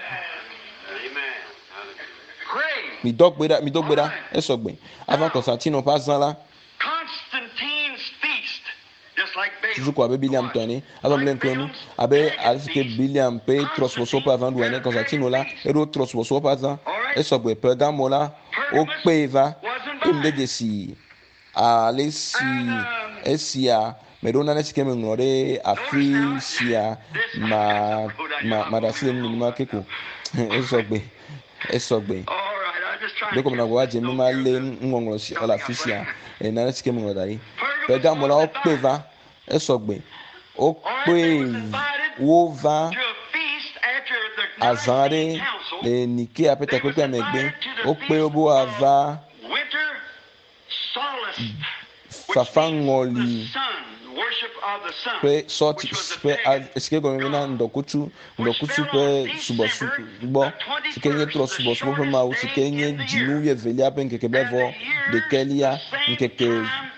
Mido gbe ɖa, mido gbe ɖa. Esɔ gbe. Ava Konstantino ƒe azã la. Susu ko abe Bileam tɔ ene. Azɔ mlɛ ŋku enu abe ale si ke Bileam ƒe trɔ̃subɔsubɔ ƒe azã ɖu ene. Konstantino la, eɖo trɔ̃subɔsubɔ ƒe azã. Esɔgbe Pergamo la, wokpee va eye mede dzesi ale si esia meɖo nane si ke meŋlɔ ɖe afi sia ma ma maɖe asi le ŋu nenema ke ko. Esɔgbe. Esɔgbe. Ɖeko menɔ agbagba dzem be malé nuŋɔŋlɔ si le afi sia eye nane si ke meŋlɔ da ɖi. Pergamo la wokpee va. Esɔgbe. Wokpee wova azã aɖe le Nikea ƒe takpekpea megbe. Wokpe wo be woava fafaŋɔli ƒe sɔti ƒe si ke gɔme bena ŋdɔkutsu ŋdɔkutsu ƒe subɔsubɔ si ke nye trɔsubɔsubɔ ƒe mawu si ke nye dzinu wuievelia ƒe ŋkeke blaeve ɖekɛlia ŋkeke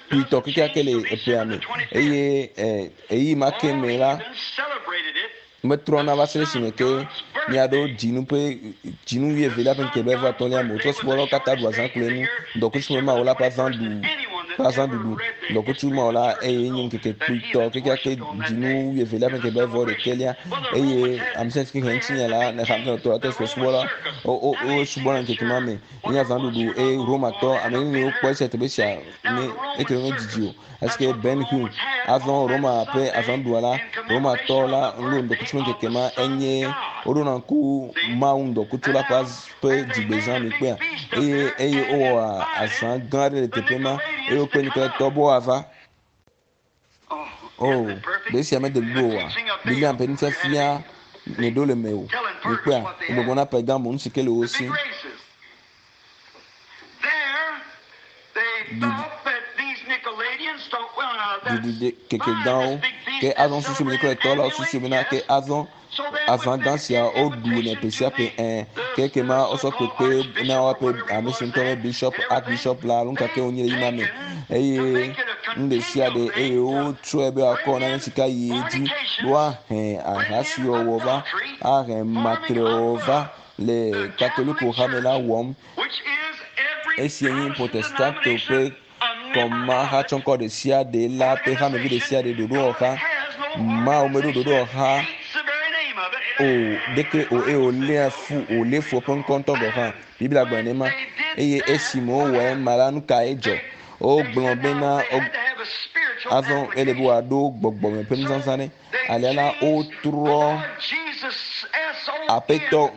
kpuitɔ kekeake le eƒea me eye ɣeyiɣi ma ke me la Metrɔna va se ɖe esime ke míaɖo dzinu ƒe dzinu wuievelia ƒe ŋkeke blaeve atɔ̃lia me o. Trɔ̃subɔlawo katã ɖu azã kloe nu. Ŋdɔkutsu me Mawu la ƒe azã ɖu ƒe azãɖuɖu. Ŋdɔkutsu Mawu la eye nye ŋkeke kpuitɔ kekeake dzinu wuievelia ƒe ŋkeke blaeve ɖekɛlia eye ame sia ame si ke xlẽ ŋutinya la ne xamtɔ la trɔ̃subɔla wo wo wosubɔna ŋkeke ma me. Enye azãɖuɖu eye Romatɔ ame neniwo kpɔ esia teƒe sia ne eteƒe medidi o. Esike Ben Hur azɔ Roma ƒe azãɖuɖua la, Romatɔ la ŋɖo ŋdɔkutsu ƒe ŋkeke ma enye woɖona ŋku Mawu ŋdɔkutsu la ƒe ƒe dzigbezã mi kpea eye eye wowɔa azã gã aɖe le teƒe ma eye wokpe nukletɔ be woava. O, ɖe esia mede blibo oa? Bileam ƒe nufiafia nyeɖo le mewò. Mikpɔea? Gbɔgbɔ na Pergamo nu si ke le wo si. Ɖiɖi keke gãwo. Ke azɔ susu mi kple tɔ la susu bena ke azɔ azã gã sia woɖu ne ƒe sia ƒe ɛ ke ke ma wosɔ kpekpe na woaƒe ame si ŋutɔ be bishop archbishop la alo nuka ke wonye le yima me eye nu ɖe sia ɖe eye wotsɔe be woakɔ nane si ka yi edzi woahe ahasiwɔwɔ va ahe matrewɔwɔ va le Katoliko hame la wɔm. Esia nye Protestanto ƒe kɔmahatsɔŋkɔ ɖe sia ɖe la ƒe hamevi ɖe sia ɖe ɖoɖowɔha. Mawu meɖo ɖoɖowɔha o ɖeke o eye wòléa fu wòlé fu eƒe ŋkɔ ŋutɔ gɔ̃ hã. Biblia gblɔ nenema. Eye esime wowɔ ema la, nu kae dzɔ? Wogblɔ bena azɔ ele be wòaɖo gbɔgbɔme ƒe nuzazã ɖe. Alea la, wotrɔ Aƒetɔ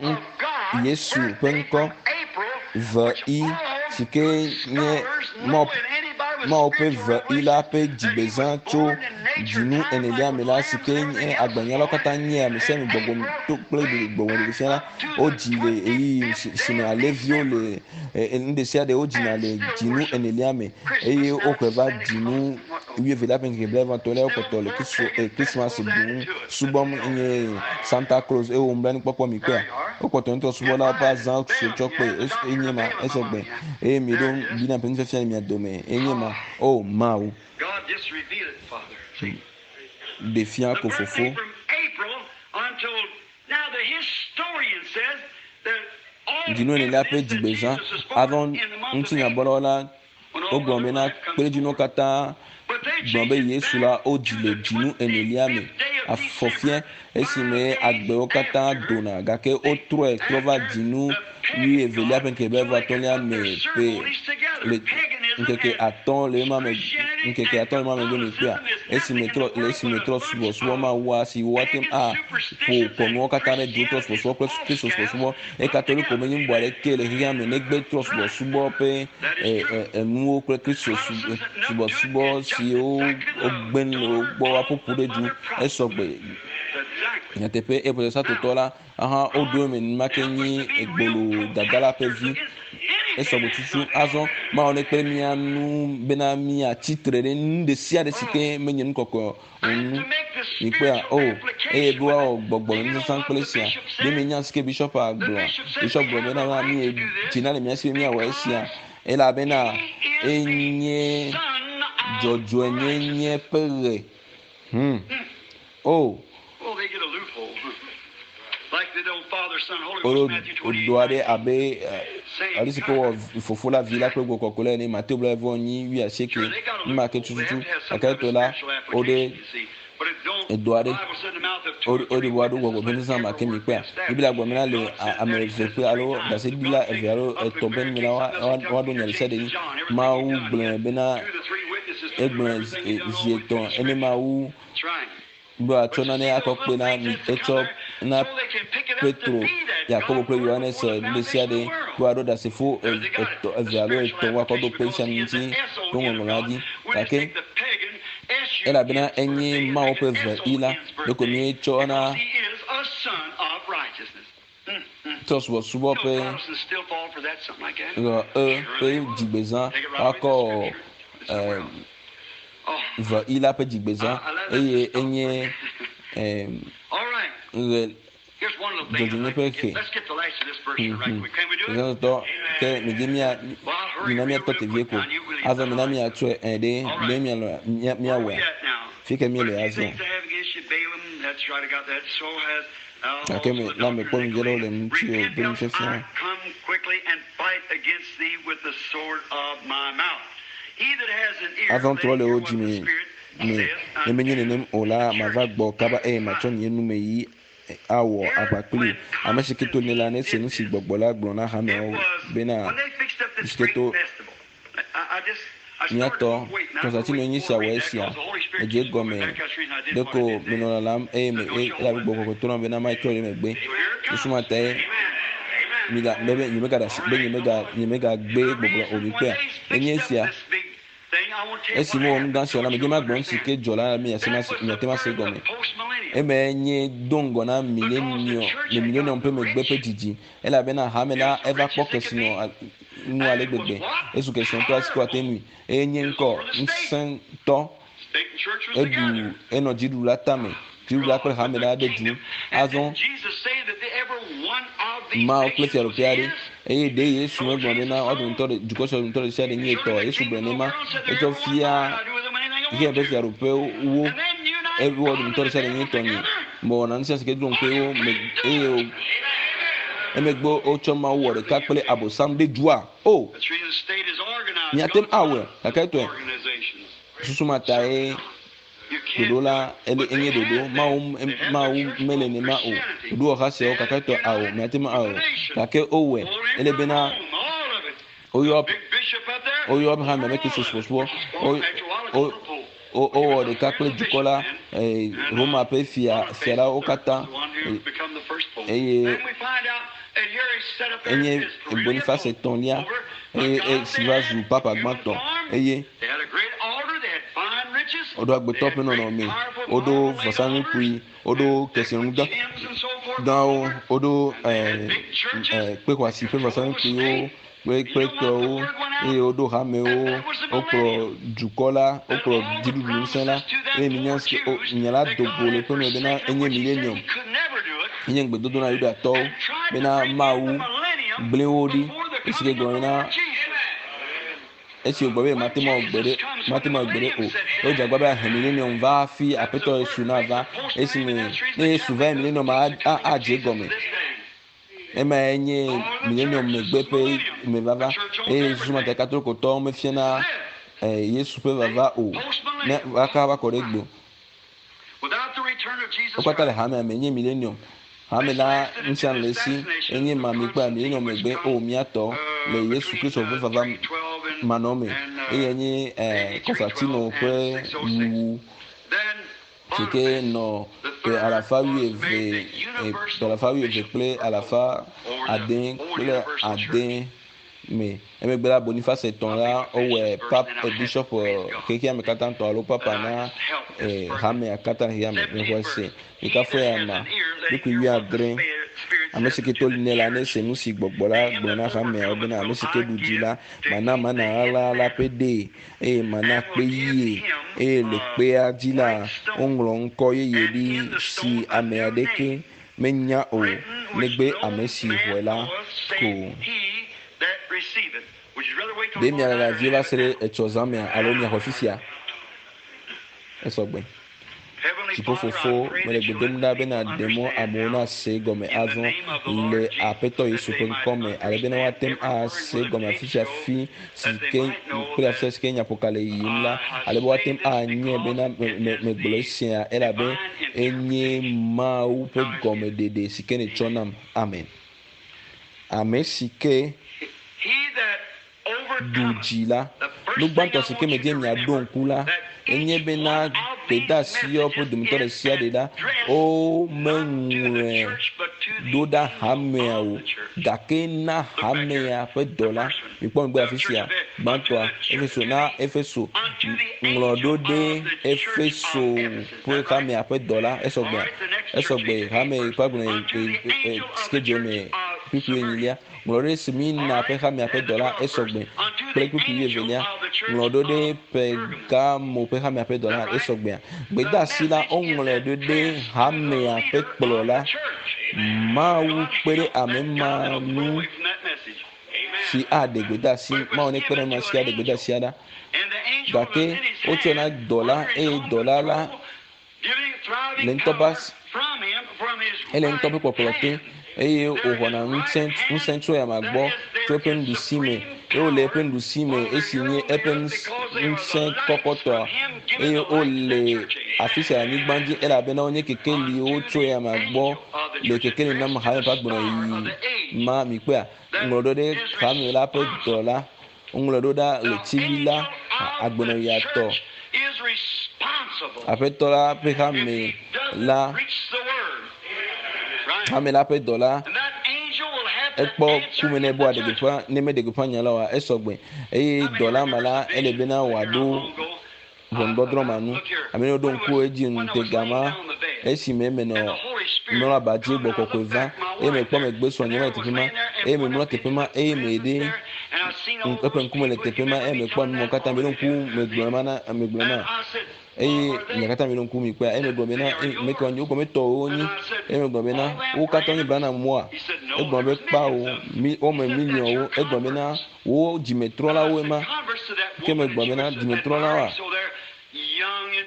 Yesu ƒe ŋkɔ VI si ke nye mɔ. Mawu ƒe ve yi la ƒe dzigbezã tso dzinu enelia me la si ke nye agbalẽnyalawo katã nye ame sia ame gbɔgbɔ to kple gbɔgbɔ ɖeɖefia la wodzi le ɣeyiɣi si me alẽviwo le nu ɖe sia ɖe wodzina le dzinu enelia me eye woxɔe va dzinu wuievelia ƒe ŋkeke blaeve etɔ̃lia wokpɔtɔ le Christmas ɖum subɔm nye Santa Claus eye wo nublanuikpɔkpɔ mi kpɔa wokpɔtɔ ŋutɔ subɔlawo ƒe azã si wotsɔ kpe enye ma esɔgbe eye miɖo Biblia ƒe nufiafia le mia dome enye ma o Mawu ɖe fia ko fofo. Dzinu enelia ƒe dzigbezã azɔ ŋutinyabɔlawo la Wogblɔ bena kpeɖodzinuwo katã gblɔ be Yesu la wodzi le dzinu enelia me, afɔfiɛ esime agbewo katã dona, gake wotrɔe trɔ va dzinu wuievelia ƒe ŋkeke blaeve-atɔ̃lia me ƒe le ŋkeke atɔ̃ le ema me ŋkeke atɔ̃ le ema megbe mi kpɔea esime trɔ le esime trɔ subɔsubɔ mawua si woate ŋu aƒo kɔnuwo katã ɖe du trɔ subɔsubɔ kple Kristo subɔsubɔ Eye Katoliko menye nu bubu aɖeke le xexea me negbe trɔ̃subɔsubɔ ƒe enuwo kple Kristo subɔsubɔ siwo wogbe nu le wo gbɔ woaƒo ƒu ɖe du. Esɔ gbe nyateƒe eye Protestantotɔ la hã woɖo eme nenema ke nyi gbolo dadala ƒe vi. Esɔ gbe tutu. Azɔ Mawu nekpe ɖe mía ŋu bena míatsi tre ɖe nu ɖe sia ɖe si ke menye nu kɔkɔe ŋu. Mikpɔea? O, eye be woawɔ gbɔgbɔmenusasã kple esia. Ɖe mienya nu si ke bishɔpa gblɔa? Bishɔp gblɔ bena na mi dzina le mía si be míawɔ esia elabena enye dzɔdzɔenyenye ƒe ɣe. Hmm. O. Woɖo do aɖe abe ale si ke wowɔ Fofo la, Vi la kple Gbɔgbɔ Kɔkɔe la ene, Mateo blaeve-vɔ-enyi, wuiasieke, nu ma ke tututu. Gake etɔ la, woɖe edo aɖe, woɖe woaɖo gbɔgbɔ ƒe nuzazã ma ke mi kpɔea. Biblia gblɔ bena le ame eve ƒe alo ɖaseɖila eve alo etɔ̃ ƒe nu me la, woaɖo nya ɖe sia ɖe dzi. Mawu gblɔe bena egblɔe zi etɔ̃ ene Mawu be wòatsɔ nane akɔ kpe na mi etsɔ na Petro, Yakobo kple Yohanes nu ɖe sia ɖe be woaɖo ɖasefo etɔ̃, eve alo etɔ̃ woakɔ ɖo kpe sia ŋuti to ŋɔŋlɔa dzi. Gake elabena enye Mawu ƒe ve i la, ɖeko míetsɔ na trɔsubɔsubɔ ƒe ɣe e ƒe dzigbezã woakɔ ve i la ƒe dzigbezã eye enye ɣe dzɔdzɔenye ƒe xe. Zãtɔ ke midzi mía mina míatɔ te vie ko. Azɔ mina míatsɔe ɛ ɖe ɖe míalɔ míawɔe. Fi ke míele azɔ. Gake me la mekpɔ ŋudzɔ ɖe wo le ŋutiwò ƒe nufiafia. Azɔ trɔ le wò dzi me me, ne menye nenem o la, mava gbɔ kaba eye matsɔ nye numeyi awɔ aʋa kpli wò. Ame si ke to nɛ la, nese nu si Gbɔgbɔ la gblɔ na hameawo bena, Nu si ke to Mía tɔ, Konstantino nye sia wɔ esia. Edze egɔme ɖeko menɔ lalam eye me elabe gbɔgbɔ kɔkɔe to nam bena matrɔ ɖe megbe. Susu ma tae miga be be nyemegaɖe asi be nyemega nyemegagbe gbɔgblɔ o. Mikpɔea? Enye esia. Esi mewɔ nu gã sia la, medze magblɔ nu si ke dzɔ la mi ase mase miate ŋu ase egɔme. Emae nye do ŋgɔ na milenium le milenium ƒe megbe ƒe dzidzi. Elabena hame la eva kpɔ kesinɔ nu ale gbegbe. Ezu kesinɔtɔ asi ko ate ŋui. Eye nye ŋkɔ ŋusẽtɔ eɖu enɔ dziɖuɖu la tame. Dziɖuɖu la kple hame la ɖe du. Azɔ Mawu kple fiaɖuƒe aɖe. Eye ɖe Yesu megblɔ bena woa dometɔ ɖe dukɔ sia dometɔ ɖe sia ɖe nye etɔ. Yesu gblɔe nenema. Etsɔ fia xexea ƒe fiaɖuƒewo. Ewo dometɔ ɖe sia ɖe nye etɔ nye. Mewɔna nu sia si ke dzrom kple wo me eye emegbe wotsɔ Mawu wɔ ɖeka kple Abosam ɖe dua. O, miate ŋu awɔe, gake etɔe. Susu ma tae ɖoɖo la ele enye ɖoɖo. Mawu Mawu mele nema o. Ɖoɖowɔha siawo gake etɔe ao, miate ŋu awɔe. Gake wowɔe. Ele bena woyɔ woyɔ hame be Kristo subɔsubɔ. Wo wo wowɔ ɖeka kple dukɔ la, Roma ƒe fia fia la wo katã eye enye Boniface etɔ̃lia eye si va zu papa gbãtɔ eye. Woɖo agbetɔ ƒe nɔnɔme, woɖo vɔsamlekpui, woɖo kesinɔnu gãwo, woɖo kpexɔasi ƒe vɔsamlekpuiwo kple kpekpewo eye woɖo hamewo, wokplɔ dukɔ la, wokplɔ dziɖuɖu ŋusẽ la eye minya si o nya la do go le ƒe me bena enye milenium. Enye ŋugbedodo na Yudatɔwo bena Mawu gblẽ wo ɖi esi ke gblɔ bena esi wògblɔ be mate ŋu awɔ gbeɖe mate ŋu awɔ gbeɖe o. Wodze agbagba be ahe milenium va hafi Aƒetɔ Yesu nava. Esime ne Yesu va milenium adze egɔme. Emae nye milenium megbe ƒe mevava eye susumata katolikotɔwo mefiana Yesu ƒe vava o. Ne woaka va kɔ ɖe egbe. Wo katã le hamea me nye milenium. Hame la ŋutia le esi enye ma mi kpɔa milenium megbe o mía tɔ le Yesu Kristo ƒe vava manɔme eye nye Kɔstatino ƒe wuwu si ke nɔ ƒe alafa wuieve, ƒe alafa wuieve kple alafa ade kple ade me. Emegbe la, Boniface etɔ̃ la, wowɔe pap, bishop xexea me katã tɔ alo papa na hamea katã xexea me. Mexɔe se. Mikafu eyama. Kpukpui wuiadre. Ame si ke to li nɛ la, nese nu si gbɔgbɔ la gblɔ na hameawo bena, Ame si ke ɖu dzi la, mana mana ɣaɣla la ƒe ɖee, eye mana kpe ɣie, eye le kpea dzi la, woŋlɔ ŋkɔ yeye ɖi si ame aɖeke menya o, negbe ame si xɔe la ko. Ɖe mialala vie va se ɖe etsɔ zã mea alo miaxɔe fifia? Esɔgbe. Dziƒofofo, mele gbe dom ɖa be nàɖe mɔ amewo nase egɔme azɔ le Aƒetɔ Yesu ƒe ŋkɔ me, ale bena woate ŋu ase egɔme afi sia afi si ke kple afi sia si ke nyaƒoka le yiyim la, ale be woate ŋu anyae bena megblɔ esia elabe enye Mawu ƒe gɔmeɖeɖe si ke nètsɔ nam. Amen. Ame si ke ɖu dzi la, nu gbãtɔ si ke medie miaɖo ŋku la, enye bena gbedeasiawo ƒe dometɔ ɖe sia ɖe la, womeŋlɔe ɖo ɖa hamea o, gake na hamea ƒe dɔla. Mikpɔ megbe afi sia, gbãtɔa, Efeso, na Efeso, ŋlɔ ɖo ɖe Efeso ƒe hamea ƒe dɔla. Esɔgbea? Esɔgbe, hame ƒe agblɔ si ke dze eme kpukpui enyilia. Ŋlɔ ɖe Smirna ƒe hamea ƒe dɔla esɔgbe kple kpukpui wuievelia. Ŋlɔ ɖo ɖe Pergamo ƒe hamea ƒe dɔla esɔgbea. Gbedeasi la woŋlɔe ɖo ɖe hamea ƒe kplɔla. Mawu kpe ɖe ame ma ŋu si aɖe gbedeasi. Mawu nekpe ɖe ame ma si aɖe gbedeasia ɖa. Gake wotsɔe na dɔla eye dɔla la le ŋutɔ ƒe asi, ele ŋutɔ ƒe kpɔkplɔ te eye wòxɔna ŋusẽ ŋusẽ tso eyama gbɔ tso eƒe nuɖusi me eye wòle eƒe nuɖusi me esi nye eƒe ŋusẽ kɔkɔtɔa eye wole afi sia le anyigba dzi elabena wonye kekeliwo tso eyama gbɔ le kekeli nam hame ƒe agbenɔyiyi ma mikpɔea ŋlɔ ɖo ɖe hame la ƒe dɔla Woŋlɔe ɖo ɖa ɣletivi la agbenɔɣia tɔ. Aƒetɔ la ƒe hame la, hame la ƒe dɔla, ekpɔ ku me ne be wòaɖe gbeƒã, ne meɖe gbeƒã nya la oa, esɔgbe. Eye dɔla ma la, ele bena wòaɖo ʋɔnudɔdrɔ̃ ma nu. Ame yiwo ɖo ŋku edzi ŋutega ma esime menɔ mlɔ aba dzi gbɔ kɔkɔe va eye mekpɔ megbe srɔ̃nye va le teƒe ma eye memlɔ teƒe ma eye meɖe eƒe ŋkume le teƒe ma eye mekpɔ ame katã meɖo ŋku megblɔ ma na megblɔ na eye nya katã meɖo ŋku mi kpɔa eye megblɔ bena mekɔ nyi wogɔme tɔwo wonyi eye megblɔ bena wo katã wonye Branham moa egblɔ be kpawo mi wome miliɔnwo egblɔ bena Wo dzimetrɔlawoe ma. Ke megblɔ bena, Dzimetrɔlawoa?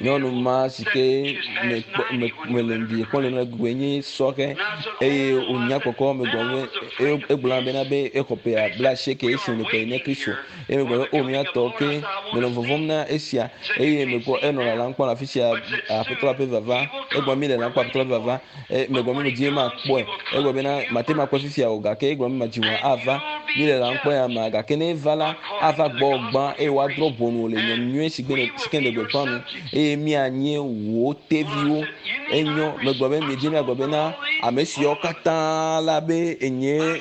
Nyɔnu ma si ke mekpɔ me mele ŋdi kpɔm le nua gbɔe nye sɔhɛ eye wònya kɔkɔ megblɔ be eye egblɔ bena be exɔ ƒe blaasieke esi wòle kɔ ne Kristo. Eye megblɔ be o mía tɔ ke menɔ vɔvɔ̃m na esia eye mekpɔ enɔ lalam kpɔ le afi sia aƒetɔ la ƒe vava. Egblɔ mi le lalam kpɔ aƒetɔ la ƒe vava. E, megblɔ be medie makpɔe. Egblɔ bena mate ŋu akpɔe fifia o, gake egblɔ be madzi ŋua ava. Mi le lãkpɔe amea, gake ne eva la, ava gbɔwò gbã eye woadrɔ̃ ʋɔnu wò le nya nyui si gbe si ke nèle gbeƒã nu eye míanye wò teviwo. Enyo, megblɔ be miedzi miagblɔ bena ame siawo katã la be enye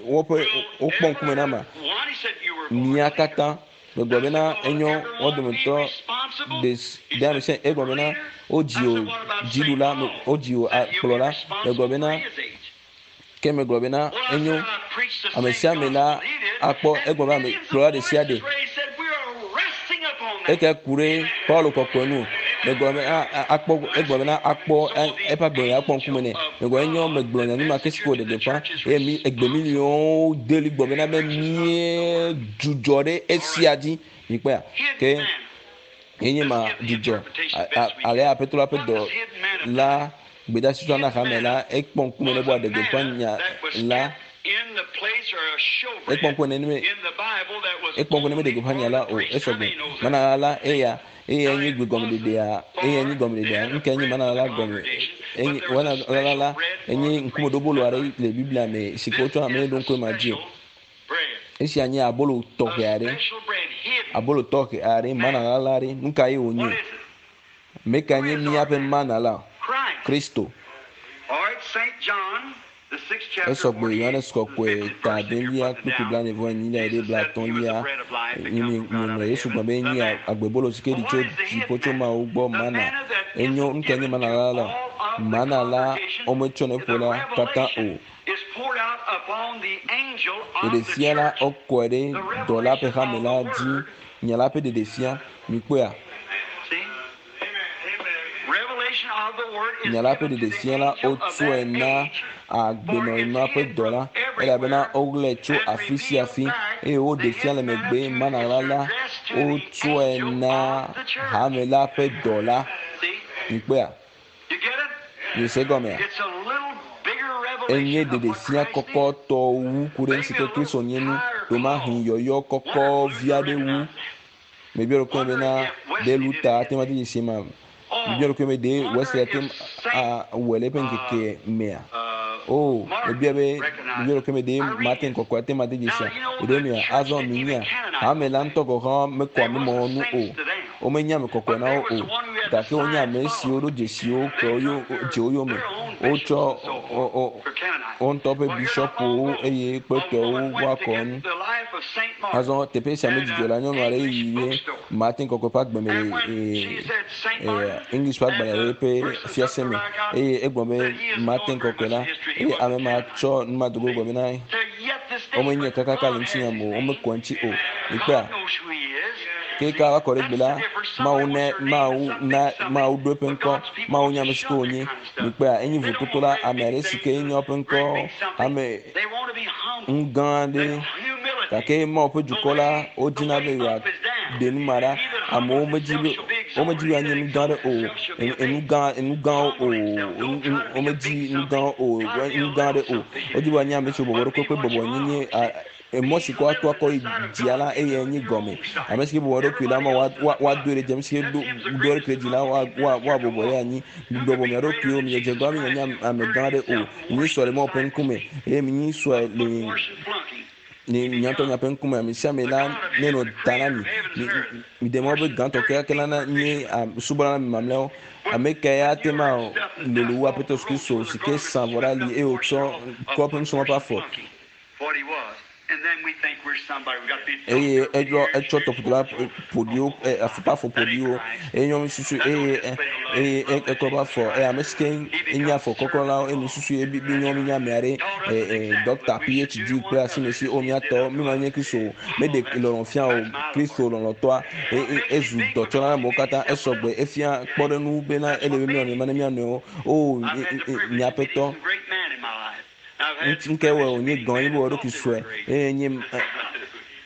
woƒe wokpɔ ŋkume na ma. Mia katã. Megblɔ bena enyo wo dometɔ ɖe ɖe ame sia egblɔ bena wodzi wò dziɖula, wodzi wò kplɔla. Megblɔ bena ke megblɔ bena enyo ame sia ame la akpɔ egblɔ be ame kplɔla ɖe sia ɖe eke ku ɖe Paulo kɔkɔe nu. Megblɔ be akpɔ egblɔ bena akpɔ eƒe agbe akpɔ ŋkume nɛ. Megblɔ enyo megblɔ nya nu ma ke si ke wòɖe gbeƒã eye mi egbe miliɔnwo deli gblɔ bena be mie dzudzɔ ɖe esia dzi. Mikpɔa ke enye ma dzudzɔ ale aƒetɔ la ƒe dɔ la gbedasi tsɔ na hame la ekpɔ ŋkume ne be wòaɖe gbeƒã nya la ekpɔ ŋkume ne me ekpɔ ŋkume ne meɖe gbeƒã nya la o esɔgbe mana la eya eye nye gbegɔmeɖeɖea eye nye gɔmeɖeɖea nuka nye mana la gɔme enye wana la la enye ŋkumeɖobolo aɖe le Biblia me si ke wotsɔ ame ɖo ŋkue ma dzi o. Esia nye abolo tɔxɛ aɖe abolo tɔxɛ aɖe mana la la ɖe nuka ye wònye? Meka nye míaƒe mana la? Kristo. Esɔgbe Yohanes kɔkɔe ta adelia kpukpui blaene vɔ enyilia ɖe blaetɔ̃lia ŋlɔ Yesu gblɔ be enye agbebolo si ke ɖi tso dziƒo tso Mawu gbɔ mana. Enyo nuka nye mana la la? Mana la wometsɔnɛ ƒo la katã o. Ɖeɖefia la wokɔe ɖe dɔla ƒe hame la dzi. Nya la ƒe ɖeɖefia mikpɔea? Nya la ƒe ɖeɖefia la wotsɔe na agbenɔɣi ma ƒe dɔla elabena woɣlae tso afi sia afi eye woɖe fia le megbe mana la la wotsɔe na hame la ƒe dɔla. Mikpɔea? Miese gɔmea? Enye ɖeɖefia kɔkɔtɔ wu ku ɖe nu si ke Kristo nye nu. Ɖomahi yɔyɔ kɔkɔ vi aɖe wu. Mebia ɖokuinye bena ɖe Luther ate ŋu ade dzesi ma? Mebia ɖokuinye be ɖe Wesley ate ŋu awɔe le eƒe ŋkeke mea? O, mebia be mebia ɖokuinye be ɖe Martin kɔkɔe ate ŋu ade dzesi ɖe mea? Azɔ minya, hame la ŋutɔ gɔ̃ hã mekɔ ame mawo ŋu o. Womenya ame kɔkɔe na wo o, gake wonye ame siwo ɖo dzesiwo kplɔ wo dze wo yome. Wotsɔ wo ŋutɔ ƒe bishɔpuwo eye kpetɔwo woakɔ nu. Azɔ teƒe sia medzidzɔ la, nyɔnu aɖe yi ɖe Martin kɔkɔe ƒe agbe me le English ƒe agbalẽ ɖe ƒe fiase me eye egblɔ be Martin kɔkɔe la eye ame ma tsɔ numadogo gblɔ bena womenye kakaka le ŋutinya me o, womekɔ eŋuti o. Mikpɔa? Ke ka va kɔ ɖe gbe la, Mawu ne Mawu na Mawu ɖo eƒe ŋkɔ. Mawu nye ame si ke wònye. Mikpɔea, enye vototo la ame aɖe si ke nye eƒe ŋkɔ ame nu gã aɖe. Gake Mawu ƒe dukɔ la, wodina be yewoaɖe nu ma ɖa. Amewo medi be womedi be yewoanye nu gã aɖe o, enu gã enu gãwo o, womedi nu gãwo o, nu gã aɖe o. Wodi be woanye ame siwo bɔbɔ ɖokui kple bɔbɔnyenye emɔ si ke woato akɔ yi dzia la eye nye gɔme. Ame si ke bɔbɔ eɖokui la, ma woadoe ɖe dzi. Ame si ke do eɖokui ɖe dzi la, woabɔbɔ ɖe anyi. Mibɔbɔ mia ɖokuiwo, miedze gbã be mianye ame gã aɖe o. Minyi sue le Mawu ƒe ŋkume eye minyi sue le le mia ŋutɔ miaƒe ŋkume. Ame sia ame la nenɔ ta na mi. Miɖe mɔ be gãtɔ kekeake la nanye subɔla na mi mamlɛawo. Ame kae ate ŋu alolo wu Aƒetɔ Yesu Kristo si ke sa vɔ ɖe ali eye wòtsɔ kɔ eƒe nusrɔ̃lawo ƒe afɔ? Eye edzɔ etsɔ tɔƒodo la ƒoɖiwo afɔkpa afɔ ƒoɖiwo eye nyɔnu susu eye eye ekɔ eƒe afɔ eye ame si ke nye afɔ kɔkɔ la eye susu ye bi nyɔnu nye ame aɖe dɔkta PhD kple asimesi o míatɔ mi ma nye Kristo meɖe lɔlɔ fia o Kristo lɔlɔtɔa ezu dɔtsɔla na amewo katã esɔgbe efia kpɔɖeŋu bena ele be míanɔ ma ne mía nɔewo o miaƒetɔ Ŋke wɔ wònye gɔn yi be wɔ ɖokui sue eye nye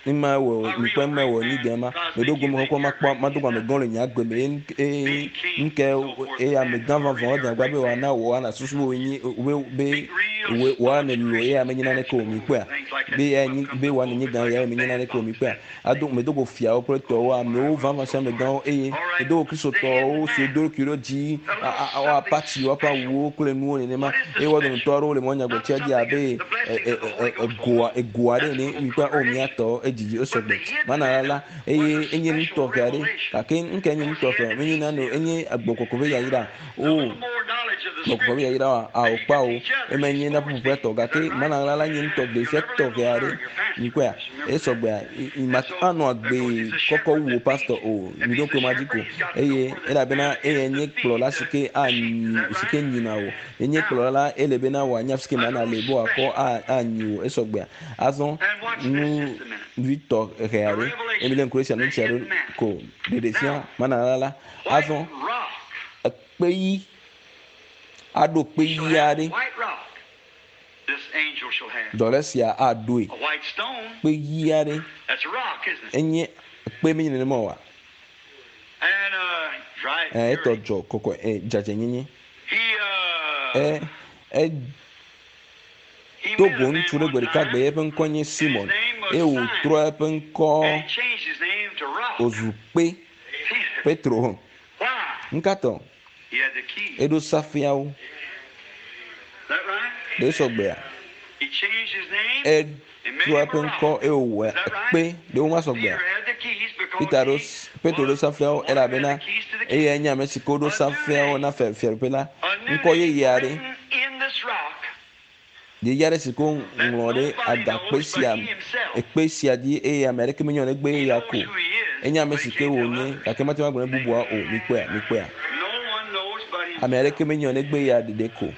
ema wɔ mikpɔ ema wɔ nyi gɛn ma meɖo gome kɔkɔ ma kpɔ ma do ame gɔn le nye agbe me eye ŋke eye ame gã vavã wɔ dagba be wòana wò ana susu be wònyi be be wòana lolo eye ame nyi naneke o mikpɔa be ya nyi be wòana nyi gã ya ame nyi naneke o mikpɔa Ado medo go fiawo kple tɔwo, amewo vavã sia amegãwo, eye medo go Kristotɔwo siwo do ɖokui ɖe dzi, woapatsi woƒe awuwo kple nuwo nenema, eye wo dometɔ aɖewo le mɔ nyagblɔtia dzi abe egoa ego aɖe ene. Mikpɔ o mía tɔ edzidzi esɔgbe mana la la eye enye nu tɔxɛ aɖe gake nu kae nye nu tɔxɛ menye nane o enye gbɔgbɔ kɔkɔe ƒe yayra o gbɔgbɔ kɔkɔe ƒe yayra wa ao kpa o ema nye na ƒuƒoƒea tɔ gake mana ɣla la nye ŋutɔ ɖevia tɔxɛ aɖe. Mikpɔea? Esɔgbea ma anɔ agbe kɔkɔ wu wò pastor o. Mi ɖo ŋku ema dzi ko. Eye elabena eyae nye kplɔla si ke anyi si ke nyina wò. Enye kplɔla la ele bena wòanya fi si ke mana le be wòakɔ anyi wò. Esɔgbea. Azɔ nu vi tɔxɛ aɖe. Eye milé ŋku ɖe esia nu ŋuti aɖe ko ɖeɖefia mana ɣla la. Azɔ ekpe ɣi aɖo kpe ɣi aɖe. Dɔlé sia aɖoe. Kpe ɣi aɖe. Enye kpe menye nenema oa? Etɔ dzɔ kɔkɔ dzadzɛnyenye. E e do go ŋutsu ɖe gbe ɖeka gbe eƒe ŋkɔ nye Simon eye wòtrɔ eƒe ŋkɔ wòzu kpe Petro. Ŋkatɔ eɖo safiawo. Ɖe sɔgbea? Etrɔ eƒe ŋkɔ eye wòwɔ kpe ɖe wo ma sɔgbea? Peter ɖo Petro ɖo safiawo elabena eyae nye ame si ke woɖo safiawo na fiaɖuƒe la. Ŋkɔ yeye aɖe. Yeye aɖe si ke woŋlɔ ɖe agakpe sia ekpe sia dzi eye ame aɖeke menye o negbe eya ko. Enye ame si ke wònye gake mate ŋu agblɔ ne bubua o. Mikpɔea? Mikpɔea? Ame aɖeke menye o negbe eya ɖeɖe ko.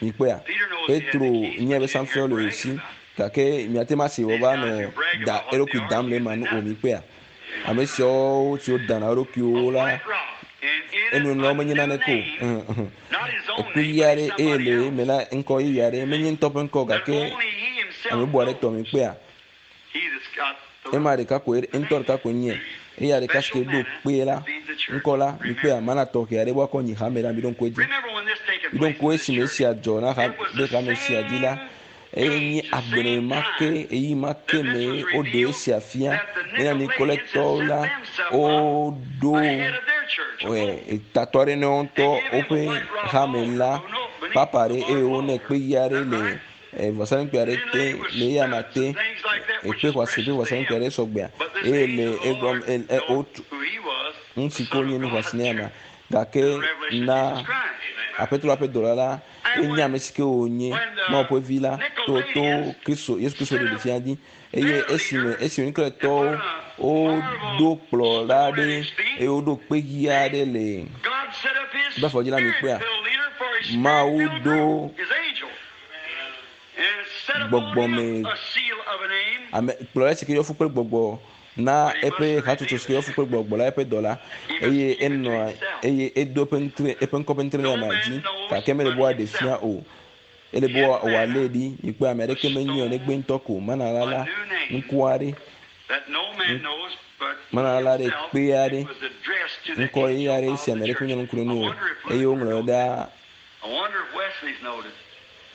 Mikpɔea? Petro nye be safiawo le esi gake miate ŋu ase wòva nɔ da eɖokui dam le ema nu o. Mikpɔea? Ame siawo siwo dana wo ɖokuiwo la enu la womenye naneke o. Ekpe ɣi aɖe eye le eme la ŋkɔ yeye aɖe menye ŋutɔ ƒe ŋkɔ gake ame bubu aɖe tɔ mikpɔea? Ema ɖeka koe ŋutɔ ɖeka koe nye. Eya ɖeka si ke ɖo kpe la ŋkɔ la mikpɔea mana tɔxɛ aɖe woakɔ nyi hame la mi ɖo ŋku edzi. Mi ɖo ŋku esime esia dzɔ na ɖe hame sia dzi la eye nye agbenɔnɔ ma ke eyi ma ke me woɖe esia fia bena Nikoletɔwo la woɖo tatɔ aɖe na wo ŋutɔ woƒe hame la papa ɖe eye wonɛ kpe ɣi aɖe le vɔsamlekpui aɖe te le eya ma te ekpe xɔasi ƒe vɔsamlekpui aɖe sɔgbea eye le egɔme wotu nu si ke wonye nu xɔasi na ma gake na aƒetɔ la ƒe dɔla la enye ame si ke wònye Mawu ƒe vi la to to Kristo Yesu Kristo ɖeɖe fia dzi eye esime esime Nikoletɔwo woɖo kplɔla aɖe eye woɖo kpe ɣi aɖe le bafɔ dzi la mikpɔea Mawu ɖo gbɔgbɔme ame kplɔla si ke yɔ fũ kple gbɔgbɔ na eƒe hatsotso si ke yɔ fũ kple gbɔgbɔ la eƒe dɔla eye enɔa eye edo eƒe ŋutre eƒe ŋkɔ ƒe ŋutre ɖe amea dzi gake mele be woaɖe fia o. Ele be wòalé ɖi mikpɔe ame aɖeke menye o negbe ŋutɔ ko mana la la ŋku aɖe mana la ɖe kpe aɖe ŋkɔ ɣi aɖe si ame aɖeke menye ŋku ɖe nu o eye woŋlɔ ɖa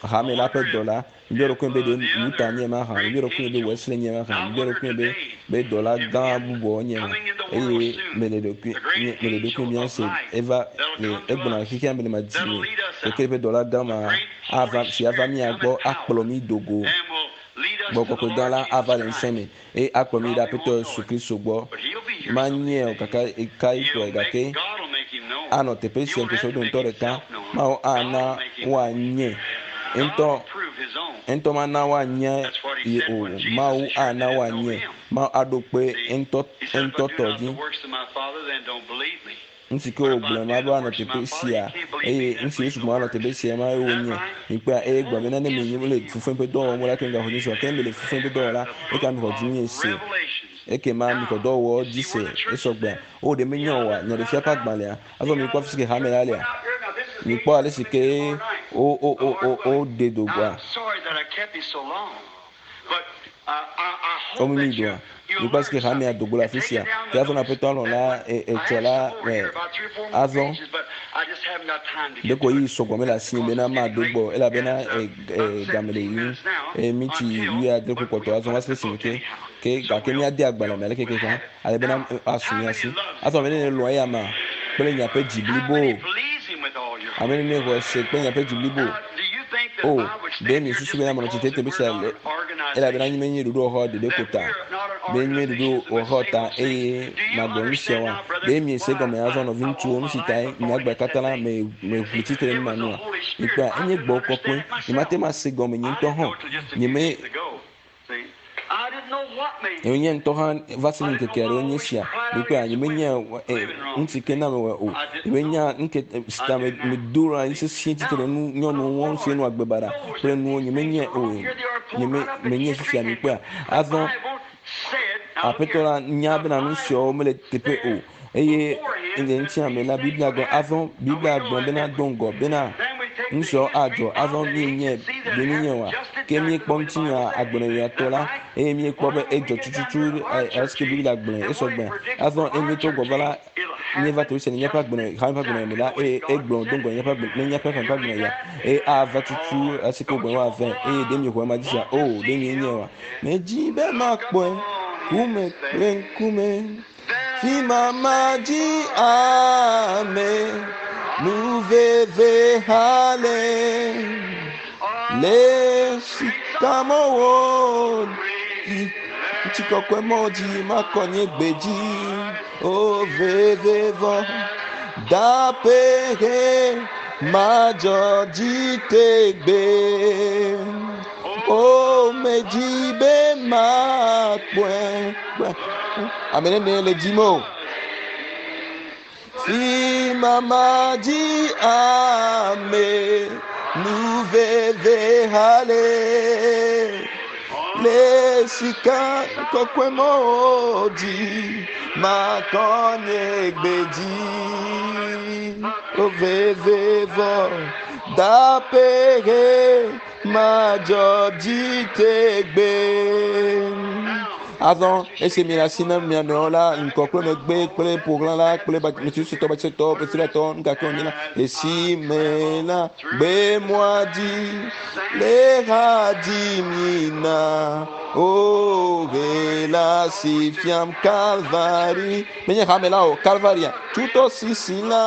hame la ƒe dɔla mibiɔ ɖokui be ɖe Luther nye ma hã mibiɔ ɖokui be Wesley nye ma hã mibiɔ ɖokui be be dɔla gã bubuawo nye ma eye mele ɖokui mele ɖokui mia se eva le egbɔna xexea me le ma dzi me keke ƒe dɔla gã ma ava si ava mia gbɔ akplɔ mi dogo gbɔgbɔ kɔkɔe gã la ava le ŋusẽ me eye akplɔ mi ɖe Aƒetɔ Yesu Kristo gbɔ manye o kaka ka yi kplɔe gake anɔ teƒe sia ŋkeke dometɔ ɖeka Mawu ana woanye ŋutɔ ŋutɔ mana woanye ye o Mawu ana woanye Mawu aɖo kpe ŋutɔ ŋutɔ tɔ dzi. Nu si ke wògblɔ ma be woanɔ teƒe sia eye nu si Yesu gblɔ woanɔ teƒe sia ma ye wonye. Mikpɔa eye gblɔ bena ne menye wole fufem ƒe dɔ wɔm la ke migaxɔ dzi se o. Ke ne mele fufem ƒe dɔ wɔm la eka mixɔ dzi nye se. Ekema mixɔ dɔwɔwɔ dzi se esɔgbea. O ɖe menye oa nyaɖefia ƒe agbalẽa. Azɔ mikpɔ afi si ke hame la lea. Mikpɔ ale si ke wo wo wo wo woɖe do goa. Womi doa. Mikpɔ ale si ke hamea do go le afi sia. Ke azɔ na aƒetɔ alɔ̃ la etsɔ la azɔ ɖeko yi sɔgbɔ mele asi bena maɖo gbɔ elabena game le yiyim eye mitsi wuiadre ƒe kpɔtɔ azɔ va se ɖe esime ke ke gake míade agbalẽ me aleke ke ale bena asu mía si. Azɔ ame nene lɔ̃ eya ma kple miaƒe dzi blibo. Ame nene xɔe se kple miaƒe dzi blibo. O, ɖe miesusu bena menɔ tsitre teƒe sia le elabena nye menye ɖoɖowɔxɔ ɖeɖe ko ta, be nye ɖoɖowɔxɔ ta eye magblɔ nu siawoa? Ɖe miese gɔme azɔ nɔviŋutsuwo nu si tae nye agbe katã la me meʋli tsitre nu ma nua? Mikpɔa, enye gbɔ kɔkɔe. Nyemate ŋu ase gɔme nye ŋutɔ hã. Nyeme nye ŋutɔ hã va se ŋkeke aɖewo nye sia. Mikpɔa, nyemenya ŋuti ke na mewɔe o. Nyemenya ŋke si ta me medo ɖe anyi sesĩe tsitre nu nyɔnuwo wɔm sie nu agbe baɖa kple nuwo nyemenyae o. Nyeme menye fifia mikpɔa. Azɔ aƒetɔ la nya bena nu siawo mele teƒe o eye le ŋutia me la Biblia gblɔ azɔ Biblia gblɔ bena do ŋgɔ bena nu siawo adzɔ azɔ míenye be míenye oa ke míekpɔ ŋutinya agbenɔɣiatɔ la eye míekpɔ be edzɔ tututu esike Biblia gblɔe esɔgbe azɔ eye míetrɔ gbɔ va la míeva to sia le míaƒe agbenɔ hame ƒe agbenɔɣi me la eye egblɔ do ŋgɔ le míaƒe agbe ne míaƒe hame ƒe agbenɔɣia eye ava tutu esike wogblɔ woave eye ɖe míexɔ ema dzi sia o ɖe míenye oa medzi be makpɔe ŋkume kple ŋkume fi mama dzi ame nu veve ha le le sikamɔwo dzi ŋutikɔkɔe mɔ dzi makɔ nye gbe dzi o veve vɔ dapehe madzɔ dzi tegbe o medzi be makpɔe ame nene le dzi me o fi mama dzi ame nu veve ha le le sika kɔkɔe mɔwo dzi makɔ nye gbe dzi o veve vɔ dapehe madzɔ dzi tegbe. Azɔ esi mi le asi nam mia nɔewo la ŋkɔ kple megbe kple ƒoxlã la kple metsusutɔ batsetɔ petsilatɔ nukake wònye la esi me la gbe mɔa dzi le ha dzi mi na o he la si fiam Kalvari menye hame la o Kalvaria tutɔ sisi la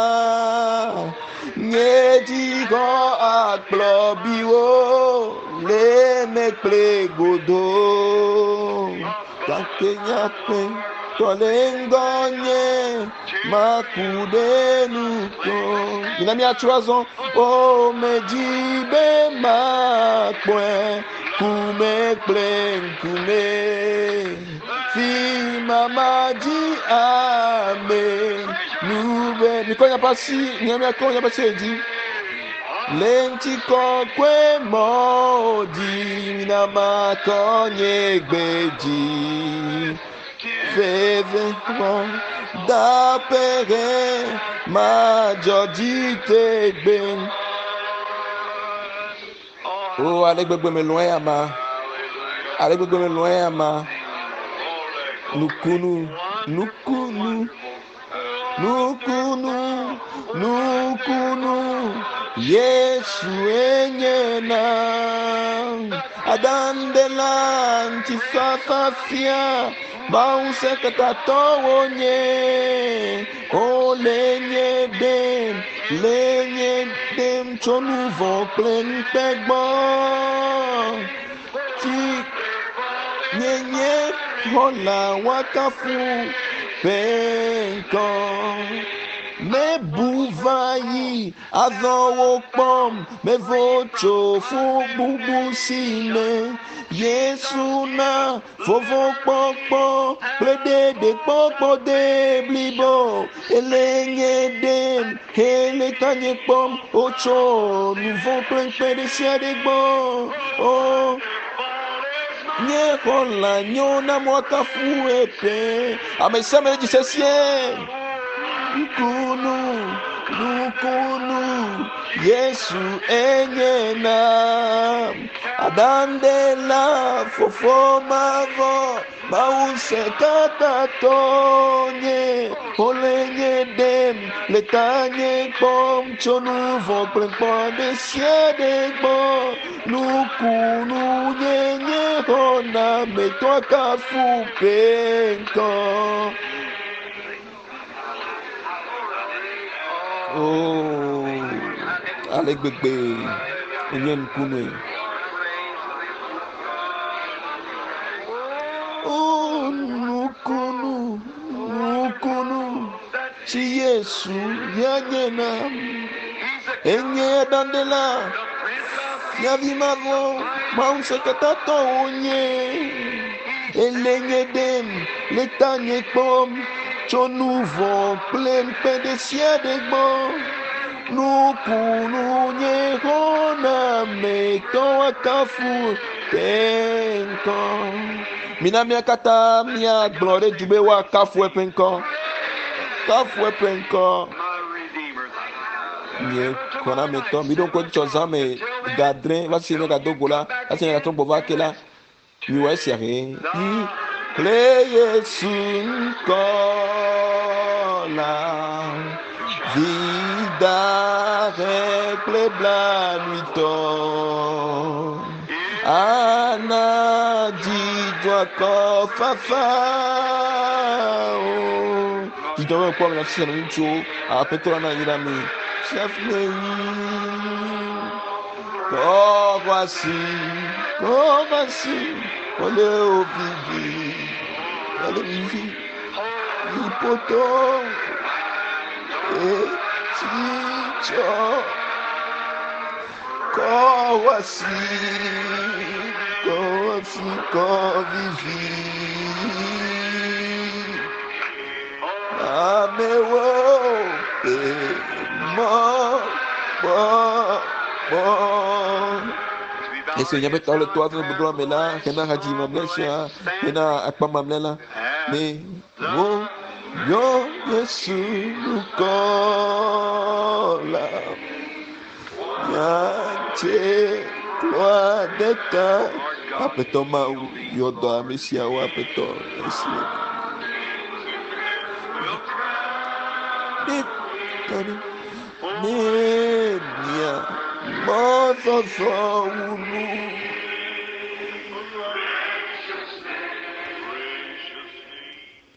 nye dzi xɔ akplɔ biwo le me kple godo gake nyaƒe tɔ le ŋgɔ nye maku ɖe nu ko. Mina míatso azɔ o medzi be makpɔe kume kple ŋkume fi mama dzi ame nu be mikɔ miaƒe asi mia miakɔ miaƒe asi dzi le ŋutikɔkɔe mɔ dzi mina makɔ nye gbe dzi veve vɔ dapehe madzɔ dzi tegbe. O ale gbegbe melɔ̃ eya ma ale gbegbe melɔ̃ eya ma nukunu nukunu nukunu nukunu Yesu enye na adandela ŋutifafa fia Mawu ŋusẽkatatɔwo nye wole nye ɖem le nye ɖem tso nu vɔ̃ kple ŋukpe gbɔ ti nye nye xɔla woakafu ƒe ŋkɔ mebu va yi azɔ wo kpɔm mevo tso fu bubu si me Yesu na vovo kpɔkpɔ kple ɖeɖe kpɔkpɔ de blibo ele nye ɖem hele tanye kpɔm wotso nu vɔ̃ kple ŋukpe ɖe sia ɖe gbɔ o nye xɔla nyo na mɔkafu eƒe ame sia ame dzi sesĩe nukunu nukunu Yesu enye na adandela fofo mavɔ Mawu ŋusẽkatatɔ nye wole nye ɖem le tanye kpɔm tso nu vɔ̃ kple ŋukpe ɖe sia ɖe gbɔ nukunu nye nye xɔnametɔ kafu ƒe ŋkɔ. Oh, ale gbegbe. Enye nukunue. O nukunu, nukunu, si Yesu ya nye nam. Enye ɖaɖela, fiavi mavɔ, Mawu ŋusẽkatãtɔ wònye. Ele nye ɖem, le tanye kpɔm tso nu vɔ̃ kple ŋukpe ɖe sia ɖe gbɔ. Nukunu nye xɔnametɔ woakafu te ŋkɔ. Mina mía katã míagblɔ ɖe du be woakafu eƒe ŋkɔ. Kafu eƒe ŋkɔ. My Redeemer. Nye xɔnametɔ, miɖo ŋku edzi tsɔ zã me ga adre va se ne gado go la, va se ne gatrɔ gbɔ va ke la, miwɔ esia he. Kple Yesu ŋkɔ la, vida he kple blanuitɔ. Ana dzidzɔ akɔfafa o. Dzidzɔ be kpɔ mi afi sia ŋutsuwo, aƒetɔ la na anyi ɖe mi. Fiafia yi. Kɔwasi, kɔwasi, kɔle ovivi, kɔle vivi, ipoto, etsitsɔ. Kɔwasi, kɔwasi, kɔvivi. Amewo pe mɔ kpɔ kpɔ. Esi wònye be tɔ le toa ƒe gbedoxɔ me la, hena hadzidzi mamlɛ sia, hena akpa mamlɛ la, ne wo yɔ Yesu ŋkɔ la, miatse kloa ɖe ta. Aƒetɔ Mawu, yɔ dɔ ame siawo, Aƒetɔ, esi ne ne mia mɔzɔzɔ wu nu.